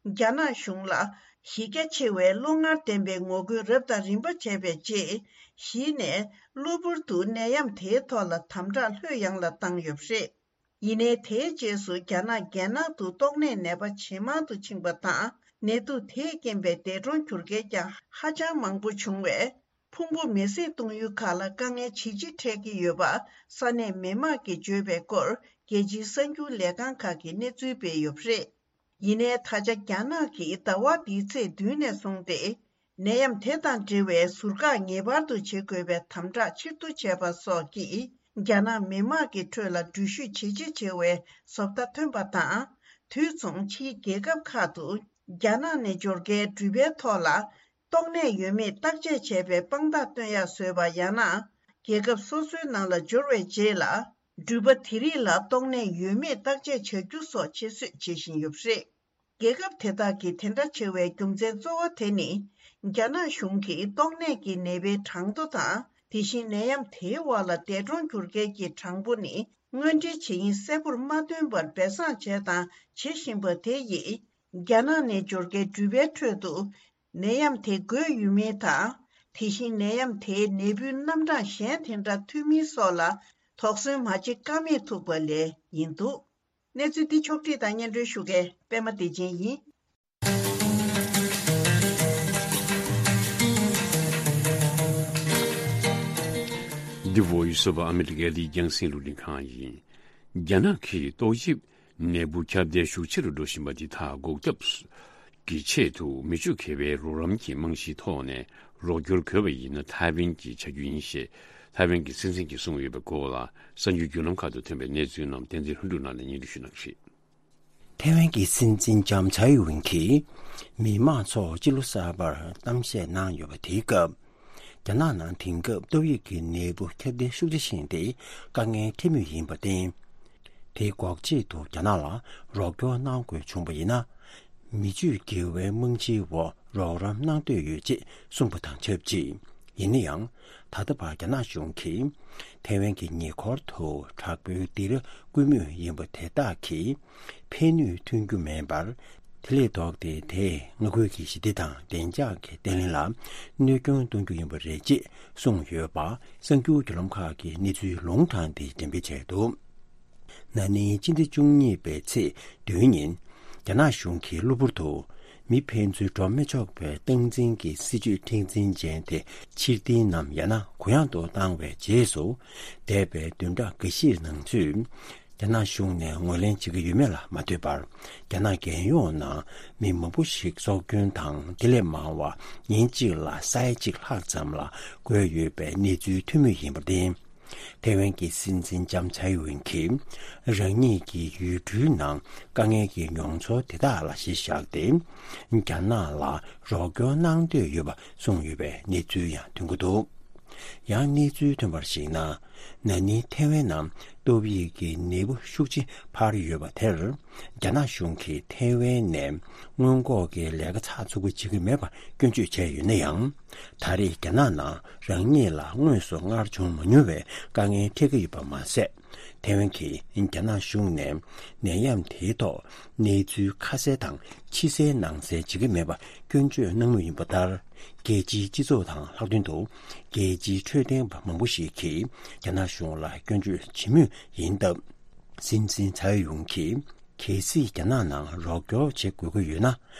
རྒྱ་ནག་གཞུང་ལ་གཞི་རྒྱ་ཆེ་བའི་བློ་ངར་ལྡན་པའི་ངོ་རྒོལ་རབ་དང་རིམ་པ་བྱས་པའི་རྗེས། གཞི་ནས་གློ་བུར་དུ་ནད་ཡམས་དེའི་ཐོག་ལ་དམ་དྲག་ལྷོད་ཡངས་ལ་བཏང་ཡོད་པ་རེད། ཡིན་ནའི་དེའི་རྗེས་སུ་རྒྱ་ནག་རྒྱལ་ནང་དུ་ཏོག་ནད་ནད་པ་ཇེ་མང་དུ་ཕྱིན་པ་དང་། ནད་དུག་དེས་རྐྱེན་པས་འདས་གྲོངས་གྱུར་མཁན་ཀྱང་ཧ་ཅང་མང་པོ་བྱུང་བས། ཕུང་པོ་མེ་བསྲེགས་གཏོང་ཡུལ་ཁག་ལ་དཀའ་ངལ་ཇེ་ཆེ་འཕྲད་ཀྱི་ཡོད་པ་ས་གནས་མི་དམངས་ཀྱིས་བརྗོད་པའི་སྐོར་རྒྱལ་སྤྱིའི་གསར་འགྱུར་ལས་ཁང་ཁག་གིས་གནས་ཚུལ་སྤེལ་ཡོད་པ་རེད། ཡིན་ནའི་ད་ཆ་རྒྱ་ནག་གིས་ཟླ་བ་འདིའི་ཚེས་བདུན་ནས་བཟུང་སྟེ། ནད་ཡམས་དེ་དང་འབྲེལ་བའི་ཟུར་བཀག་ངེས་པར་དུ་བྱེད་དགོས་པའི་དམ་དྲག་ཆེ་བསྡུ་བྱས་པ་སོགས་ཀྱིས་རྒྱ་ནག་མི་དམངས་ཀྱི་ཁྲོད་ལ་འགྲུལ་བཞུད་ཇེ་ཆེ་ཆེ་བའི་བཟོ་ལྟ་ཐོན་པ་དང་། དུས་མཚུངས་ཕྱིའི་རྒྱལ་ཁབ་ཁག་ཏུ་རྒྱ་ནག་ནས་འབྱོར་མཁན་འགྲུལ་པའི་ཐོག་ལ། ཏོག་ནད་ཡོད་མེད་བརྟག་དཔྱད་བྱས་པའི་དཔང་རྟགས་སྟོན་ཡག་བཟོས་པ། ཡང་ན། རྒྱལ་ཁབ་སོ་སོའི་ནང་ལ་འབྱོར་བའི་རྗེས་ལ། འགྲུལ་པ་དེ་རིགས་ལ་ཏོག་ནད་ཡོད་མེད་བརྟག་དཔྱད་བྱ་རྒྱུ་སོགས་ཆེད་བཟོས་བྱེད་བཞིན་ཡོད་པ་རེད། རྒྱལ་ཁབ་དེ་དག་གིས་དེ་འདྲ་བྱ་བའི་རྒྱུ་མཚན་གཙོ་བོ་དེ་ནི། རྒྱ་ནག་གཞུང་གིས་ཏོག་ནད་ཀྱི་ནད་པའི་གྲངས་ཐོ་དང་། དེ་བཞིན་ནད་ཡམས་དེའི་འོག་ལ་འདས་གྲོངས་གྱུར་མཁན་གྱི་གྲངས་འབོར་ནི། དངོས་འབྲེལ་ཇི་ཡིན་གསལ་པོར་མ་སྟོན་པར་སྦས་གསང་བྱས་དང་བྱེད་བཞིན་པ་དེ་ཡིས། རྒྱ་ནག་ནས་འབྱོར་མཁན་འགྲུལ་པའི་ཁྲོད་དུ། ནད་ཡམས་དེ་འགོས་ཡོད་མིན་དང་། དེ་བཞིན་ནད་ཡམས་དེའི་ནད་འབུའི་རྣམ་གྲངས་གཞན་དེ་འདྲ་ཐོན་མིན་སོགས་ལ། དོགས་ཟོན་མ་བྱེད་ཀ་མེད་ཐུག་པ་ལས་ཡིན་འདུག། གནས་ཚུལ་འདི་ཕྱོགས་བསྒྲིགས་དང་སྙན་སྒྲོན་ཞུ་མཁན་པད་མ་བདེ་ཆེན་ཡིན། འདི་བོད་ཡུལ་སུ་བ་ཨ་མི་རི་ཀའི་རྒྱང་སྲིང་རླུང་འཕྲིན་ཁང་ཡིན། རྒྱ་ནག་གིས་ཏོག་དབྱིབས་ནད་འབུ་ཁྱབ་གདལ་ཤུགས་ཆེ་རུ་འགྲོ་བཞིན་པ་འདི་དག་འགོག་ཐབས་ཀྱི་ཆེད་དུ་མི་སྤྱོད་དགེ་བའི་རོགས་རམ་གྱི་རྨང་གཞིའི་ཐོག་ནས་རོགས་སྐྱོར་དགོས་པ་ཡིན་ན་ཐའེ་ཝན་གྱི་བྱ་རྒྱུ་ཡིན་ཞེས་ཐའེ་ཝན་གྱི་སྲིད་འཛིན་གྱིས་གསུངས་ཡོད་པའི་སྐོར་ལ་གསར་འགྱུར་བརྒྱུད་ལམ་ཁག་ཏུ་ཐོན་པའི་གནས་ཚུལ་རྣམས་བསྟན་འཛིན་ལྷུན་གྲུབ་ལགས་ནས་སྙན་སྒྲོན་ཞུ་གནང་གི་རེད། ཐའེ་ཝན་གྱི་སྲིད་འཛིན་ལྕམ་ཚའེ་ཝེན་གྱིས་མི་མང་ཚོར་སྤྱི་ལོ་གསར་པར་གཏམ་བཤད་གནང་ཡོད་པ་དེའི་སྐབས། རྒྱ་ནག་ནང་དེང་སྐབས་ཏོག་དབྱིབས་ཀྱི་ནད་འབུ་ཁྱབ་གདལ་ཤུགས་ཆེ་ཕྱིན་ཏེ་དཀའ་ངལ་འཕྲད་མུས་ཡིན་པར་བརྟེན། དེ་འགོག་ཆེད་དུ་རྒྱ་ནག་ལ་རོགས་སྐྱོར་གནང་དགོས་བྱུང་བ་ཡིན་ན། མི་སྤྱོད་དགེ་བའི་རྨང་གཞིའི་འོག་རོགས་རམ་གནང་འདོད་ཡོད་ཅེས་གསུངས་པ་དང་ཆབས་ཅིག། ཡིན་ན་ཡང་། ད་ལྟ་བར་རྒྱ་ནག་གཞུང་གིས་ཐའེ་ཝན་གྱི་ཉེ་འཁོར་དུ་དྲག་པོའི་སྡིགས་ར་བསྐུལ་མུས་ཡིན་པ་དེ་དག་གིས་ཕན་ནུས་ཐོན་རྒྱུ་མིན་པར། དེ་ལས་ལྡོག་སྟེ་དེས་མངའ་ཁུལ་གྱི་ཞི་བདེ་དང་བདེ་འཇགས་ཀྱི་བརྟན་ལྷིང་ལ་གནོད་སྐྱོན་གཏོང་རྒྱུ་ཡིན་པ་རེད་ཅེས་གསུངས་ཡོད་པ་གསར་འགྱུར་བརྒྱུད་ལམ་ཁག་གིས་གནས་ཚུལ་ལུང་དྲངས་ཏེ་འགྲེམས་སྤེལ་བྱས་འདུག། ན་ནིང་སྤྱི་ཟླ་བཅུ་གཉིས་པའི་ཚེས་བདུན་ཉིན། རྒྱ་ནག་གཞུང་གིས་གློ་བུར་དུ་མི་ཕན་ཚུན་འགྲོ་མི་ཆོག་པའི་སྟངས་འཛིན་གྱི་སྲིད་ཇུས་མཁྲེགས་འཛིན་ཅན་དེ་ཕྱིར་འཐེན་ནམ་ཡང་ན་གུ་ཡངས་དུ་བཏང་བའི་རྗེས་སུ། འདས་པའི་བདུན་ཕྲག་འགའ་ཤས་ནང་ཚུད། རྒྱ་ནག་གཞུང་ནས་ངོས་ལེན་བྱེད་ཀྱི་ཡོད་མེད་ལ་མ་ལྟོས་པར། རྒྱ་ནག་རྒྱལ་ཡོངས་ནང་མི་མང་པོ་ཞིག་སྲོག་སྐྱོན་དང་དེ་ལས་མང་བ་ཉིན་གཅིག་ལ་ས་ཡ་གཅིག་ལྷག་ཙམ་ལ་འགོས་ཡོད་པའི་གནས་ཚུལ་ཐོན་མུས་ཡིན་པར་བརྟེན། ཐའེ་ཝན་གྱི་སྲིད་འཛིན་ལྕམ་ཚའེ་ཝེན་གྱིས་རང་ཉིད་ཀྱི་ཡུལ་གྲུའི་ནང་དཀའ་ངལ་གྱི་མྱོང་ཚོར་དེ་དག་ལ་གཞི་བཞག་སྟེ། རྒྱ་ནག་ལ་རོགས་སྐྱོར་གནང་འདོད་ཡོད་པ་གསུངས་ཡོད་པའི་གནས་ཚུལ་ཡང་ཐོན་གྱི་འདུག། ཡང་གནས་ཚུལ་ཐོན་པར་གཞིགས་ན། ན་ནིང་ཐའེ་ཝན་ནང་ཏོག་དབྱིབས་ཀྱི་ནད་འབུ་ཤུགས་ཆེ་འཕར་ཡོད་པ་དེར། རྒྱ་ནག་གཞུང་གིས་ཐའེ་ཝན་ནས་སྔོན་འགོག་གི་ལས་ཀ་ཚགས་ཚུད་པོ་བྱེད་ཀྱི་མེད་པར་སྐྱོན་བརྗོད་བྱས་ཡོད་ན་ཡང་། ད་རེས་རྒྱ་ནག་ནང་རང་ཉིད་ལ་དངོས་སུ་སྔར་བྱུང་མ་མྱོང་བའི་དཀའ་ངལ་འཕྲད་ཀྱི་ཡོད་པ་མ་ཟད། ཐའེ་ཝན་གྱིས་རྒྱ་ནག་གཞུང་ནས་ནད་ཡམས་དེའི་ཐོག་གནས་ཚུལ་ཁ་གསལ་དང་ཕྱི་གསལ་ནང་གསལ་བྱེད་ཀྱི་མེད་པ་སྐྱོན་བརྗོད་གནང་མུས་ཡིན་པ་ལྟར། རྒྱལ་སྤྱིའི་སྤྱི་ཚོགས་དང་ལྷག་དོན་དུ་རྒྱལ་སྤྱིའི་འཕྲོད་བསྟེན་པ་མང་པོ་ཞིག་གིས་རྒྱ་ནག་གཞུང་ལ་སྐྱོན་བརྗོད་བྱེད་མུས་ཡིན་སྟབས། སྲིད་འཛིན་ཚའེ་ཝེན་གྱིས། གལ་སྲིད་རྒྱ་ནག་ནང་རོགས་སྐྱོར་བྱེད་དགོས་ཀྱི་ཡོད་ན།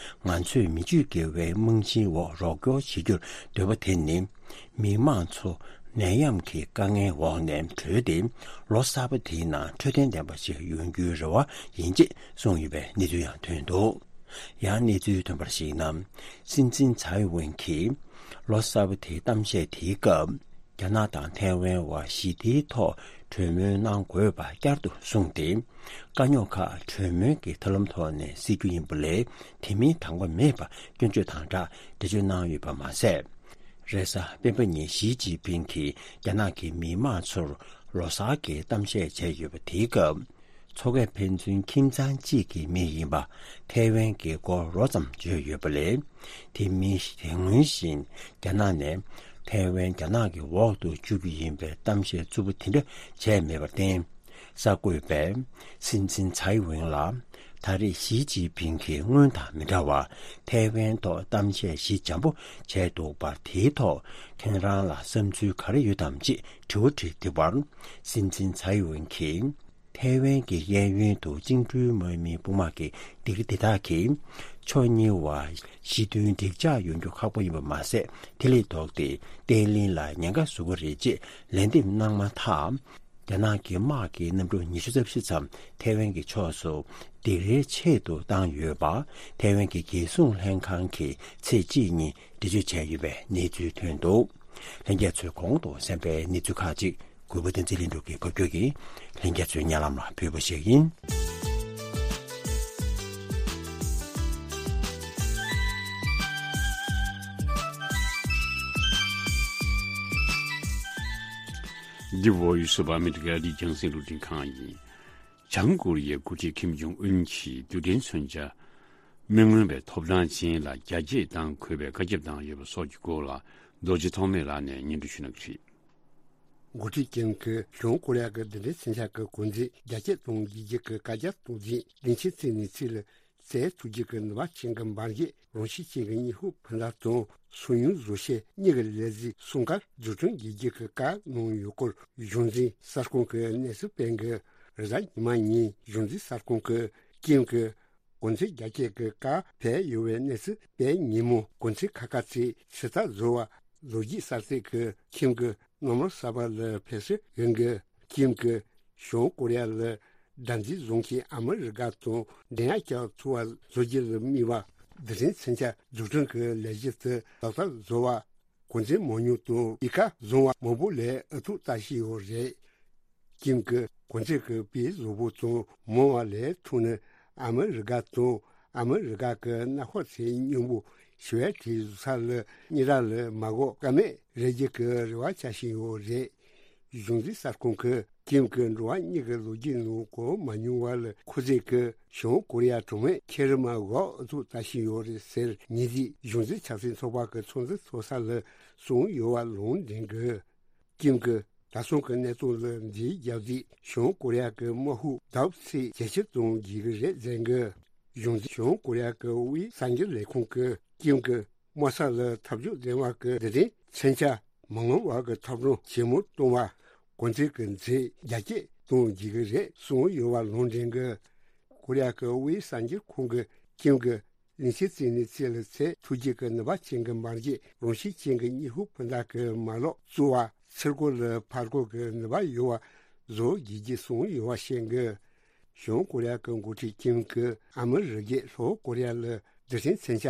ང་ཚོས་མི་སྤྱོད་དགེ་བའི་རྨང་གཞིའི་འོག་རོགས་སྐྱོར་བྱེད་རྒྱུར་འདོད་པ་དེ་ནི། མི་མང་ཚོ་ནད་ཡམས་ཀྱི་དཀའ་ངལ་འོག་ནས་གྲོལ་ཏེ། ལོ་གསར་པ་དེའི་ནང་འཕྲོད་བསྟེན་ལྡན་པ་ཞིག་ཡོང་རྒྱུའི་རེ་བ་ཡིན་ཅེས་གསུངས་ཡོད་པའི་གནས་ཚུལ་ཡང་ཐོན་འདུག། ཡང་གནས་ཚུལ་ཐོན་པར་གཞིགས་ན། སྲིད་འཛིན་ཚའེ་ཝེན་གྱིས་ལོ་གསར་པ་དེའི་གཏམ་བཤད་དེའི་སྐབས། རྒྱ་ནག་དང་ཐའེ་ཝན་བར་ཞི་བདེའི་ཐོག་གྲོས་མོལ་གནང་དགོས་པ་བསྐྱར་དུ་གསུངས་ཏེ། དཀའ་རྙོག་ཁག་གྲོས་མོལ་གྱི་ཐབས་ལམ་ཐོག་ནས་སེལ་རྒྱུ་ཡིན་པ་ལས། དེ་མིན་དང་པོ་མེད་པར་སྐྱོན་བརྗོད་དང་སྦྲགས་འགྲེལ་བརྗོད་གནང་ཡོད་པ་མ་ཟད། རེས་གཟའ་སྤེན་པ་ཉིན་ཞི་ཅིན་ཕིང་གིས་རྒྱ་ནག་གི་མི་མང་ཚོར་ལོ་གསར་གྱི་གཏམ་བཤད་བྱས་ཡོད་པ་དེའི་སྐབས། མཚོ་ཁ་ཕན་ཚུན་ཁྱིམ་ཚང་གཅིག་གི་མི་ཡིན་པ་ཐའེ་ཝན་གྱི་སྐོར་རོབ་ཙམ་བརྗོད་ཡོད་པ་ལས། དེ་མིན་དེ་སྔོན་བཞིན་རྒྱ་ནག་ནས་ཐའེ་ཝན་རྒྱ་ནག་གི་འོག་ཏུ་བཅུག་རྒྱུ་ཡིན་པའི་གཏམ་བཤད་རྩུབ་པོ་དེ་འདྲ་བྱས་མེད་པར་བརྟེན། གསར་འགོད་པས་སྲིད་འཛིན་ཚའེ་ཝེན་ལ། ད་རེས་ཞི་ཅིན་ཕིང་གིས་སྔོན་དང་མི་འདྲ་བར་ཐའེ་ཝན་ཐོག་གཏམ་བཤད་ཞི་འཇམ་པོ་བྱས་འདུག་པར། དེའི་ཐོག་ཁྱེད་རང་ལ་བསམ་ཚུལ་ག་རེ་ཡོད་དམ་ཅེས་དྲི་བ་དྲིས་དེ་བར། སྲིད་འཛིན་ཚའེ་ཝེན་གྱིས། ཐའེ་ཝན་གྱི་གཡས་གཡོན་དུ་བཅིངས་འགྲོལ་དམག་མིའི་དཔུང་དམག་གི་སྡིགས་ར་དེ་དག་གིས། ཕྱོགས་གཉིས་བར་ཞི་མཐུན་འགྲིག་འཇགས་ཡོང་རྒྱུ་ཁག་པོ་ཡིན་པ་མ་ཟད། དེ་ལས་ལྡོག་སྟེ་བརྟན་ལྷིང་ལ་ཉེན་ཁ་བཟོ་གི་རེད་ཅེས་ལན་འདེབས་གནང་མ་ཐག། རྒྱ་ནག་གི་དམག་གི་གནམ་གྲུ་ཉི་ཤུ་རྩ་བཞི་ཙམ་ཐའེ་ཝན་གྱི་ཕྱོགས་སུ་སྡིགས་རའི་ཆེད་དུ་བཏང་ཡོད་པ། ཐའེ་ཝན་གྱི་རྒྱལ་སྲུང་ལྷན་ཁང་གིས་ཚེས་གཅིག་ཉིན་འགྲེལ་བརྗོད་བྱས་ཡོད་པའི་གནས་ཚུལ་ཐོན་འདུག། ལྷན་རྒྱས་ཚོས་གོང་དུ་གསན་པའི་གནས་ཚུལ་ཁག་ཅིག། གུས་པ་བསྟན་འཛིན་ལྷུན་གྲུབ་ཀྱིས་ཕབ་སྒྱུར་གྱིས་ལྷན་རྒྱས་ཚོའི་སྙན་ལམ་ལ་ཕུལ་བ་ཞིག་ཡིན། འདི་བོད་ཡུལ་སུ་བ་ཨ་མི་རི་ཀའི་རྒྱང་སྲིང་རླུང་འཕྲིན་ཁང་ཡིན། བྱང་ཀོ་རི་ཡའི་འགོ་ཁྲིད་ཁིམ་ཇོང་ཨུན་གྱིས་རྡུལ་ཕྲན་མཚོན་ཆ་མི་མངོན་པའི་ཐོབ་ཐང་ཅན་ལ་རྒྱ་སྐྱེད་བཏང་དགོས་པའི་བཀའ་ཁྱབ་བཏང་ཡོད་པ་སོགས་ཀྱི་སྐོར་ལ་རྡོ་རྗེ་ཐོགས་མེད་ལགས་ནས་སྙན་སྒྲོན་ཞུ་གནང་གི་རེད། འགོ་ཁྲིད་ཀིམ་གྱིས་བྱང་ཀོ་རི་ཡ་གི་རྡུལ་ཕྲན་མཚོན་ཆ་གི་གོ་འཛིན་རྒྱ་སྐྱེད་གཏོང་དགོས་རྒྱུ་གི་བཀའ་རྒྱ་གཏོང་རྗེས་རིན་ཆེན་ཚིག་ནས་ཚིག་ལ་ བཙལ་ཐུབ་རྒྱུ་གི་ནུས་པ་ཅན་གྱི་འབར་གས་རང་བཞིན་ཅན་གྱི་སྙིང་ཧུད་འཕུར་མདའ་དང་སང་ཉུལ་བཟོ་ཤེས་གཉིས་ཀྱི་ལས་གཟིགས་སྲུང་སྐར་འཛུགས་སྐྲུན་བགྱིད་རྒྱུ་གི་བཀའ་གནང་ཡོད་སྐོར་གཞུང་འཛིན་གསར་ཁང་གི་གནས་ཚུལ་སྤེལ་གི། རེས་གཟའ་ཉི་མ་ཉིན་གཞུང་འཛིན་གསར་ཁང་གིས་ཀིམ་གྱི་གོང་ཚད་རྒྱ་སྐྱེད་ཀྱི་བཀའ་ཕེབས་ཡོད་པའི་གནས་ཚུལ་སྤེལ་ཉིན་མོ། གོང་ཚད་ཁ་ཁ་ཚིག་ཚོད་ལྟ་བཟོ་བ་ལོ་རྒྱུས་གསར་ཚད་ཀྱི་ཁྱིམ་གྱི་སྣུམ་རོལ་གསར་པ་ལ་ཕེབས་བསུ་ཡོང་གི། ཁྱིམ་གྱིས་བྱང་ཀོ་རི་ཡ་ལ་དགྲར་འཛིན་བཟུང་མཁན་ཨ་མི་རི་ཀ་དང་འགྲན་ཡ་བསྐྱལ་ཐུབ་པ་བཟོ་རྒྱུ་ལ་དམིགས་པ་རྡུལ་ཕྲན་མཚོན་ཆ་འཛུགས་སྐྲུན་གྱི་ལས་གཞི་དེ་ལག་བསྟར་བཟོ་བ། གོང་ཚད་མང་ཉུང་དང་ཡལ་ག་བཟང་བ་མང་པོ་ལ་ཨུ་ཐུག་ལྟ་བཞིན་ཡོད་རེད། ཁྱིམ་གྱི་གོང་ཚད་ཀྱི་དཔེ་བཟང་པོ་དང་མང་བ་ལས་ཐོག་ནས་ཨ་མི་རི་ཀ་དང་ཨ་མི་རི་ཀ་གི་མནའ་འཁོར་ཚོའི་སྙིང་པོ་ཞི་བའི་གྲས་བཟོ་ས་ལ་སྙན་གྲགས་ལ་མ་འགོག་ཀ་མེད་རེ་རྒྱུ་གི་རེ་བ་བྱ་བཞིན་ཡོད་རེད། གཞུང་འཛིན་གསར་ཁང་གིས་ཁྱིམ་གྱི་འགྲོ་བ་མིའི་ལོ་རྒྱུས་ནང་གོ་མ་མྱོང་བ་ལ་ཁོ་ཚོས་ཀྱི་བྱང་ཀོ་རི་ཡ་གྲོང་མི་ཁེ་རི་མ་གོ་ཨུ་ཐུག་ལྟ་བཞིན་ཡོད་རེད་ཟེར། ཉིན་གཅིག་གཞུང་འཛིན་ཆབ་སྲིད་ཚོགས་པ་གི་ཚོགས་འཛིན་ཚོགས་ས་ལ་གསུངས་ཡོད་པ་ལུང་འདྲེན་གྱིས། ཀིམ་གྱིས་ད་སོང་གི་གནས་སྟངས་ལ་འདི་རྒྱབ་རྗེས་བྱང་ཀོ་རི་ཡ་གི་དམག་ཤུགས་ལྡབ་གཅིག་ཇེ་ཆེར་གཏོང་དགོས་ཀྱི་རེད་ཟེར་གི། གཞུང་འཛིན་བྱང་ཀོ་རི་ཡ་གི་དབུས་གསར་འགྱུར་ལས་ཁུངས་ཀྱིས་ཀིམ་གྱི་དམག་ས་ལ་ཐབས་ཇུས་འཛིན་པ་གི་རྡུལ་ཕྲན་མཚོན་ཆ་མ་འོངས་པ་གི་ཐོབ་ཐང་ཇེ་མང་གཏོང་བ། གོང་ཚད་ཀྱི་འཛིན་རྒྱ་སྐྱེད་གཏོང་དགོས་ཀྱི་རེད་གསུངས་ཡོད་པ་ལུང་འདྲེན་གྱིས། ཀོ་རི་ཡ་གི་དབུས་གསར་འགྱུར་ཁང་གིས་ཀིམ་གྱི་གླིང་ཆེན་རྩེ་ནས་རྩེ་ལ་འཚོལ་ཐུབ་རྒྱུ་གི་ནུས་པ་ཅན་གྱི་འབར་གས་རང་བཞིན་ཅན་གྱི་སྙིང་ཧུད་འཕུར་མདའ་གི་མ་ལག་བཙུགས་པ། ཚུར་རྒོལ་ལ་ཕར་རྒོལ་གྱི་ནུས་པ་ཡོད་པ་བཟོ་དགོས་ཀྱི་གསུངས་ཡོད་པ་བཤད་གི། བྱང་ཀོ་རི་ཡ་གི་འགོ་ཁྲིད་ཀིམ་གྱིས་ཨ་མི་རི་ཀས་ལྷོ་ཀོ་རི་ཡ་ལ་རྡུལ་ཕྲན་མཚོན་ཆ་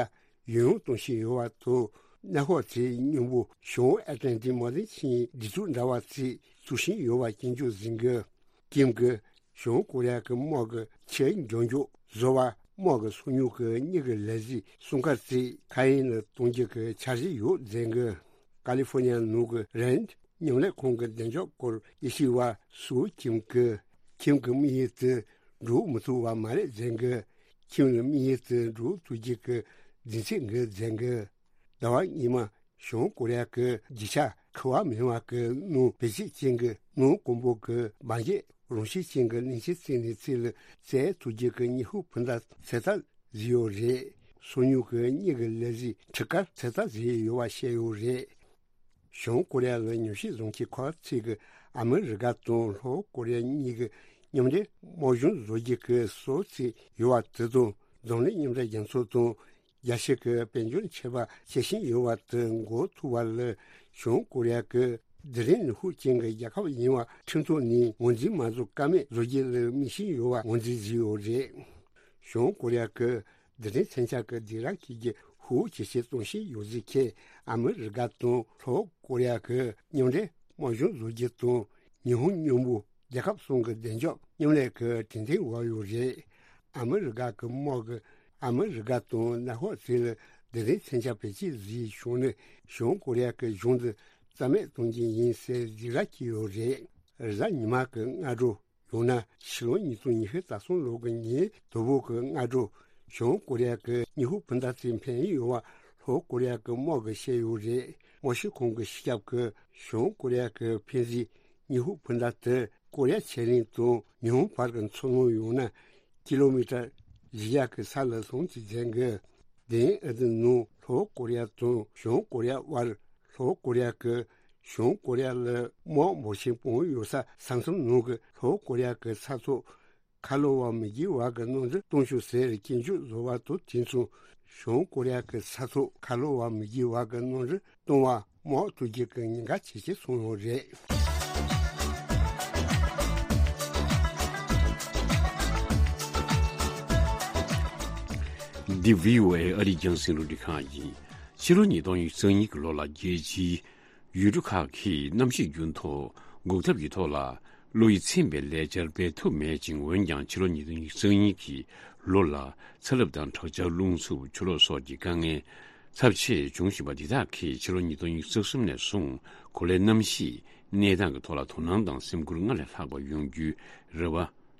ཡོང་ཡང་གཏོང་བཞིན་ཡོད་པ་དང་། མནའ་འཁོར་དེའི་སྙིང་པོ་བྱང་ཨེ་ཏི་ལན་ཏིག་མ་རིན་སྐྱེལ་སྒྲིག་འཛུགས་འདྲ་བ་ཞིག་བཙུགས་བཞིན་ཡོད་པ་སྐྱོན་བརྗོད་གཟིགས་གི། ཀིམ་གྱིས་བྱང་ཀོ་རི་ཡ་གི་དམག་གི་ཆེས་མགྱོགས་མགྱོགས་བཟོ་བ། དམག་གི་སང་ཉུལ་གྱི་མིའི་ལས་གཟིགས་སྲུང་སྐར་རྩེ་ཁ་ཡན་ལ་གཏོང་རྒྱུ་གི་འཆར་གཞི་ཡོད་ཟེར་གི། ཀ་ལི་ཧྥོ་ནི་ཡ་ནང་གི་རེནཌ་མཉམ་ལས་ཁང་གི་བདེ་འཇགས་སྐོར་དབྱེ་ཞིབ་པ་སུའུ་ཀིམ་གྱིས་ཁྱིམ་གྱི་དམིགས་ཡུལ་དེ་འགྲུབ་མི་ཐུབ་པ་མ་རེད་ཟེར་གི། ཁྱིམ་ལ་དམིགས་ཡུལ་དེ་འགྲུབ་ཐུབ་རྒྱུ་གི་རྒྱུ་མཚན་འགའ་ཟེར་གི། ཟླ་བ་སྔོན་མ་བྱང་ཀོ་རི་ཡ་གི་རྒྱུ་ཆ་འཁུར་བ་མེད་པ་གི་ནང་བེད་སྤྱོད་ཅན་གྱི་སྣུམ་འཁོར་པོ་གི་འབར་གས་རང་བཞིན་ཅན་གྱི་གླིང་ཆེན་རྩེ་ནས་རྩེ་ལ་བཙལ་ཐུབ་རྒྱུ་གི་སྙིང་ཧུད་འཕུར་མདའ་འཚོལ་ལྟ་བཟོས་ཡོད་རེད། སང་ཉུལ་གྱི་མིའི་ལས་གཟིགས་འཕྲུལ་ཁང་འཚོལ་ལྟ་བཟོས་ཡོད་པ་བཤད་ཡོད་རེད། བྱང་ཀོ་རི་ཡ་ལ་ཉམས་ཞིབ་བཟོ་མཁན་ཁག་ཅིག་གིས་ཨ་མི་རི་ཀ་དང་ལྷོ་ཀོ་རི་ཡ་གཉིས་ཀྱི་མཉམ་འབྲེལ་དམག་གཞུང་བཟོ་རྒྱུ་གི་སྲོལ་ཅིག་ཡོད་པ་དེ་དང་། འཛམ་གླིང་མཉམ་འབྲེལ་རྒྱལ་ཚོགས་དང་རྒྱལ་སྤྱི་གི་དཔལ་འབྱོར་ཆད་པ་བཅད་བཞིན་ཡོད་པ་དེ་འགོག་ཐུབ་པ་ལ་བྱང་ཀོ་རི་ཡ་གི་རྡུལ་ཕྲན་ནུས་ཤུགས་ཅན་གྱི་རྒྱལ་ཁབ་ཡིན་པ་ཁྲིམས་ཐོག་ནས་ངོས་འཛིན་མ་བཟོ་ཀ་མེད་བཟོ་རྒྱུ་ལ་དམིགས་བཞིན་ཡོད་པ་ངོས་འཛིན་བཟོས་ཡོད་རེད། བྱང་ཀོ་རི་ཡ་གི་རྡུལ་ཕྲན་མཚོན་ཆ་གི་སྦི་རག་གི་རྒྱུ་ཧུའུ་ཇེ་ཆེ་གཏོང་བཞིན་ཡོད་ཟེར་མཁན་ཨ་མི་རི་ཀ་དང་ལྷོ་ཀོ་རི་ཡ་གི་མཉམ་འབྲེལ་དམག་གཞུང་བཟོ་རྒྱུ་དང་ཉི་ཧོང་མཉམ་པོ་རྒྱལ་ཁབ་གསུམ་གྱི་བདེ་འཇགས་མཉམ་ལས་ཀྱི་གྲོས་མཐུན་འོག་ཡོད་རེད། ཨ་མི་རི་ཀ་གི་དམག་གིས་ཨ་མི་རི་ཀ་དང་ནག་ཧོ་ཙི་ལ་རྡུལ་ཕྲན་མཚོན་ཆ་བེད་སྤྱོད་བཟོས་བྱུང་ན། བྱང་ཀོ་རི་ཡ་གི་གཞུང་འདི་རྩ་མེད་གཏོང་རྒྱུ་ཡིན་ཟེར་སྦི་རག་བཀལ་ཡོད་རེད། རེས་གཟའ་ཉི་མ་གི་སྔ་དྲོ། ཡང་ན་ཕྱི་ལོ་ཉིས་སྟོང་ཉི་ཤུ་རྩ་གསུམ་ལོ་གི་ཉིན་དང་པོ་གི་སྔ་དྲོ། བྱང་ཀོ་རི་ཡ་གི་སྙིང་ཧུད་འཕུར་མདའ་ཅིག་འཕེན་ཡོད་པ་ལྷོ་ཀོ་རི་ཡ་གི་དམག་གིས་བཤད་ཡོད་རེད། དམག་སྤྱི་ཁང་གི་སྤྱི་ཁྱབ་ཀྱིས་བྱང་ཀོ་རི་ཡ་གི་འཕེན་རྩིས་སྙིང་ཧུད་འཕུར་མདའ་དེ་ཀོ་རི་ཡ་ཆེ་གླིང་དང་ཉི་ཧོང་བར་གྱི་མཚོ་ནང་ཡང་ན་ཀི་ལོ་མི་ཊར་བཞི་བརྒྱ་གི་ས་ལ་ལྷུང་ཅིག་མཛད་འགོ། དེ་ཨ་ཏི་ནང་ལྷོ་ཀོ་རི་ཡ་དང་བྱང་ཀོ་རི་ཡ་དབར། ལྷོ་ཀོ་རི་ཡ་གིས་བྱང་ཀོ་རི་ཡ་ལ་དམག་འབོར་ཆེན་སྤུངས་ཡོད་ས་ས་མཚམས་ནང་གི་ལྷོ་ཀོ་རི་ཡ་གི་ས་ཐོག་ཁ་ལོ་བ་མི་དགེ་བ་གི་གནམ་གྲུ་གཏོང་ཤོག་ཟེར་སྐྱོན་བརྗོད་བཟོ་བ་དང་དེ་མཚུངས་བྱང་ཀོ་རི་ཡ་གི་ས་ཐོག་ཁ་ལོ་བ་མི་དགེ་བ་གི་གནམ་གྲུ་གཏོང་བ་དམག་ཐུག་རྒྱུ་གི་ཉེན་ཁ་ཇེ་ཆེ་སོང་ཡོད་རེད། འདི་བྷི་ཨོ་ཨེ་ཨ་རིའི་རྒྱང་སྲིང་རླུང་འཕྲིན་ཁང་ཡིན། ཕྱི་ལོ་ཉིས་སྟོང་ཉི་ཤུ་རྩ་གཉིས་ཀྱི་ལོ་ལ་རྒྱལ་སྤྱིའི་ཡུལ་གྲུ་ཁག་གིས་གནམ་གཤིས་འགྱུར་ལྡོག་འགོག་ཐབས་ཀྱི་ཐོག་ལ་བློ་ཡིད་ཚིམ་པའི་ལས་འཆར་སྤེལ་ཐུབ་མེད་ཅིང་། འོན་ཀྱང་ཕྱི་ལོ་ཉིས་སྟོང་ཉི་ཤུ་རྩ་གཉིས་ཀྱི་ལོ་ལ་ཚ་རླབས་དང་དྲག་ཆར། རླུང་འཚུབ། ཆུ་ལོག་སོགས་ཀྱི་དཀའ་ངལ་ཚབས་ཆེ་བྱུང་བཞིན་པ་འདི་དག་གིས་ཕྱི་ལོ་ཉིས་སྟོང་ཉི་ཤུ་རྩ་གསུམ་ནས་བཟུང་གོ་ལའི་གནམ་གཤིས་གནས་སྟངས་ཀྱི་ཐོག་ལ་དོ་སྣང་དང་སེམས་ཁུར་སྔར་ལས་ལྷག་པ་ཡོང་རྒྱུའི་རེ་བ་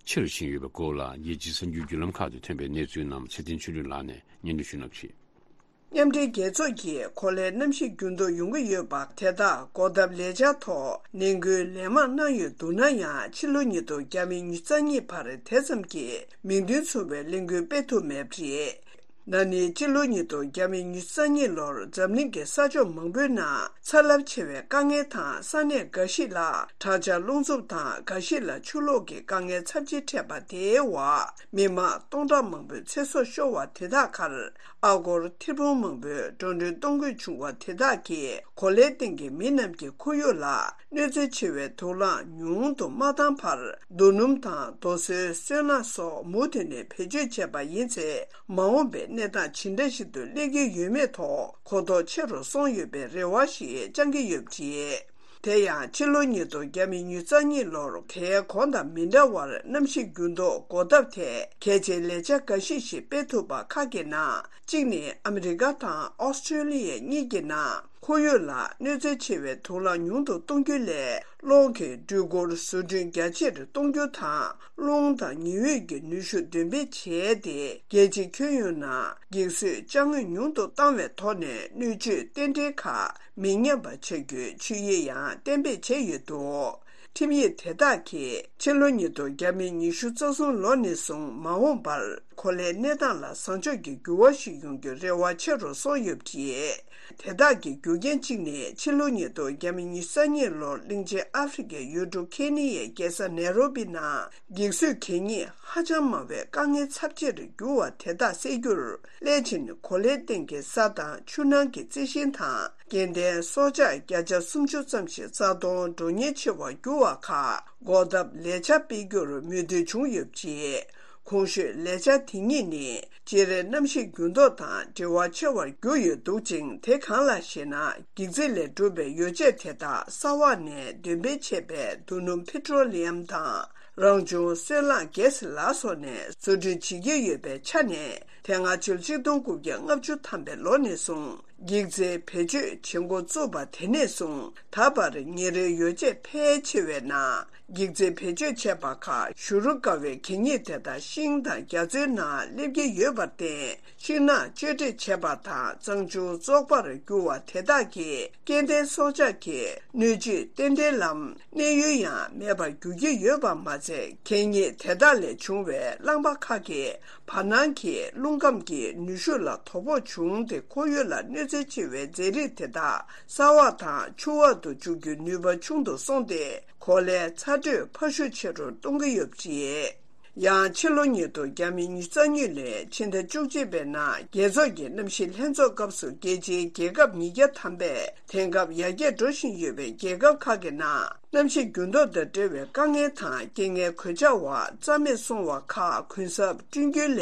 ཆེ་རུ་ཕྱིན་ཡོད་པའི་སྐོར་ལ་རྒྱལ་སྤྱིའི་གསར་འགྱུར་བརྒྱུད་ལམ་ཁག་ཏུ་ཐོན་པའི་གནས་ཚུལ་རྣམས་ཚེ་བརྟན་ཆོས་སྒྲོན་ལགས་ནས་སྙན་སྒྲོན་ཞུ་གནང་གི་རེད། མཉམ་འབྲེལ་རྒྱལ་ཚོགས་ཀྱིས་གོ་ལའི་གནམ་གཤིས་འགྱུར་ལྡོག་ཡོང་གི་ཡོད་པ་དེ་དག་འགོག་ཐབས་ལས་འཆར་ཐོག་ནན་སྐུལ་ལན་མང་གནང་ཡོད་འདུག་ན་ཡང་། ཕྱི་ལོ་ཉིས་སྟོང་ཉི་ཤུ་རྩ་གཉིས་བར་དེ་ཙམ་གྱི་མིང་དོན་མཚུངས་པའི་ལས་འགུལ་སྤེལ་ཐུབ་མེད་པ་རེད། ན་ནིང་ཕྱི་ལོ་ཉིས་སྟོང་ཉི་ཤུ་རྩ་གཉིས་ལོར་འཛམ་གླིང་གི་ས་ཕྱོགས་མང་པོའི་ནང་ཚ་རླབས་ཆེ་བའི་དཀའ་ངལ་དང་། ས་གནས་འགའ་ཞིག་ལ་དྲག་ཆར་རླུང་འཚུབ་དང་། འགའ་ཞིག་ལ་ཆུ་ལོག་གི་དཀའ་ངལ་ཚབས་ཆེ་འཕྲད་པ་དེའི་འོག་མི་མང་སྟོང་ཕྲག་མང་པོའི་ཚེ་སྲོག་ཤོར་བ་དེ་དག་ཁར། ཨ་སྒོར་ཐེར་འབུམ་མང་པོའི་འགྲོ་གྲོན་གཏོང་དགོས་བྱུང་བ་དེ་དག་གིས་གོ་ལའི་སྟེང་གི་མི་རྣམས་ཀྱི་ཁོར་ཡུག་ལ་གནོད་འཚེ་ཆེ་བའི་དུག་རླངས་ཉུང་དུ་མ་བཏང་བར། རྡོ་སྣུམ་དང་རྡོ་སོལ། སོལ་རླངས་སོགས་མུ་མཐུད་ནས་བེད་སྤྱོད་བྱས་པ་ཡིན་ཚེ། མ་འོངས་པའི་གནས་སྟངས་ཇི་འདྲ་ཞིག་ཏུ་སླེབས་ཀྱི་ཡོད་མེད་ཐོག་གོ་རྟོགས་ཆེ་རུ་སོང་ཡོད་པའི་རེ་བ་ཞིག་བཅང་གི་ཡོད་པ་རེད། དེ་ཡང་ཕྱི་ལོ་ཉིས་སྟོང་ཉི་ཤུ་རྩ་གཉིས་ལོར་དེའི་གོང་དང་མི་འདྲ་བར་གནམ་གཤིས་འགྱུར་ལྡོག་འགོག་ཐབས་ཐད་གལ་ཆེའི་ལས་འཆར་འགའ་ཞིག་ཞིག་སྤེལ་ཐུབ་པ་ཁག་གི་ནང་གཅིག་ནི། ཨ་མི་རི་ཀ་དང་ཨོ་སི་ཀྲོ་ལི་ཡའི་གཉིས་ཀྱི་ནང་ཁོར་ཡུག་ལ་གནོད་འཚེ་ཆེ་བའི་དུག་རླངས་ཉུང་དུ་གཏོང་རྒྱུ་ལས། གློག་གི་འགྲུལ་འཁོར་བཟོ་སྐྲུན་རྒྱ་ཆེར་གཏོང་རྒྱུ་དང་། རླུང་དང་ཉི་འོད་ཀྱི་ནུས་ཤུགས་འདོན་སྤེལ་བྱས་ཏེ། རྒྱལ་སྤྱིའི་ཁྱོན་ཡོངས་ནང་འགྱིག་བཟོས་ཅ་དངོས་ཉུང་དུ་བཏང་བའི་ཐོག་ནས་སྣོད་བཅུད་རྟེན་འབྲེལ་ཁག་མི་ཉམས་པ་བྱ་རྒྱུའི་ཆོད་ཡིག་ཡང་གཏན་འབེབས་བྱས་ཡོད་འདུག་ཁྲིམས་ཡིག་དེ་དག་གིས་ཕྱི་ལོ་ཉིས་སྟོང་ཉི་ཤུ་རྩ་གསུམ་ལོ་ནས་བཟུང་མ་འོངས་པར་གོ་ལའི་གནས་སྟངས་ལ་བཟང་ཕྱོགས་ཀྱི་འགྱུར་བ་ཞིག་ཡོང་རྒྱུའི་རེ་བ་ཆེ་རུ་སོང་ཡོད་པ་རེད། དེ་དག་གི་རྒྱུ་རྐྱེན་གཅིག་ནི། ཕྱི་ལོ་ཉིས་སྟོང་ཉི་ཤུ་རྩ་གཉིས་ལོར་གླིང་ཆེན་ཨ་ཧྥེ་རི་ཁའི་ཡུལ་གྲུ་ཁེ་ནི་ཡའི་རྒྱལ་ས་ནེ་རོ་པི་ནང་འགྱིག་བཟོས་གད་སྙིགས་ཧ་ཅང་མང་བའི་དཀའ་ངལ་ཚབས་ཆེར་གྱུར་བ་དེ་དག་སེལ་རྒྱུར། སླད་ཕྱིན་གོ་ལའི་སྟེང་གི་ས་དང་ཆུ་ནང་གི་རྩི་ཤིང་དང་། སྐྱེ་ལྡན་སྲོག་ཆགས་བརྒྱ་ཆ་སུམ་ཅུ་ཙམ་ཞིག་རྩ་སྟོང་འགྲོ་ཉེན་ཆེ་བར་གྱུར་བ་ཁག་འགོག་ཐབས་ལས་འཆར་སྤེལ་རྒྱུར་མོས་མཐུན་བྱུང་ཡོད་པ་རེད། གོང་ཞུས་ལས་འཆར་དེ་གཉིས་ནི། སྤྱིར་གནམ་གཤིས་འགྱུར་ལྡོག་དང་འབྲེལ་བ་ཆེ་བར་གྱུར་ཡོད་འདུག་ཅིང་། དེ་གང་ལགས་ཤེ་ན། འགྱིག་རྩི་ལས་གྲུབ་པའི་ཡོ་བྱད་དེ་དག་ས་འོག་ནས་འདོན་སྤེལ་བྱས་པའི་རྡོ་སྣུམ་པེ་ཊྲོ་ལི་ཡམ་དང་། རང་བྱུང་སོལ་རླངས་གྷེ་སི་ལ་སོགས་ནས་བཟོ་སྐྲུན་བྱེད་ཀྱི་ཡོད་པའི་ཆ་ནས། དེ་སྔ་ཕྱི་ལོ་ཆིག་སྟོང་དགུ་བརྒྱ་ལྔ་བཅུ་ཐམ་པའི་ལོ་ནས་བཟུང་འགྱིག་རྩིའི་བེད་སྤྱོད་བྱེད་འགོ་བཙུགས་པ་དེ་ནས་བཟུང་ད་བར་ཉེ་རོའི་ཡོ་བྱད་ཕལ་ཆེ་བའི་ནང་འགྱིག་རྩིའི་བེད་སྤྱོད་བྱས་པ་ཁག་བཞུ་རུ་དཀའ་བའི་གད་སྙིགས་དེ་དག་ཤིང་དང་རྒྱ་མཚོའི་ནང་སླེབས་ཀྱི་ཡོད་པར་བརྟེན། ཤིང་ནགས་གཅོད་འབྲེག་བྱས་པ་དང་གཙང་ཆུ་བཙོག་པར་གྱུར་བ་དེ་དག་གིས་སྐྱེ་ལྡན་སྲོག་ཆགས་ཀྱི་སྣོད་བཅུད་རྟེན་འབྲེལ་ལམ་གནས་ཡུལ་ཡང་མེད་པར་འགྱུར་གྱི་ཡོད་པ་མ་ཚད། གད་སྙིགས་དེ་དག་ལས་བྱུང་བའི་རླངས་པ་ཁག་གིས་བར་སྣང་གི་རླུང་ཁམས་ཀྱི་ནུས་ཤུགས་ལ་དོ་ཕོག་བྱུང་སྟེ། ཁོར་ཡུག་ལ་གནོད་འཚེ་ཆེ་བའི་རྫས་རིགས་དེ་དག་ས་འོག་དང་ཆུ་འོག་ཏུ་འཇུག་རྒྱུའི་ནུས་པ་ཆུང་དུ་སོང་སྟེ། གོ་ལའི་ཚ་དྲོད་འཕར་ཤུགས་ཆེ་རུ་གཏོང་གི་ཡོད་པ་རེད། ཡང་ཕྱི་ལོ་ཉིས་སྟོང་ཉི་ཤུ་རྩ་གཉིས་ལོའི་ཕྱི་ཟླ་བཅུ་གཅིག་པའི་ནང་རྒྱལ་ཚོགས་ཀྱི་གནམ་གཤིས་ལྷན་ཚོགས་སྐབས་སུ་རྒྱལ་སྤྱིའི་རྒྱལ་ཁབ་ཉིས་བརྒྱ་ཐམ་པས་དེང་སྐབས་ཡར་རྒྱས་འགྲོ་བཞིན་ཡོད་པའི་རྒྱལ་ཁབ་ཁག་གི་ནང་གནམ་གཤིས་འགྱུར་ལྡོག་དང་འབྲེལ་བའི་དཀའ་ངལ་དང་རྐྱེན་ངན་གོད་ཆག་འོག་རྩ་མེད་སོང་བ་ཁག་གུན་གསབ་བསྐྲུན་རྒྱུའི་སླད་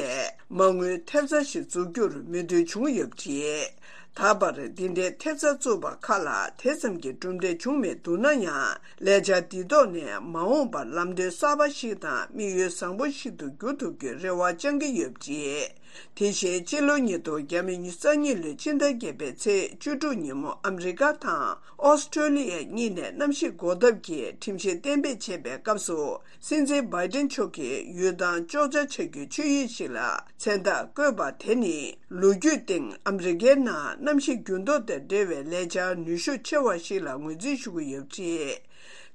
མ་དངུལ་ཐེབས་རྩ་ཞིག་འཛུགས་རྒྱུར་མོས་མཐུན་བྱུང་ཡོད་པ་རེད། ད་བར་འདི་འདྲའི་ཐེབས་རྩ་བཙུགས་པ་ཁག་ལ་དེ་ཙམ་གྱི་གྲུབ་འབྲས་བྱུང་མེད་འདུག་ན་ཡང་། ལས་འཆར་འདིའི་ཐོག་ནས་མ་འོངས་པར་ལམ་སྟོན་གསར་པ་ཞིག་དང་དམིགས་ཡུལ་བཟང་པོ་ཞིག་ཏུ་འགྱུར་ཐུབ་རྒྱུའི་རེ་བ་བཅང་གི་ཡོད་པ་རེད། དེ་བཞིན་སྤྱི་ལོ་ཉིས་སྟོང་ཉི་ཤུ་རྩ་གཉིས་ལོའི་ཕྱི་ཟླ་བརྒྱད་པའི་ཚེས་བཅུ་དྲུག་ཉིན་མོ་ཨ་མི་རི་ཀ་དང་ཨོ་སི་ཀྲོ་ལི་ཡ་གཉིས་ནས་གནམ་གཤིས་འགོག་ཐབས་ཀྱི་ཁྲིམས་གཞི་གཏན་འབེབས་བྱས་པའི་སྐབས་སུ། སྲིད་འཛིན་བྷའི་ཏིན་མཆོག་གིས་ཡུལ་ཐང་གཅོག་ཆ་བྱ་རྒྱུའི་ཆོད་ཡིག་ཞིག་ལ་མཚན་རྟགས་བཀོད་པ་དེ་ནི། ལོ་རྒྱུས་སྟེང་ཨ་མི་རི་ཀའི་ནང་གནམ་གཤིས་འགྱུར་ལྡོག་དང་འབྲེལ་བའི་ལས་འཆར་ནུས་ཤུགས་ཆེ་བ་ཞིག་ལ་ངོས་འཛིན་ཞུ་གི་ཡོད་པ་རེད།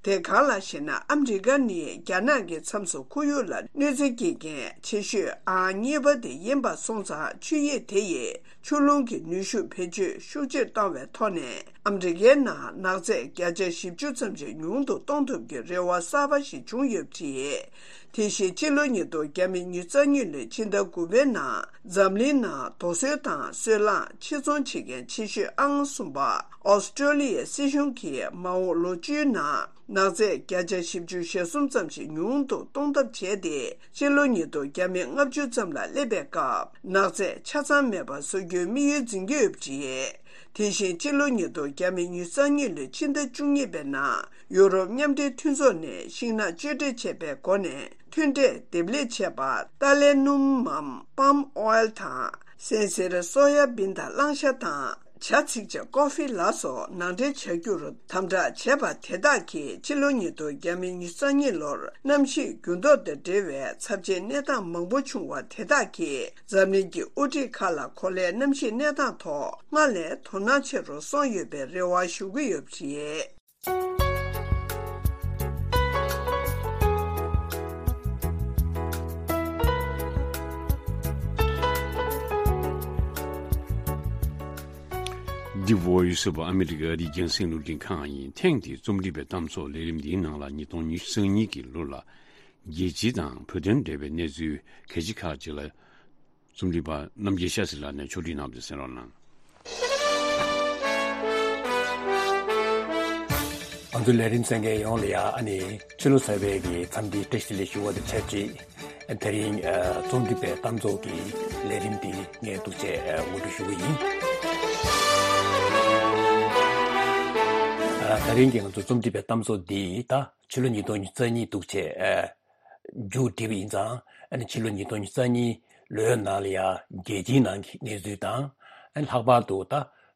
དེ་གང་ལགས་ཤེ་ན། ཨ་མི་རི་ཀ་ནི་རྒྱ་ནག་གི་མཚམས་སུ་ཁོར་ཡུག་ལ་གནོད་འཚེ་སྐྱེལ་མཁན་ཆེ་ཤོས་ཨང་གཉིས་པ་དེ་ཡིན་པ་སོང་ཙང་། ཆོད་ཡིག་དེ་ཡིས་ཆུ་རླུང་གི་ནུས་ཤུགས་བེད་སྤྱོད་ཤུགས་ཆེར་བཏང་བའི་ཐོག་ནས། ཨ་མི་རི་ཀའི་ནང་ནག་རྫས་བརྒྱ་ཆ་བཞི་བཅུ་ཙམ་ཞིག་ཉུང་དུ་གཏོང་ཐུབ་ཀྱི་རེ་བ་གསར་པ་ཞིག་བྱུང་ཡོད་པ་རེད། དེ་བཞིན་ཕྱི་ལོ་ཉིས་སྟོང་ཉི་ཤུ་རྩ་གཉིས་ལོའི་ཕྱི་ཟླ་དགུ་པའི་ནང་འཛམ་གླིང་ནང་རྡོ་སོལ་དང་སོལ་རླངས་ཕྱིར་ཚོང་བྱེད་མཁན་ཆེ་ཤོས་ཨང་གསུམ་པ་ཨོ་སི་ཀྲོ་ལི་ཡའི་སྲིད་གཞུང་གིས་མ་འོངས་ལོ་བཅུའི་ནང་ནག་རྫས་བརྒྱ་ཆ་བཞི་བཅུ་ཞེ་གསུམ་ཙམ་ཞིག་ཉུང་དུ་གཏོང་ཐབས་བྱས་ཏེ། ཕྱི་ལོ་ཉིས་སྟོང་ཉི་ཤུ་ལྔ་བཅུ་ཙམ་ལ་སླེབས་པའི་སྐབས་ནག་རྫས་ཆ་ཚང་མེད་པ་བཟོ་རྒྱུའི་དམིགས་ཡུལ་འཛིན་གྱི་ཡོད་པ་རེད། དེ་བཞིན་ཕྱི་ལོ་ཉིས་སྟོང་ཉི་ཤུ་རྩ་གཉིས་ལོའི་ཕྱི་ཟླ་བཅུ་གཉིས་པའི་ནང་ཡུ་རོབ་མཉམ་འབྲེལ་མཐུན་ཚོགས་ནས་ཤིང་ནགས་གཅོད་འབྲེག་བྱས་པའི་སྒོ་ནས་མཐུན་འབྲེལ་འདེབས་ལེགས་བྱས་པ་ཏཱ་ལའི་སྣུམ་མམ་པཱམ་ཨོའེལ་དང་། སྲན་སེར་སོ་ཡ་བིན་དང་གླང་ཤ་དང་ བྱ་ཚིག་ཇ་ཀོ་ཧྥི་ལ་སོགས་ནང་འདྲེན་བྱ་རྒྱུར་དམ་དྲག་བྱས་པ་དེ་དག་གིས་ཕྱི་ལོ་ཉིས་སྟོང་ཉི་ཤུ་རྩ་གཉིས་ལོར་གནམ་གཤིས་འགྱུར་ལྡོག་དང་འབྲེལ་བའི་ཚབས་ཆེའི་གནས་སྟངས་མང་པོ་བྱུང་བ་དེ་དག་གིས་འཛམ་གླིང་གི་དབུ་ཁྲིད་ཁག་ལ་གོ་ལའི་གནམ་གཤིས་གནས་སྟངས་ཐོག་སྔར་ལས་དོ་སྣང་ཆེ་རུ་སོང་ཡོད་པའི་རེ་བ་ཞུ་གི་ཡོད་པ་རེད། འདི་Voice of America ཨ་རིའི་རྒྱང་སྲིང་རླུང་འཕྲིན་ཁང་ཡིན། ཐེངས་འདིའི་རྩོམ་སྒྲིག་པའི་གཏམ་ཚོགས་ལས་རིམ་འདིའི་ནང་ལ་ཉིས་སྟོང་ཉི་ཤུ་རྩ་གཉིས་ཀྱི་ལོ་ལ་རྒྱལ་སྤྱི་དང་བོད་དོན་འབྲེལ་བའི་གནས་ཚུལ་གལ་ཆེ་ཁག་ཅིག་ལ་རྩོམ་སྒྲིག་པ་རྣམ་རྒྱལ་ཤཱ་སི་ལགས་ནས་ཕྱོགས་སྒྲིག་གནང་བ་དེ་གསན་རོགས་གནང་། ང་ཚོ་ལས་རིམ་གསན་མཁན་ཡོངས་ལ་ཡ་ཨ་ནི་ཕྱི་ལོ་གསར་པའི་གི་འཚམས་འདྲིའི་བཀྲ་ཤིས་བདེ་ལེགས་ཞུ་བ་དང་ཆབས་ཅིག་དེ་རིང་ཨ་རྩོམ་སྒྲིག་པའི་གཏམ་ཚོགས་ཀྱི་ལས་རིམ་འདི་ངས་འདུག་བྱས་ཨ་ངོ་སྤྲོད་ཞུ་གི་ཡིན། ཨ་དེ་རིང་གི་ང་ཚོ་རྩོམ་སྒྲིག་པའི་གཏམ་ཚོགས་འདི་ད་ཕྱི་ལོ་ཉིས་སྟོང་ཉི་ཤུ་རྩ་གཉིས་འདུག་བྱས་ཨ་མཇུག་བསྒྲིལ་བ་ཡིན་ཙང་། ཨ་ནི་ཕྱི་ལོ་ཉིས་སྟོང་ཉི་ཤུ་རྩ་གཉིས་ལོའི་ནང་ལ་ཡ་རྒྱལ་སྤྱིའི་ནང་གི་གནས་ཚུལ་དང་། ཨ་ནི་ལྷག་པར་དུ་ད་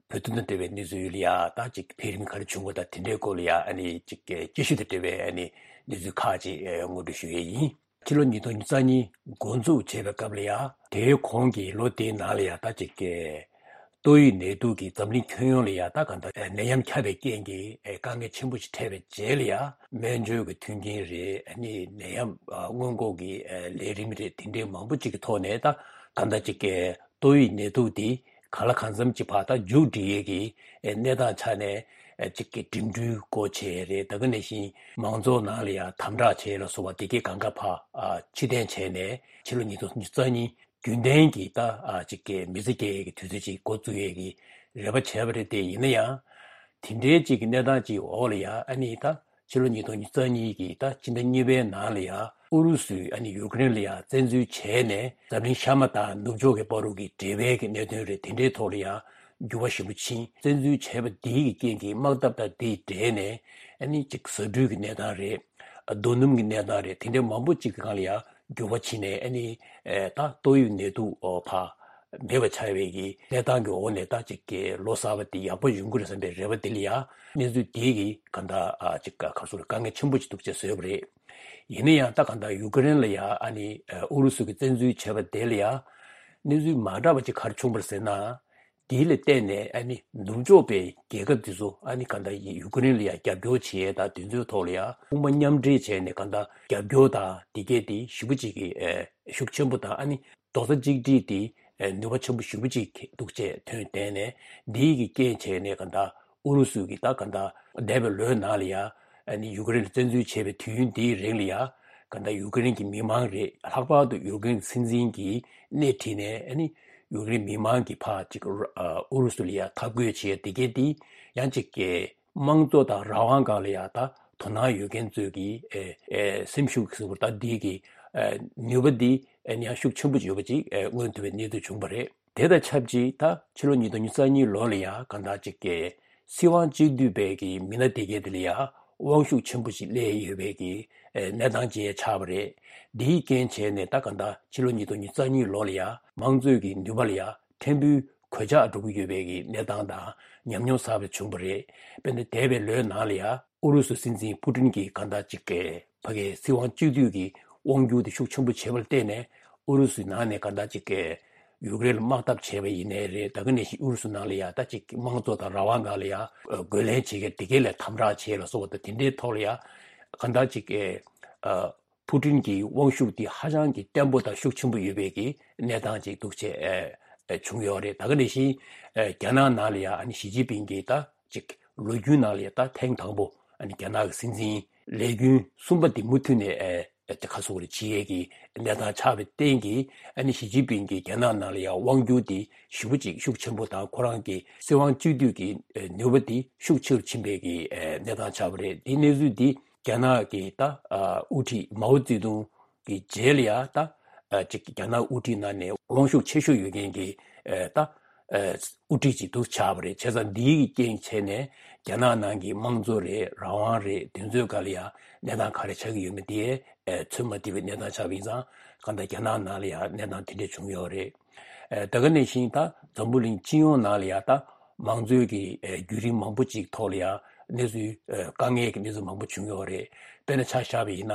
བོད་དོན་དང་འབྲེལ་བའི་གནས་ཚུལ་ལ་ཡ་ད་ཅིག་འཕེལ་རིམ་ག་རེ་བྱུང་བ་དང་དེ་འདྲའི་སྐོར་ལ་ཡ་ཨ་ནི་ཅིག་སྐྱེ་ཤུལ་དང་འབྲེལ་བའི་ཨ་ནི་གནས་ཚུལ་ཁག་ཅིག་ངོ་སྤྲོད་ཞུ་ཡས་ཡིན། ཕྱི་ལོ་ཉིས་སྟོང་ཉི་ཤུ་རྩ་གཉིས་འགོ་འཛུགས་བྱས་པའི་སྐབས་ལ་ཡ་དེའི་གོང་གི་ལོ་དེའི་ནང་ལ་ཡ་ད་ཅིག་ཏོག་དབྱིབས་ནད་དུག་གིས་འཛམ་གླིང་ཁྱོན་ཡོངས་ལ་ཡ་ད་གང་ལྟར་ནད་ཡམས་ཁྱབ་པའི་རྐྱེན་གྱིས་དཀའ་ངལ་ཆེན་པོ་ཞིག་འཕྲད་པའི་རྗེས་ལ་ཡ་སྨན་བཅོས་ཀྱི་མཐུན་རྐྱེན་རེད། ཨ་ནི་ནད་ཡམས་སྔོན་འགོག་གི་ལས་རིམ་རེད། དེ་འདྲའི་མང་པོ་ཅིག་གི་ཐོག་ནས་ད་གང་ལྟར་ཅིག་ཏོག་དབྱིབས་ནད་དུག་འདི་གང་ལ་གང་འཚམ་ཅིག་ཕར་ད་མཇུག་སྒྲིལ་ཡས་ཀྱི་གནས་སྟངས་ཆ་ནས་ཅིག་གི་འགྲིམ་འགྲུལ་སྒོ་ཕྱེ་རེད། ད་ག་ནང་བཞིན་མང་ཚོགས་ནང་ལ་ཡ་དམ་དྲག་བྱེད་ལ་སོགས་པ་དེ་གས་གང་ག་ཕར་ཕྱིར་འཐེན་བྱས་ནས་ཕྱི་ལོ་ཉིས་སྟོང་ཉི་ཤུ་རྩ་གཉིས་རྒྱུན་ལྡན་གྱི་ད་ཨ་ཅིག་གི་མི་ཚེ་སྐྱེལ་ཡས་ཀྱི་དུས་ཚོད་ཅིག་འགོ་བཙུགས་ཡས་ཀྱི་རེ་བ་བྱས་པ་རེད་དེ། ཡིན་ན་ཡང་དེ་འདྲའི་ཅིག་གི་གནས་སྟངས་ཅིག་འོག་ལ་ཡ་ཨ་ནི་ད་ཕྱི་ལོ་ཉིས་སྟོང་ཉི་ཤུ་རྩ་གཉིས་ཀྱི་ད་ཕྱི་ཟླ་གཉིས་པའི་ནང་ལ་ཡ་ཨུ་རུ་སུས་ཨ་ནི་ཡུ་ཀེ་རེན་ལ་ཡ་བཙན་འཛུལ་བྱས་ནས་འཛམ་གླིང་གཤའ་མ་དང་ནུབ་ཕྱོགས་ཀྱི་བར་དུ་གི་འབྲེལ་བའི་གི་གནད་དོན་རེད། དེ་འདྲའི་ཐོག་ལ་ཡ་འགྱུར་བ་ཞིབ་པོ་ཕྱིན། བཙན་འཛུལ་བྱས་པ་འདིའི་གི་རྐྱེན་གྱིས་དམག་འཐབ་དང་དེའི་འབྲེལ་ནས་ཨ་ནི་ཅིག་ཟ་འབྲུ་གི་གནས་སྟངས་རེད། རྡོ་སྣུམ་གྱི་གནས་སྟངས་རེད། དེ་འདྲའི་མང་པོ་ཅིག་གི་སྒང་ལ་ཡ་འགྱུར་བ་ཕྱིན་ནས་ཨ་ནི་ཨེ་ད་ཏོག་དབྱིབས་ནད་དུག་ཨོ་ཕར་མེད་པ་ཆགས་པའི་གི་གནས་སྟངས་ཀྱི་འོག་ནས་ད་ཅིག་གི་ལོ་གསར་པ་དེ་ཡག་པོ་ཡོང་གི་རེད་བསམ་པའི་རེ་བ་དེ་ལ་ཡ་གནས་ཚུལ་དེ་གི་གང་ལྟར་ཨ་ཅིག་ག་ག་སོ་རེ་དཀའ་ངལ་ཆེན་པོ་ཅིག་འདུག་ཅེས་བཟོས་པ་རེད། ཡིན་ན་ཡང་ད་གང་ལྟར་ཡུ་ཀེ་རེན་ལ་ཡ་ཨ་ནི་ཨུ་རུ་སུ་གི་བཙན་འཛུལ་བྱས་པ་དེ་ལ་ཡ་གནས་ཚུལ་མ་འདྲ་བ་ཅིག་ག་རེ་བྱུང་བ་རེད་ཟེར་ན། དེ་ལ་བརྟེན་ནས་ཨ་ནི་ནུབ་ཕྱོགས་པའི་རྒྱལ་ཁབ་དེ་ཚོ་ཨ་ནི་ག་འདྲ་ཡིན་ཡུ་ཀེ་རེན་ལ་ཡང་རྒྱབ་སྐྱོར་བྱེད་ཡས་དང་དེ་ཚོའི་ཐོག་ལ་ཡང་དཔུང་པ་མཉམ་འབྲེལ་བྱས་ནས་ག་འདྲ་རྒྱབ་སྐྱོར་དང་དེ་གས་དེ་ཞེ་པོ་ཅིག་གི་ཨེ་ཤུགས་ཆེན་པོ་དང་ཨ་ནི་རྡོག་རྩ་གཅིག་སྒྲིལ་དེ་ཨེ་ནུས་པ་ཆེན་པོ་ཞེ་པོ་ཅིག་འདུག་ཅེས་ཐོན་བསྡད་ནས་འདིའི་གི་རྐྱེན་བྱས་ནས་ག་འདྲ་ཨུ་རུ་སུ་གི་ད་ག་འདྲ་འདས་པའི་ལོའི་ནང་ལ་ཡང་ཨ་ནི་ཡུ་ཀེ་རེན་ལ་བཙན་འཛུལ་བྱས་པའི་དུས་ཡུན་འདིའི་རིང་ལ་ཡང་ག་འདྲ་ཡུ་ཀེ་རེན་གྱི་མི་མང་རེད། ལྷག་པར་དུ་ཡུ་ཀེ་རེན་སྲིད་འཛིན་གྱིས་སྣེ་ཁྲིད་ནས་ཨ་ནི་ཡུ་ཀེ་རེན་མི་མང་གི་ཕར་ཅིག་ཨུ་རུ་སུ་ལ་ཡང་འཐབ་རྒོལ་བྱེད་ཡ་དེ་གས་དེ་ཡང་ཅིག་གི་དམངས་གཙོ་དང་རང་དབང་སྒང་ལ་ཡང་ད་དོ་སྣང་ཡོད་མཁན་ཚོས་ཀྱི་ཨེ་ཨེ་སེམས་ཤུགས་ཟེར་བ་ད་འདི་གི་ཨེ་ནུས་པ་འདི་ཨེ་ཡང་ཤུགས་ཆེན་པོ་ཡོད་པ་ཅིག་ཨེ་མངོན་ཐུབ་པའི་གནས་ཚུལ་བྱུང་བ་རེད། དེ་དང་ཆབས་ཅིག་ད་ཕྱི་ལོ་ཉིས་སྟོང་ཉི་ཤུ་རྩ་གཉིས་ལོ་ལ་ཡང་གང་ལྟར་ཅིག་གི་སྲིད་དབང་གཅིག་སྡུད་པའི་གི་མི་སྣ་དེ་གས་དེ་ལ་ཡང་དབང་ཤུགས་ཆེན་པོ་ཞིག་སླེབས་ཡོད་པའི་གི་ཨེ་གནས་སྟངས་ཅིག་ཆགས་པ་རེད། འདིའི་རྐྱེན་བྱས་ནས་ད་གང་ལྟར་ཕྱི་ལོ་ཉིས་སྟོང་ཉི་ཤུ་རྩ་གཉིས་ལོ་ལ་ཡང་དམངས་གཙོའི་གི་ནུས་པ་ལ་ཡང་ཕྲན་བུ་གོད་ཆག་འགྲོ་གི་ཡོད་པའི་གི་གནས་སྟངས་དང་ཉམས་མྱོང་གསར་པ་བྱུང་བ་རེད། དཔེར་ན་འདས་པའི་ལོའི་ནང་ལ་ཡང་ཨུ་རུ་སུ་སྲིད་འཛིན་པུ་ཏིན་གྱིས་གང་ལྟར་ཅིག་གི་ཕ་གིའི་སྲིད་དབང་གཅིག་སྡུད་ཀྱི་དབང་སྒྱུར་དེ་ཤུགས་ཆེན་པོ་བྱས་པར་བརྟེན་ནས་ཨུ་རུ་སུའི་ནང་ནས་གང་ལྟར་ཅིག་གི་ཡུཀ་རེན་ལ་དམག་འཐབ་བྱས་པ་ཡིན་ནའི་རེད། ད་ག་ནང་བཞིན་ཨུ་རུ་སུ་ནང་ལ་ཡང་ད་ཅིག་དམངས་གཙོ་དང་རང་དབང་སྒང་ལ་ཡང་རྒོལ་ལན་བྱེད་མཁན་དེ་གས་ལ་དམ་དྲག་བྱས་ལ་སོགས་པ་དང་དེ་འདྲའི་ཐོག་ལ་ཡང་གང་ལྟར་ཅིག་གི་པུ་ཏིན་གྱི་དབང་ཤུགས་དེ་ཧ་ཅང་གི་བརྟན་པོ་དང་ཤུགས་ཆེན་པོ་ཡོད་པའི་གི་གནས་སྟངས་ཅིག་འདུག་བྱས་བྱུང་ཡོད་རེད། ད་ག་ནང་བཞིན་རྒྱ་ནག་ནང་ལ་ཡང་ཨ་ནི་ཞི་ཅིན་ཕིང་གིས་ད་ཅིག་ལོ་རྒྱུས་ནང་ལ་ཡང་ད་ཐེངས་དང་པོ་ཨ་ནི་རྒྱ་ནག་གི་སྲིད་འཛིན་ལས་རྒྱུན་གསུམ་པ་དེ་མུ་མཐུད་ནས་ཨེ་ཨེ་ཁ་སོ་རེ་བྱེད་ཡས་ཀྱི་གནས་སྟངས་ཆགས་པའི་རྐྱེན་གྱིས་ཨ་ནི་ཞི་ཅིན་ཕིང་གིས་རྒྱ་ནག་ནང་ལ་ཡང་དབང་སྒྱུར་དེ་ཞེ་པོ་ཅིག་ཤུགས་ཆེན་པོ་དང་ཁོ་རང་གི་སྲིད་དབང་གཅིག་སྡུད་ཀྱི་ནུས་པ་དེ་ཤུགས་ཆེ་རུ་ཕྱིན་པའི་གི་གནས་སྟངས་ཆགས་པ་རེད། དེ་གནས་ཚུལ་འདི་རྒྱ་ནག་གི་ད་དབུ་ཁྲིད་མའོ་ཙེ་ཏུང་གི་རྗེས་ལ་ཡང་ད་ཅིག་རྒྱ་ནག་དབུ་ཁྲིད་ནང་ནས་དབང་ཤུགས་ཆེ་ཤོས་ཡོད་མཁན་གྱི་ད་དབུ་ཁྲིད་ཅིག་ཏུ་ཆགས་པ་རེད། བྱས་ཙང་འདིའི་རྐྱེན་བྱས་ནས་རྒྱ་ནག་ནང་གི་དམངས་གཙོ་རེད། རང་དབང་རེད། དེ་ཚོའི་སྒང་ལ་ཡང་གནས་སྟངས་ག་རེ་ཆགས་ཀྱི་ཡོད་མེད་དེ་ཚོད་མ་ཐིག་པའི་གནས་སྟངས་ཆགས་པ་ཡིན་ཙང་གང་ལྟར་རྒྱ་ནག་ནང་ལ་ཡང་གནས་སྟངས་དེ་འདྲ་བྱུང་ཡོད་རེད། ད་ག་ནང་བཞིན་ད་འཛམ་བུ་གླིང་སྤྱི་ཡོངས་ནང་ལ་ཡང་ད་ དམངས་གཙོའི་གི་ཨེ་བརྒྱུད་རིམ་མང་པོ་ཅིག་ཐོག་ལ་ཡང་གནས་ཚུལ་ཨེ་དཀའ་ངལ་གྱི་གནས་ཚུལ་མང་པོ་བྱུང་ཡོད་རེད། དཔེར་ན་ཆ་བཞག་པ་ཡིན་ན་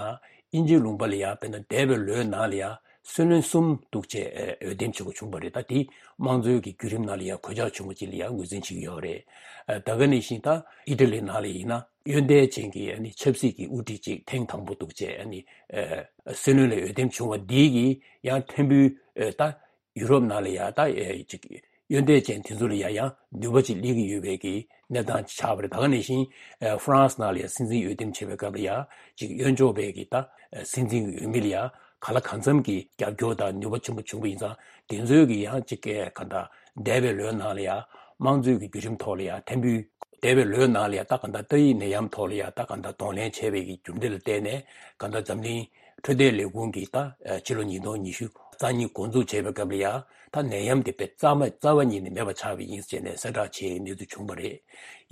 དབྱིན་ཇིའི་ལུང་པ་ལ་ཡང་དཔེར་ན་འདས་པའི་ལོའི་ནང་ལ་ཡང་སྲིད་བློན་གསུམ་འདུག་བྱས་ཨེ་འོས་འདེམས་བྱེད་དགོས་བྱུང་བ་རེད། ད་དེ་དམངས་གཙོའི་གི་བརྒྱུད་རིམ་ནང་ལ་ཡང་གོད་ཆག་བྱུང་བ་ཅིག་ལ་ཡང་ངོས་འཛིན་བྱེད་ཀྱི་ཡོད་རེད། ཨེ་ད་ག་ནང་བཞིན་ད་ཨི་ཊ་ལི་ནང་ལ་ཡིན་ན་གཡོན་ཐལ་ཅན་གྱི་ཨ་ནི་ཆབ་སྲིད་ཀྱི་དབུ་ཁྲིད་ཅིག་ཐེངས་དང་པོ་འདུག་བྱས་ཨ་ནི་ཨེ་སྲིད་བློན་ལ་འོས་འདེམས་བྱུང་བ་འདི་གིས་ཡང་ཐེངས་འབུལ་ཨེ་ད་ཡུ་རོབ་ནང་ལ་ཡང་ད་ཨེ་ཅིག་གཡོན་ཐལ་ཅན་དེ་ཚོ་ལ་ཡང་ཡང་ནུས་པ་ཅིག་སླེབས་ཀྱི་ཡོད་པའི་གི་གནས་སྟངས་ཆགས་པ་རེད། ད་ག་ནང་བཞིན་ཨེ་ཧྥ་རན་སི་ནང་ལ་ཡང་སྲིད་འཛིན་འོས་འདེམས་བྱེད་པའི་སྐབས་ལ་ཡང་ཅིག་གཡོན་ཕྱོགས་པའི་གི་ད་ཨེ་སྲིད་འཛིན་གྱི་འོས་མི་ལ་ཡང་གང་ལ་གང་འཚམ་གྱི་རྒྱབ་སྐྱོར་དང་ནུས་པ་ཆེན་པོ་བྱུང་བ་ཡིན་ཙང་དེ་ཚོའི་གི་ཡང་ཅིག་གི་ག་ད་འདས་པའི་ལོའི་ནང་ལ་ཡང་དམངས་གཙོའི་གི་བརྒྱུད་རིམ་ཐོག་ལ་ཡང་ཐེངས་འབུལ་འདས་པའི་ལོའི་ནང་ལ་ཡང་ད་ག་ད་ཏོག་དབྱིབས་ནད་ཡམས་ཐོག་ལ་ཡང་ད་ག་ད་གདོང་ལེན་བྱས་པའི་གི་རྒྱུ་མཚན་ལ་བརྟེན་ནས་ག་ད་འཛམ་གླིང་འཕྲོད་བསྟེན་ལས་ཁུངས་ཀྱིས་ད་ཕྱི་ལོ་ཉིས་སྟོང་ཉི་ཤུ་རྩ་གཉིས་འགོ་འཛུགས་བྱས་པའི་སྐབས་ལ་ཡང་ད་ནད་ཡམས་དེ་དཔེ་རྩ་མ་རྩ་བ་ཉིད་ནས་མེད་པ་ཆགས་པ་ཡིན་ཟེར་ནས་གསལ་བསྒྲགས་བྱས་གནས་ཚུལ་བྱུང་བ་རེད།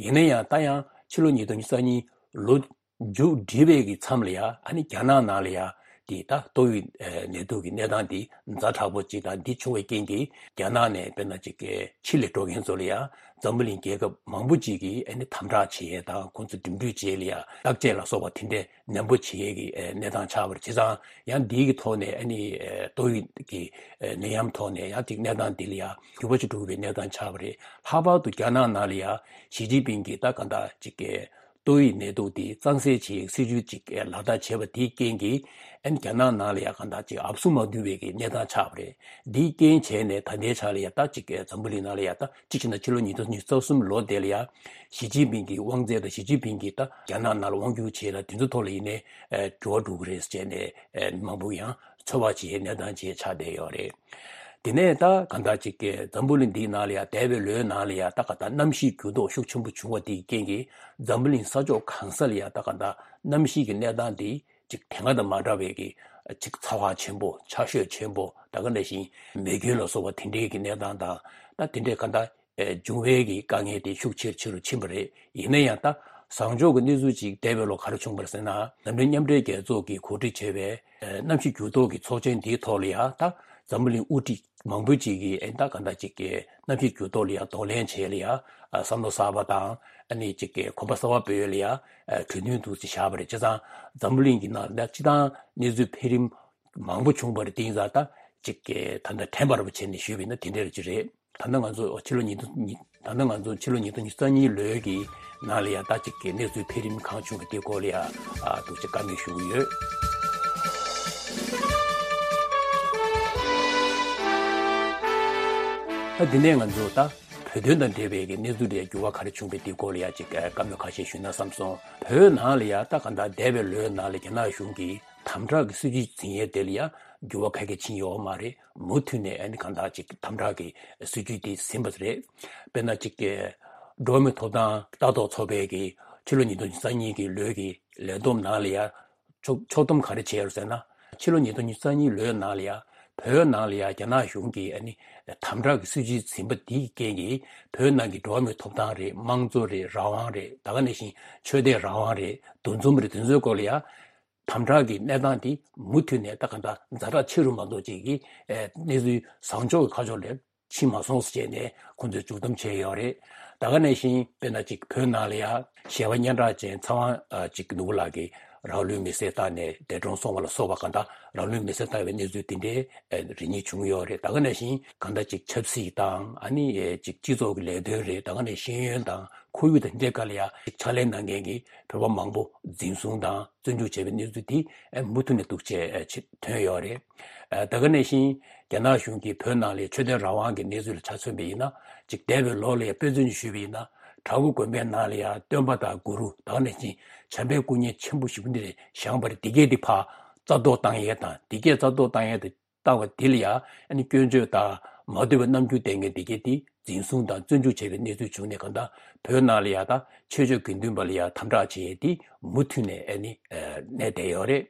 ཡིན་ན་ཡང་ད་ཡང་ཕྱི་ལོ་ཉིས་སྟོང་ཉི་ཤུ་རྩ་གཉིས་ལོ་མཇུག་སྒྲིལ་བའི་གི་མཚམས་ལ་ཡང་ཨ་ནི་རྒྱ་ནག་ནང་ལ་ཡང་དེ་ད་ཏོག་དབྱིབས་ནད་དུག་གི་གནས་སྟངས་དེ་ཛ་དྲག་པོ་ཅིག་དང་འདི་བྱུང་བའི་རྐྱེན་གྱིས་རྒྱ་ནག་ནས་དཔེར་ན་ཅིག་གི་ཕྱི་ལ་འགྲོ་མཁན་ཚོ་ལ་ཡང་འཛམ་བུ་གླིང་རྒྱལ་ཁབ་མང་པོ་ཅིག་གིས་ཨ་ནི་དམ་དྲག་བྱེད་ཡས་དང་ཁོང་ཚོ་འགྲིམ་འགྲུལ་བྱེད་ཡས་ལ་ཡང་བརྟག་དཔྱད་ལ་སོགས་པ་དེ་འདྲས་ནན་པོ་བྱེད་ཡས་ཀྱི་ཨེ་གནས་སྟངས་ཆགས་པ་རེད། བྱས་ཙང་ཡང་འདིའི་གི་ཐོག་ནས་ཨ་ནི་ཨེ་ཏོག་དབྱིབས་ཀྱི་ཨེ་ནད་ཡམས་ཐོག་ནས་ཡང་ཅིག་གནས་སྟངས་འདི་ལ་ཡང་འགྱུར་བ་ཅིག་འགྲོ་གི་པའི་གནས་སྟངས་ཆགས་པ་རེད། ལྷག་པར་དུ་རྒྱ་ནག་ནང་ལ་ཡང་ཞི་ཅིན་ཕིང་གིས་ད་གང་ལྟར་ཅིག་གི་ཏོག་དབྱིབས་ནད་དུག་དེ་གཙང་སེལ་བྱེད་ཡས་སྲིད་ཇུས་ཅིག་ལག་བསྟར་བྱས་པ་དེའི་རྐྱེན་གྱིས་ཨ་ནི་རྒྱ་ནག་ནང་ལ་ཡང་གང་ལྟར་ཅིག་ཨབ་སུ་མ་བསྡུ་བའི་གི་གནས་སྟངས་ཆགས་པ་རེད། འདིའི་རྐྱེན་བྱས་ནས་ད་ལྟའི་ཆ་ལ་ཡང་ད་ཅིག་གི་འཛམ་བུ་གླིང་ནང་ལ་ཡང་ད་གཅིག་བྱས་ན་ཕྱི་ལོ་ཉིས་སྟོང་ཉི་ཤུ་རྩ་གསུམ་ལོ་དེ་ལ་ཡང་ཞི་ཅིན་ཕིང་གི་དབང་ཚད་དང་ཞི་ཅིན་ཕིང་གིས་ད་རྒྱ་ནག་ནང་ལ་དབང་སྒྱུར་བྱེད་ཡས་དང་དེ་ཚོ་ཐོག་ལ་ཡིན་ནའི་ཨེ་འགྱུར་བ་འགྲོ་གི་རེད་ཟེར་ནས་ཨེ་མང་པོ་ཡང་ཚོད་དཔག་བྱེད་ཡས་གནས་སྟངས་ཅིག་ཆགས་བསྡད་ཡོད་རེད། དེ་ནས་ད་གང་ལྟར་ཅིག་གི་འཛམ་བུ་གླིང་འདིའི་ནང་ལ་ཡང་འདས་པའི་ལོའི་ནང་ལ་ཡང་ད་གང་ལྟར་གནམ་གཤིས་འགྱུར་ལྡོག་ཤུགས་ཆེན་པོ་བྱུང་བ་དེའི་རྐྱེན་གྱིས་འཛམ་བུ་གླིང་ས་ཕྱོགས་གང་ས་ལ་ཡང་ད་གང་ལྟར་གནམ་གཤིས་ཀྱི་གནས་སྟངས་འདི་ཅིག་དེ་སྔ་དང་མ་འདྲ་བའི་གི་ཅིག་ཚ་བ་ཆེན་པོ་ཆར་ཞོད་ཆེན་པོ་ད་ག་ནང་བཞིན་མེ་སྐྱོན་ལ་སོགས་པ་དེ་འདྲའི་གི་གནས་སྟངས་དང་ད་དེ་འདྲའི་གང་ལྟར་ཨེ་འབྱུང་བའི་གི་དཀའ་ངལ་དེ་ཤུགས་ཆེ་རུ་ཆེ་རུ་ཕྱིན་པ་རེད། ཡིན་ན་ཡང་ད་བཟང་ཕྱོགས་ཀྱི་གནས་ཚུལ་ཅིག་འདས་པའི་ལོ་ག་རེ་བྱུང་བ་རེད་ཟེར་ན་འཛམ་གླིང་མཉམ་འབྲེལ་རྒྱལ་ཚོགས་ཀྱིས་གོ་སྒྲིག་བྱས་པའི་ཨེ་གནམ་གཤིས་འགྱུར་ལྡོག་གི་ཚོགས་ཆེན་དེའི་ཐོག་ལ་ཡང་ད་འཛམ་བུ་གླིང་དབུ་ཁྲིད་མང་པོ་ཅིག་གིས་ཨེ་ད་གང་ལྟར་ཅིག་གི་གནམ་གཤིས་འགྱུར་ལྡོག་ལ་ཡང་གདོང་ལེན་བྱེད་ལ་ཡང་ཨ་བསམ་བློ་གསར་པ་དང་ཨ་ནི་ཅིག་གི་གོམ་པ་གསར་པ་སྤོ་ཡས་ལ་ཡང་ཨ་གྲོས་མཐུན་འདུག་སེ་བཞག་པ་རེད། བྱས་ཙང་འཛམ་བུ་གླིང་གི་ནང་ལ་སྤྱི་བཏང་གནས་ཚུལ་འཕེལ་རིམ་མང་པོ་བྱུང་བ་རེད། དེ་ཡིན་ཙང་ད་ཅིག་གི་ད་ལྟ་དྲན་པ་ར་བ་བྱས་ནས་ཞུས་པ་ཡིན་ན་དེ་འདྲ་རེད་ཅིག་རེད། ད་ལྟ་ང་ཚོ་ཕྱི་ལོ་ཉིས་སྟོང་ཉི་ད་ལྟ་ང་ཚོ་ཕྱི་ལོ་ཉིས་སྟོང་ཉི་ཤུ་རྩ་གཉིས་ལོའི་གི་ནང་ལ་ཡང་ད་ཅིག་གི་གནས་ཚུལ་འཕེལ་རིམ་གང་བྱུང་གི་དེ་སྐོར་ལ་ཡང་ཨ་ཐུགས་རྗེ་བཀའ་མོལ་ཞུ་གི་ཡོད། ད་འདི་ནས་ང་ཚོ་ད་བོད་དོན་དང་འབྲེལ་བའི་གི་གནས་ཚུལ་ལ་ཡང་འགྱུར་བ་ག་རེ་བྱུང་བའི་དེ་སྐོར་ལ་ཡང་ཅིག་ཨ་བཀའ་མོལ་ཁ་ཤས་ཞུས་ན་བསམ་སོང་། བོད་ནང་ལ་ཡང་ད་ག་ད་འདས་པའི་ལོའི་ནང་ལ་རྒྱ་ནག་གཞུང་གིས་དམ་དྲག་གི་སྲིད་ཇུས་འཛིན་ཡས་དེ་ལ་ཡང་འགྱུར་བ་ག་གེ་ཕྱིན་ཡོད་མ་རེད། མུ་མཐུད་ནས་ཨ་ནི་གང་ལྟར་ཅིག་དམ་དྲག་གི་སྲིད་ཇུས་དེ་ཟིན་པ་རེད། དཔེར་ན་ཅིག་གི་འགྲོ་བ་མིའི་ཐོབ་ཐང་ལྟ་རྟོག་ཚོགས་པའི་གི་ཕྱི་ལོ་ཉིས་སྟོང་ཉི་ཤུ་རྩ་གཉིས་ཀྱི་ལོའི་གི་ལས་བསྡོམས་ནང་ལ་ཡང་ཕྱོགས་ཕྱོགས་བསྡོམས་ག་རེ་བྱས་ཡོད་ཟེར་ན། ཕྱི་ལོ་ཉིས་སྟོང་ཉི་ཤུ་རྩ་གཉིས་ལོའི་ནང་ལ་ཡང་བོད་ནང་ལ་ཡང་རྒྱ་ནག་གཞུང་གིས་ཨ་ནི་དམ་དྲག་གི་སྲིད་ཇུས་ཟིན་པ་དེའི་རྐྱེན་གྱིས་བོད་ནང་གི་འགྲོ་བ་མིའི་ཐོབ་ཐང་རེད། དམངས་གཙོ་རེད། རང་དབང་རེད། ད་ག་ནང་བཞིན་ཆོས་དད་རང་དབང་རེད། འདུ་འཛོམས་རེད། དེ་ཚོའི་སྐོར་ལ་ཡང་དམ་དྲག་གི་གནས་སྟངས་དེ་མུ་མཐུད་ནས་ད་ག་འདྲ་ཛ་དྲག་ཆེ་རུ་མ་གཏོགས་ཅིག་གི་ཨེ་གནས་ཚུལ་བཟང་ཕྱོགས་ཀྱི་ཁ་ཕྱོགས་ལ་ཕྱིན་མ་སོང་ཟེར་བྱས་ནས་ཁོང་ཚོས་མཇུག་བསྡོམས་བྱས་ཡོད་རེད། ད་ག་ནང་བཞིན་དཔེར་ན་ཅིག་བོད་ནང་ལ་ཡང་ཞལ་པར་སྙན་གྲགས་ཅན་ཚེ་དབང་ཨ་ཅིག་ནོར་བུ་ལགས་ཀྱིས་རང་ལུས་མེར་སྲེག་བཏང་ནས་འདས་གྲོངས་སོང་བ་ལ་སོགས་པ་གང་ལྟར་རང་ལུས་མེར་སྲེག་བཏང་བའི་གནས་ཚུལ་དེ་འདྲའི་ཨེ་རེ་གཉིས་བྱུང་ཡོད་རེད། ད་ག་ནང་བཞིན་གང་ལྟར་ཅིག་ཆབ་སྲིད་དང་ཨ་ནི་ཨེ་ཅིག་སྤྱི་ཚོགས་ཀྱི་ལས་དོན་རེད། ད་ག་ནང་ཤེས་ཡོན་དང་ཁོར་ཡུག་དང་འདི་འདྲའི་སྐོར་ལ་ཡང་ཕྱག་ལས་གནང་མཁན་གྱི་བོད་པ་མང་པོ་འཛིན་བཟུང་དང་བཙོན་འཇུག་བྱས་པའི་གནས་ཚུལ་དེ་ཨེ་མུ་མཐུད་ནས་འདུག་བྱས་ཨེ་ཆེ་ཐོན་ཡོད་རེད། ཨེ་ད་ག་ནང་བཞིན་རྒྱ་ནག་གཞུང་གིས་བོད་ནང་ལ་ཆོས་དད་རང་དབང་གི་གནས་ཚུལ་ལ་ཆ་མཚོན་པ་ཡིན་ན་ཅིག་འདས་པའི་ལོ་ལ་ཡང་དཔེ་མཚོན་ཞུས་པ་ཡིན་ན་བྲག་འགོ་དགོན་པའི་ནང་ལ་ཡང་སྟོན་པ་དང་གུ་རུ་ད་ག་ནང་བཞིན་བྱམས་པའི་སྐུ་བརྙན་ཆེན་པོ་ཞེ་པོ་འདི་རེད་བཞེངས་པ་རེད། འདི་གས་འདི་ཕར་རྩ་གཏོར་བཏང་ཡས་དང་འདི་གས་རྩ་གཏོར་བཏང་ཡས་དང་། ལྟ་བ་འདི་ལ་ཡང་ཨ་ནི་སྐྱོན་བརྗོད་དང་མ་འདོད་པའི་རྣམ་འགྱུར་ལྡན་མཁན་འདི་གས་དེ་འཛིན་བཟུང་དང་བཙོན་འཇུག་བྱས་པའི་གནས་ཚུལ་བྱུང་ནས་གང་ལྟར་བོད་ནང་ལ་ཡང་ད་ཆོས་ཕྱོགས་དགེ་འདུན་པ་ལ་ཡང་དམ་དྲག་བྱས་ཏེ་མུ་མཐུད་ནས་ཨ་ནི་ཨ་གནས་བསྡད་ཡོད་རེད།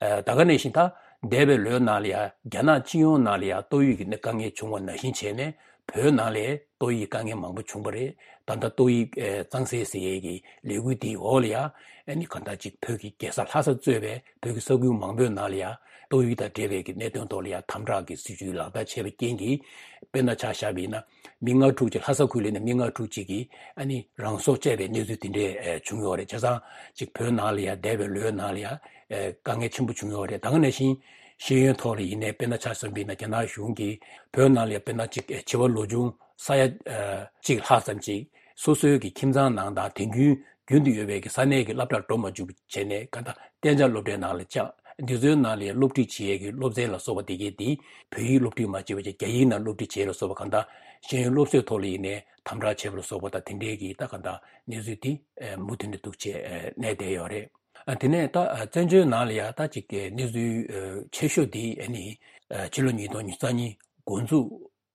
ཨ་ད་ག་ནང་བཞིན་ད་འདས་པའི་ལོའི་ནང་ལ་ཡང་རྒྱ་ནག་སྤྱི་ཡོངས་ནང་ལ་ཡང་ཏོག་དབྱིབས་ཀྱི་དཀའ་ངལ་བྱུང་བ་ནང་བཞིན་བྱས་ནས་བོད་ནང་ལ་ཏོག་དབྱིབས་དཀའ་ངལ་མང་པོ་བྱུང་བ་རེད། ད་ལྟ་ཏོག་དབྱིབས་ཨ་གཙང་སེལ་ཟེར་ཡས་ཀྱི་ལས་འགུལ་དེའི་འོག་ལ་ཡང་ཨ་ནི་གང་ལྟར་ཅིག་བོད་ཀྱི་རྒྱལ་ས་ལྷ་ས་གཙོས་པའི་བོད་ཀྱི་ས་ཁུལ་མང་པོའི་ནང་ལ་ཡང་ ཏོག་དབྱིབས་དང་འབྲེལ་བའི་གི་གནད་དོན་ཐོག་ལ་ཡང་དམ་དྲག་གི་སྲིད་ཇུས་ལག་བསྟར་བྱས་པའི་རྐྱེན་གྱིས། དཔེར་ན་ཆ་བཞག་པ་ཡིན་ན། མི་ལྔ་དྲུག་ཅིག་ལྷ་ས་ཁུལ་ལ་ཡིན་ན་མི་ལྔ་དྲུག་ཅིག་གིས་ཨ་ནི་རང་སྲོག་བཅད་པའི་གནས་ཚུལ་དེ་འདྲས་ཨེ་བྱུང་ཡོད་རེད། བྱས་ཙང་ཅིག་བོད་ནང་ལ་ཡང་འདས་པའི་ལོའི་ནང་ལ་ཡང་ཨེ་དཀའ་ངལ་ཆེན་པོ་བྱུང་ཡོད་རེད། ད་ག་ནང་བཞིན་ཤེས་ཡོན་ཐོག་ལ་ཡིན་ནའི་དཔེར་ན་ཆ་བཞག་པ་ཡིན་ན་རྒྱ་ནག་གཞུང་གིས་བོད་ནང་ལ་ཡང་དཔེར་ན་ཅིག་ཨེ་བྱིས་པ་ལོ་ཆུང་ས་ཡ་ཨེ་གཅིག་ལྷག་ཙམ་ཅིག་སོ་སོའི་གི་ཁྱིམ་ཚང་ནང་དང་དེ་རྒྱུན་རྒྱུན་དུ་ཡོད་པའི་གི་ས་གནས་ཀྱི་སློབ་གྲྭར་འགྲོ་མ་བཅུག་བྱས་ནས་གང་ལྟར་གཏན་འཇགས་སློབ་གྲྭའི་ནང་ལ་བཅག་འདི་ཚོའི་ནང་ལ་སློབ་ཁྲིད་བྱེད་ཡས་ཀྱི་སློབ་ཚན་ལ་སོགས་པ་དེ་གའི་དེ་བོད་ཡིག་སློབ་ཁྲིད་མ་བྱས་པ་བྱས་རྒྱ་ཡིག་ནང་སློབ་ཁྲིད་བྱེད་ཡས་ལ་སོགས་པ་གང་ལྟར་ཤེས་ཡོན་སློབ་གསོའི་ཐོག་ལ་ཡིན་ནའི་དམ་དྲག་བྱས་པ་ལ་སོགས་པ་དང་དེ་འདྲའི་གི་ད་གང་ལྟར་གནས་ཚུལ་དེ་མུ་མཐུད་ནས་འདུག་བྱས་གནས་བསྡད་ཡོད་རེད། དེ་ནས་ད་བཙན་བྱོལ་ནང་ལ་ཡང་ད་ཅིག་གནས་ཚུལ་ཆེ་ཤོས་དེ་ཨ་ནི་ཕྱི་ལོ་ཉིས་སྟོང་ཉི་ཤུ་རྩ་གཉིས་འགོ་འཛུགས་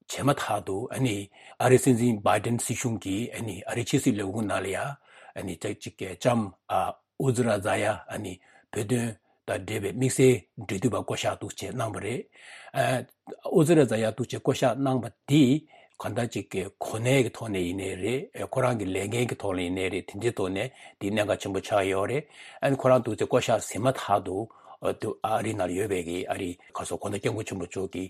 བྱས་མ་ཐག་ཏུ་ཨ་ནི་ཨ་རིའི་སྲིད་འཛིན་བྷའི་ཌེན་སྲིད་གཞུང་གིས་ཨ་ནི་ཨ་རིའི་ཕྱི་སྲིད་ལས་ཁུངས་ནང་ལ་ཡ་ཨ་ནི་ཅག་ཅིག་གི་ལྕམ་ཨ་ཨུ་ཛི་ར་ཛ་ཡ་ཨ་ནི་བོད་དོན་དང་འབྲེལ་བའི་དམིགས་བསལ་འབྲེལ་མཐུད་པ་བསྐོ་བཞག་འདུག་བྱས་གནང་བ་རེད། ཨ་ཨུ་ཛི་ར་ཛ་ཡ་འདུག་བྱས་བསྐོ་བཞག་གནང་བ་འདི་གང་ལྟར་ཅིག་གི་གོ་གནས་ཀྱི་ཐོག་ནས་ཡིན་ནའི་རེད། ཁོ་རང་གི་ལས་འགན་གྱི་ཐོག་ནས་ཡིན་ནའི་རེད། དེ་འདྲའི་ཐོག་ནས་འདི་གནད་འགག་ཆེན་པོ་ཆགས་ཡོད་རེད། ཨ་ནི་ཁོ་རང་འདུག་བྱས་བསྐོ་བཞག་ཟིན་མ་ཐག་ཏུ་ཨ་དུ་ཨ་རི་ནང་ཡོད་པའི་གི་ཨ་རི་ག་སོ་གོང་ས་སྐྱབས་མགོན་ཆེན་པོ་མཆོག་གི་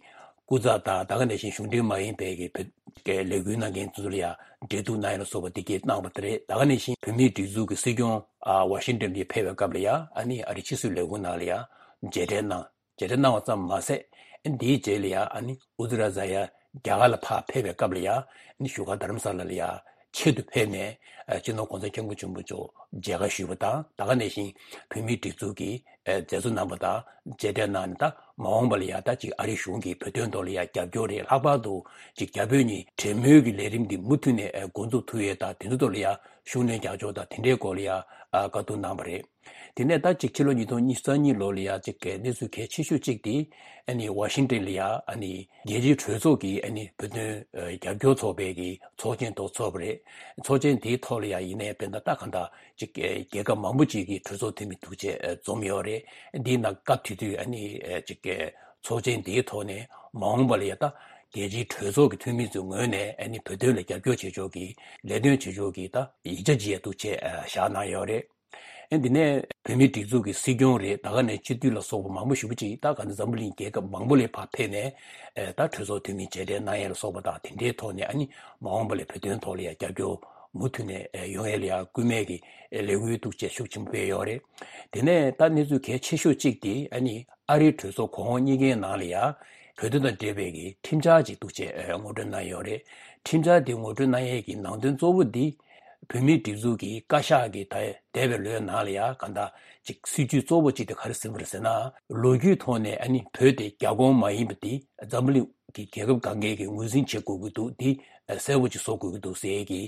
སྐུ་ཚབ་དང་ད་ག་ནང་བཞིན་གཞུང་འབྲེལ་མ་ཡིན་པའི་གི་བོད་ཀྱི་ལས་འགུལ་གནང་མཁན་ཚོ་ལ་ཡང་འབྲེལ་གཏུག་གནང་ཡ་ལ་སོགས་པ་དེ་གས་གནང་བ་དེ་རེད། ད་ག་ནང་བཞིན་བོད་མིའི་སྒྲིག་འཛུགས་ཀྱི་སྲིད་སྐྱོང་ཨ་ཝ་ཤིང་ཏོན་ལ་ཕེབས་པའི་སྐབས་ལ་ཡང་ཨ་ནི་ཨ་རི་ཕྱི་སྲིད་ལས་ཁུངས་ནང་ལ་ཡང་མཇལ་འཕྲད་གནང་། མཇལ་འཕྲད་གནང་བ་ཙམ་མ་ཟད་ཨ་ནི་དེའི་རྗེས་ལ་ཡང་ཨ་ནི་ཨུ་ཛི་ར་ཛ་ཡ་རྒྱ་གར་ལ་ཕར་ཕེབས་པའི་སྐབས་ལ་ཡང་ཨ་ནི་བཞུགས་སྒར་དྷ་རམ་ས་ལ་ལ་ཡང་ཆེད་དུ་ཕེབས་ནས་ཨ་སྤྱི་ནོར་གོང་ས་སྐྱབས་མགོན་ཆེན་པོ་མཆོག་མཇལ་ཁ་ཞུས་པ་དང་། ད་ག་ནང་བཞིན་བོད་མིའི་སྒྲིག་འཛུགས་ཀྱི་ཨ་མཛད་གཙོ་རྣམ་པ་དང་མཇལ་འཕྲད་གནང་ནས། ད་མ་འོངས་པ་ལ་ཡང་ད་ཅིག་ཨ་རིའི་གཞུང་གིས་བོད་དོན་ཐོག་ལ་ཡང་རྒྱབ་སྐྱོར་རེད། ལྷག་པར་དུ་ཅིག་རྒྱ་བོད་གཉིས་འབྲེལ་མོལ་གྱི་ལས་རིམ་འདི་མུ་མཐུད་ནས་ཨ་འགོ་འཛུགས་ཐུབ་ཡས་དང་། དེ་ཚོ་ཐོག་ལ་ཡང་ཤུགས་སྣོན་རྒྱག་ཕྱོགས་དང་དེ་འདྲའི་སྐོར་ལ་ཡང་ཨ་བཀའ་བསྡུར་གནང་བ་རེད། དེ་ནས་ད་ཅིག་ཕྱི་ལོ་ཉིས་སྟོང་ཉི་ཤུ་རྩ་གཉིས་ལོ་ལ་ཡང་ཅིག་གི་གནས་ཚུལ་གལ་ཆེ་ཤོས་གཅིག་དེ་ཨ་ནི་ཝ་ཤིང་ཏན་ལ་ཡང་ཨ་ནི་རྒྱལ་སྤྱིའི་གྲོས་ཚོགས་ཀྱི་ཨ་ནི་བོད་དོན་ཨ་རྒྱབ་སྐྱོར་ཚོགས་པའི་གི་ཚོགས་ཆེན་ཐོག་ཚོགས་པ་རེད། ཚོགས་ཆེན་དེའི་ཐོག་ལ་ཡང་ཡིན་ནའི་དཔེར་ན་ད་གང་ལྟར་ཅིག་གི་རྒྱལ་ཁབ་མང་པོ་ཅིག་གི་གྲོས་ཚོགས་འཐུས་མི་འདུག་བྱས་ཨ་འཛོམས་ཡོད་རེད། འདིའི་ནང་སྐབས་དེ་དུས་ཨ་ནི་ཨ་ཅིག་གི་ཚོགས་ཆེན་དེའི་ཐོག་ནས་མ་འོངས་པ་ལ་ཡང་ད་རྒྱལ་སྤྱིའི་གྲོས་ཚོགས་ཀྱི་འཐུས་མི་ཚོའི་ངོས་ནས་ཨ་ནི་བོད་དོན་ལ་རྒྱབ་སྐྱོར་བྱེད་ཕྱོགས་ཀྱི་ལས་དོན་བྱེད་ཕྱོགས་ཀྱི་ད་ཡིག་ཆ་ཅིག་ཡང་འདུག་བྱས་ཨ་བཞག་གནང་ཡོད་རེད། ཨ་འདི་ནས་བོད་མིའི་སྒྲིག་འཛུགས་ཀྱི་སྲིད་སྐྱོང་རེད། ད་ག་ནས་སྤྱི་འཐུས་ལ་སོགས་པ་མང་པོ་ཞེ་པོ་ཅིག་ད་ག་ནས་འཛམ་བུ་གླིང་རྒྱལ་ཁབ་མང་པོ་ལ་ཕར་ཕེབས་ནས་ཨ་ད་གྲོས་ཚོགས་འཐུས་མི་མཇལ་འཕྲད་གནང་ཡས་ལ་སོགས་པ་དང་། དེ་འདྲའི་ཐོག་ནས་ཨ་ནི་མ་འོངས་པ་ལ་བོད་དོན་ཐོག་ལ་ཡང་རྒྱབ་སྐྱོར་མུ་མཐུད་ནས་ཨ་ཡོང་ཡས་ལ་ཡང་སྐུལ་མའི་གི་ལས་འགུལ་འདུག་བྱས་ཤུགས་ཆེན་པོ་སྤེལ་ཡོད་རེད། དེ་ནས་ད་གནས་ཚུལ་གལ་ཆེ་ཤོས་གཅིག་དེ་ཨ་ནི་ཨ་རིའི་གྲོས་ཚོགས་གོང་འོག་གཉིས་ཀའི་ནང་ལ་ཡང་བོད་དོན་དང་འབྲེལ་བའི་གི་ཁྲིམས་འཆར་ཅིག་འདུག་བྱས་ཨ་ངོ་སྤྲོད་གནང་ཡོད་རེད། ཁྲིམས་འཆར་དེ་ངོ་སྤྲོད་གནང་ཡས་ཀྱི་ནང་དོན་གཙོ་བོ་འདི་བོད་མིའི་སྒྲིག་འཛུགས་ཀྱི་བཀའ་ཤག་གི་ད་འདས་པའི་ལོའི་ནང་ལ་ཡང་གང་ལྟར་ཅིག་སྲིད་ཇུས་གཙོ་བོ་གཅིག་དེ་ག་རེ་ཟིན་པ་རེད་ཟེར་ན། ལོ་རྒྱུས་ཐོག་ནས་ཨ་ནི་བོད་དེ་རྒྱ་ཁོངས་མ་ཡིན་པ་དེ་འཛམ་བུ་གླིང་གི་རྒྱལ་ཁབ་གང་གས་ཀྱིས་ངོས་འཛིན་བྱེད་དགོས་ཀྱི་འདུག་འདི་གསལ་པོ་ཅིག་བཟོ་དགོས་ཀྱི་འདུག་ཟེར་གྱི།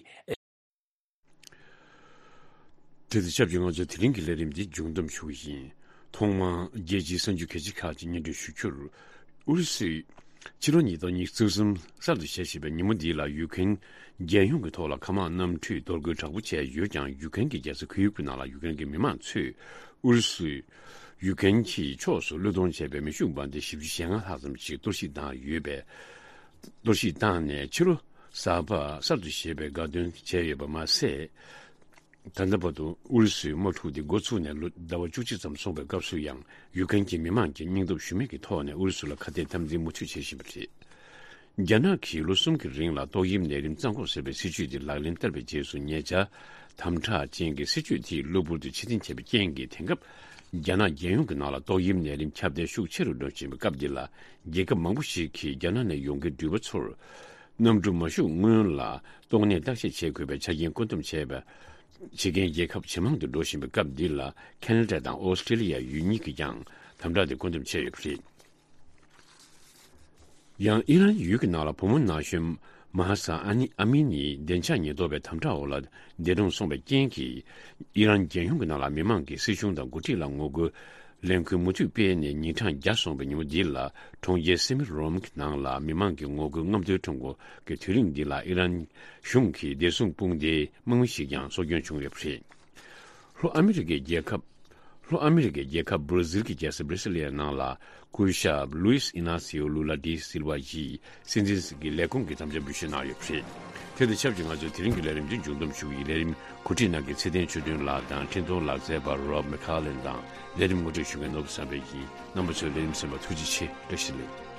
དེ་དང་ཆབས་ཅིག་ང་ཚོས་དེ་རིང་གི་ལས་རིམ་འདི་མཇུག་བསྡོམས་ཞུ་གི་ཡིན། ཐོག་མར་རྒྱལ་སྤྱིའི་གསར་འགྱུར་གལ་ཆེ་ཁག་ཅིག་སྙན་སྒྲོན་ཞུ་རྒྱུར། ཨུ་རུ་སུས་ཕྱི་ལོ་ཉིས་སྟོང་ཉི་ཤུ་རྩ་གསུམ་གསར་དུ་བཞད་བཞིན་པའི་ཉིན་མོ་འདི་ལ་ཡུ་ཀེན་རྒྱལ་ཡོངས་ཀྱི་ཐོག་ལ་མཁའ་དམག་གནམ་གྲུས་གཏོར་རྒོལ་དྲག་པོ་བྱས་ཡོད་ཀྱང་། ཡུ་ཀེན་གྱི་རྒྱལ་ས་ཁི་ཡིབ་ཀྱི་ནང་ལ་ཡུ་ཀེན་གྱི་མི་མང་ཚོས་ཨུ་རུ་སུས་ཡུ་ཀེན་གྱི་ཕྱོགས་སུ་བློས་གཏོང་བྱས་པའི་མེ་ཤུགས་འབར་མདེལ་བཞི་བཅུ་ཞེ་ལྔ་ལྷག་ཙམ་ཞིག་གཏོར་བཤིག་བཏང་ཡོད་པས། གཏོར་བཤིག་བཏང་ནས་ཕྱི་ལོ་གསར་པ་གསར་དུ་བཞད་པའི་དགའ་སྟོན་བྱས་ཡོད་པ་མ་ཟད། ད་ལྟ་བར་དུ་ཨུ་རུ་སུའི་དམག་འཁྲུག་འདི་འགོ་ཚུགས་ནས་ལོ་ཟླ་བ་བཅུ་གཅིག་ཙམ་སོང་བའི་སྐབས་སུ་ཡང་། ཡུ་ཀེན་གྱི་མི་མང་གིས་སྙིང་སྟོབས་ཞུམ་མེད་ཀྱི་ཐོག་ནས་ཨུ་རུ་སུ་ལ་ཁ་གཏད་དམ་འཛིན་མུ་མཐུད་བྱེད་བཞིན་པ་རེད། རྒྱ་ནག་གིས་ལོ་གསུམ་གྱི་རིང་ལ་ཏོག་དབྱིབས་ནད་རིམས་གཙང་འགོག་ཟེར་བའི་སྲིད་ཇུས་དེ་ལག་ལེན་བསྟར་བའི་རྗེས་སུ། ཉེ་ཆར་དམ་དྲག་ཅན་གྱི་སྲིད་ཇུས་དེ་གློ་བུར་དུ་ཕྱིར་འཐེན་བྱས་པའི་རྐྱེན་གྱིས། དེང་སྐབས་རྒྱ་ནག་རྒྱལ་ཡོངས་ཀྱི་ནང་ལ་ཏོག་དབྱིབས་ནད་རིམས་ཁྱབ་གདལ་ཤུགས་ཆེ་རུ་འགྲོ་བཞིན་པའི་སྐབས་འདི་ལ། རྒྱལ་ཁབ་མང་པོ་ཞིག་གིས་རྒྱ་ནག་ནས་ཡོང་མཁན་འགྲུལ་པ་ཚོར་གནམ་གྲུ་མ་ཞུགས་སྔོན་ལ་ཏོག་ནད་བརྟག་དཔྱད་བྱེད་དགོས་པའི་ཆ་རྐྱེན་བཀོད་འདོམས་བྱས་པ། བྱེད་མཁན་རྒྱལ་ཁབ་ཇེ་མང་དུ་འགྲོ་བཞིན་པའི་སྐབས་འདི་ལ། ཁེ་ན་ཌ་དང་ཨོ་སི་ཀྲི་ལི་ཡ་ཡུལ་གཉིས་ཀྱིས་ཀྱང་དམ་དྲག་དེ་བཀོད་འདོམས་བྱས་ཡོད་པ་རེད། ཡང་ཨི་རན་ཡུལ་གྱི་ནང་ལ་བུ་མོ་ན་གཞོན་མ་ཧ་ས་ཨ་ནི་ཨ་མི་ནི་བདེ་འཇགས་ཉེན་རྟོག་པའི་དམ་དྲག་འོག་ལ་འདས་གྲོངས་སོང་བའི་རྐྱེན་གྱིས། ཨི་རན་རྒྱལ་ཡོངས་ཀྱི་ནང་ལ་མི་མང་གིས་སྲིད་གཞུང་དང་འགོ་ཁྲིད་ལ་ངོ་རྒོལ་ལས་འགུལ་མུ་མཐུད་སྤེལ་ནས་ཉིན་གྲངས་བརྒྱ་སོང་བའི་ཉིན་མོ་འདི་ལ། གྲོང་ཁྱེར་སེ་མི་རོམ་གྱི་ནང་ལ་མི་མང་གི་ངོ་རྒོལ་རྔམ་སྟོན་ཁྲོམ་སྐོར་གྱི་དུས་རིང་འདི་ལ་ཨི་རན་གཞུང་གི་བདེ་སྲུང་དཔུང་སྡེའི་དམག་མི་ཞིག་ཀྱང་སྲོག་སྐྱོན་བྱུང་ཡོད་པ་རེད། ལྷོ་ཨ་མི་རི་ཀའི་རྒྱལ་ཁབ་ ལྷོ་ཨ་མི་རི་ཀའི་རྒྱལ་ཁབ་བྷར་ཛིལ་གྱི་རྒྱལ་ས་བྷར་སི་ལི་ཡའི་ནང་ལ་སྐུ་ཞབས་ལུའིས་ཨི་ན་སིའོ་ལུ་ལ་ཌི་སིལ་ཝ་ཡིས་སྲིད་འཛིན་གྱི་ལས་ཁུངས་ཀྱི་དམ་བཅའ་འབུལ་བཞེས་གནང་ཡོད་པ་རེད། དེ་དང་ཆབས་ཅིག་ང་ཚོའི་དེ་རིང་གི་ལས་རིམ་འདི་མཇུག་བསྡོམས་ཞུ་གི་ཡིན། ལས་རིམ་གོ་སྒྲིག་གནང་མཁན་ཚེ་བརྟན་ཆོས་སྒྲོན་ལགས་དང་འཕྲིན་གཏོང་ལག་རྩལ་པ་རོབ་མེ་ཁ་ལེན་དང་ལས་རིམ་ངོ་སྤྲོད་ཞུ་མཁན་ནོར་བུ་བསམ་འཕེལ་ཡིན། རྣམ་པ་ཚོས་ལས་རིམ་གསན་པར་ཐུགས་རྗེ་ཆེ། བཀྲ་ཤིས་བདེ་ལེགས།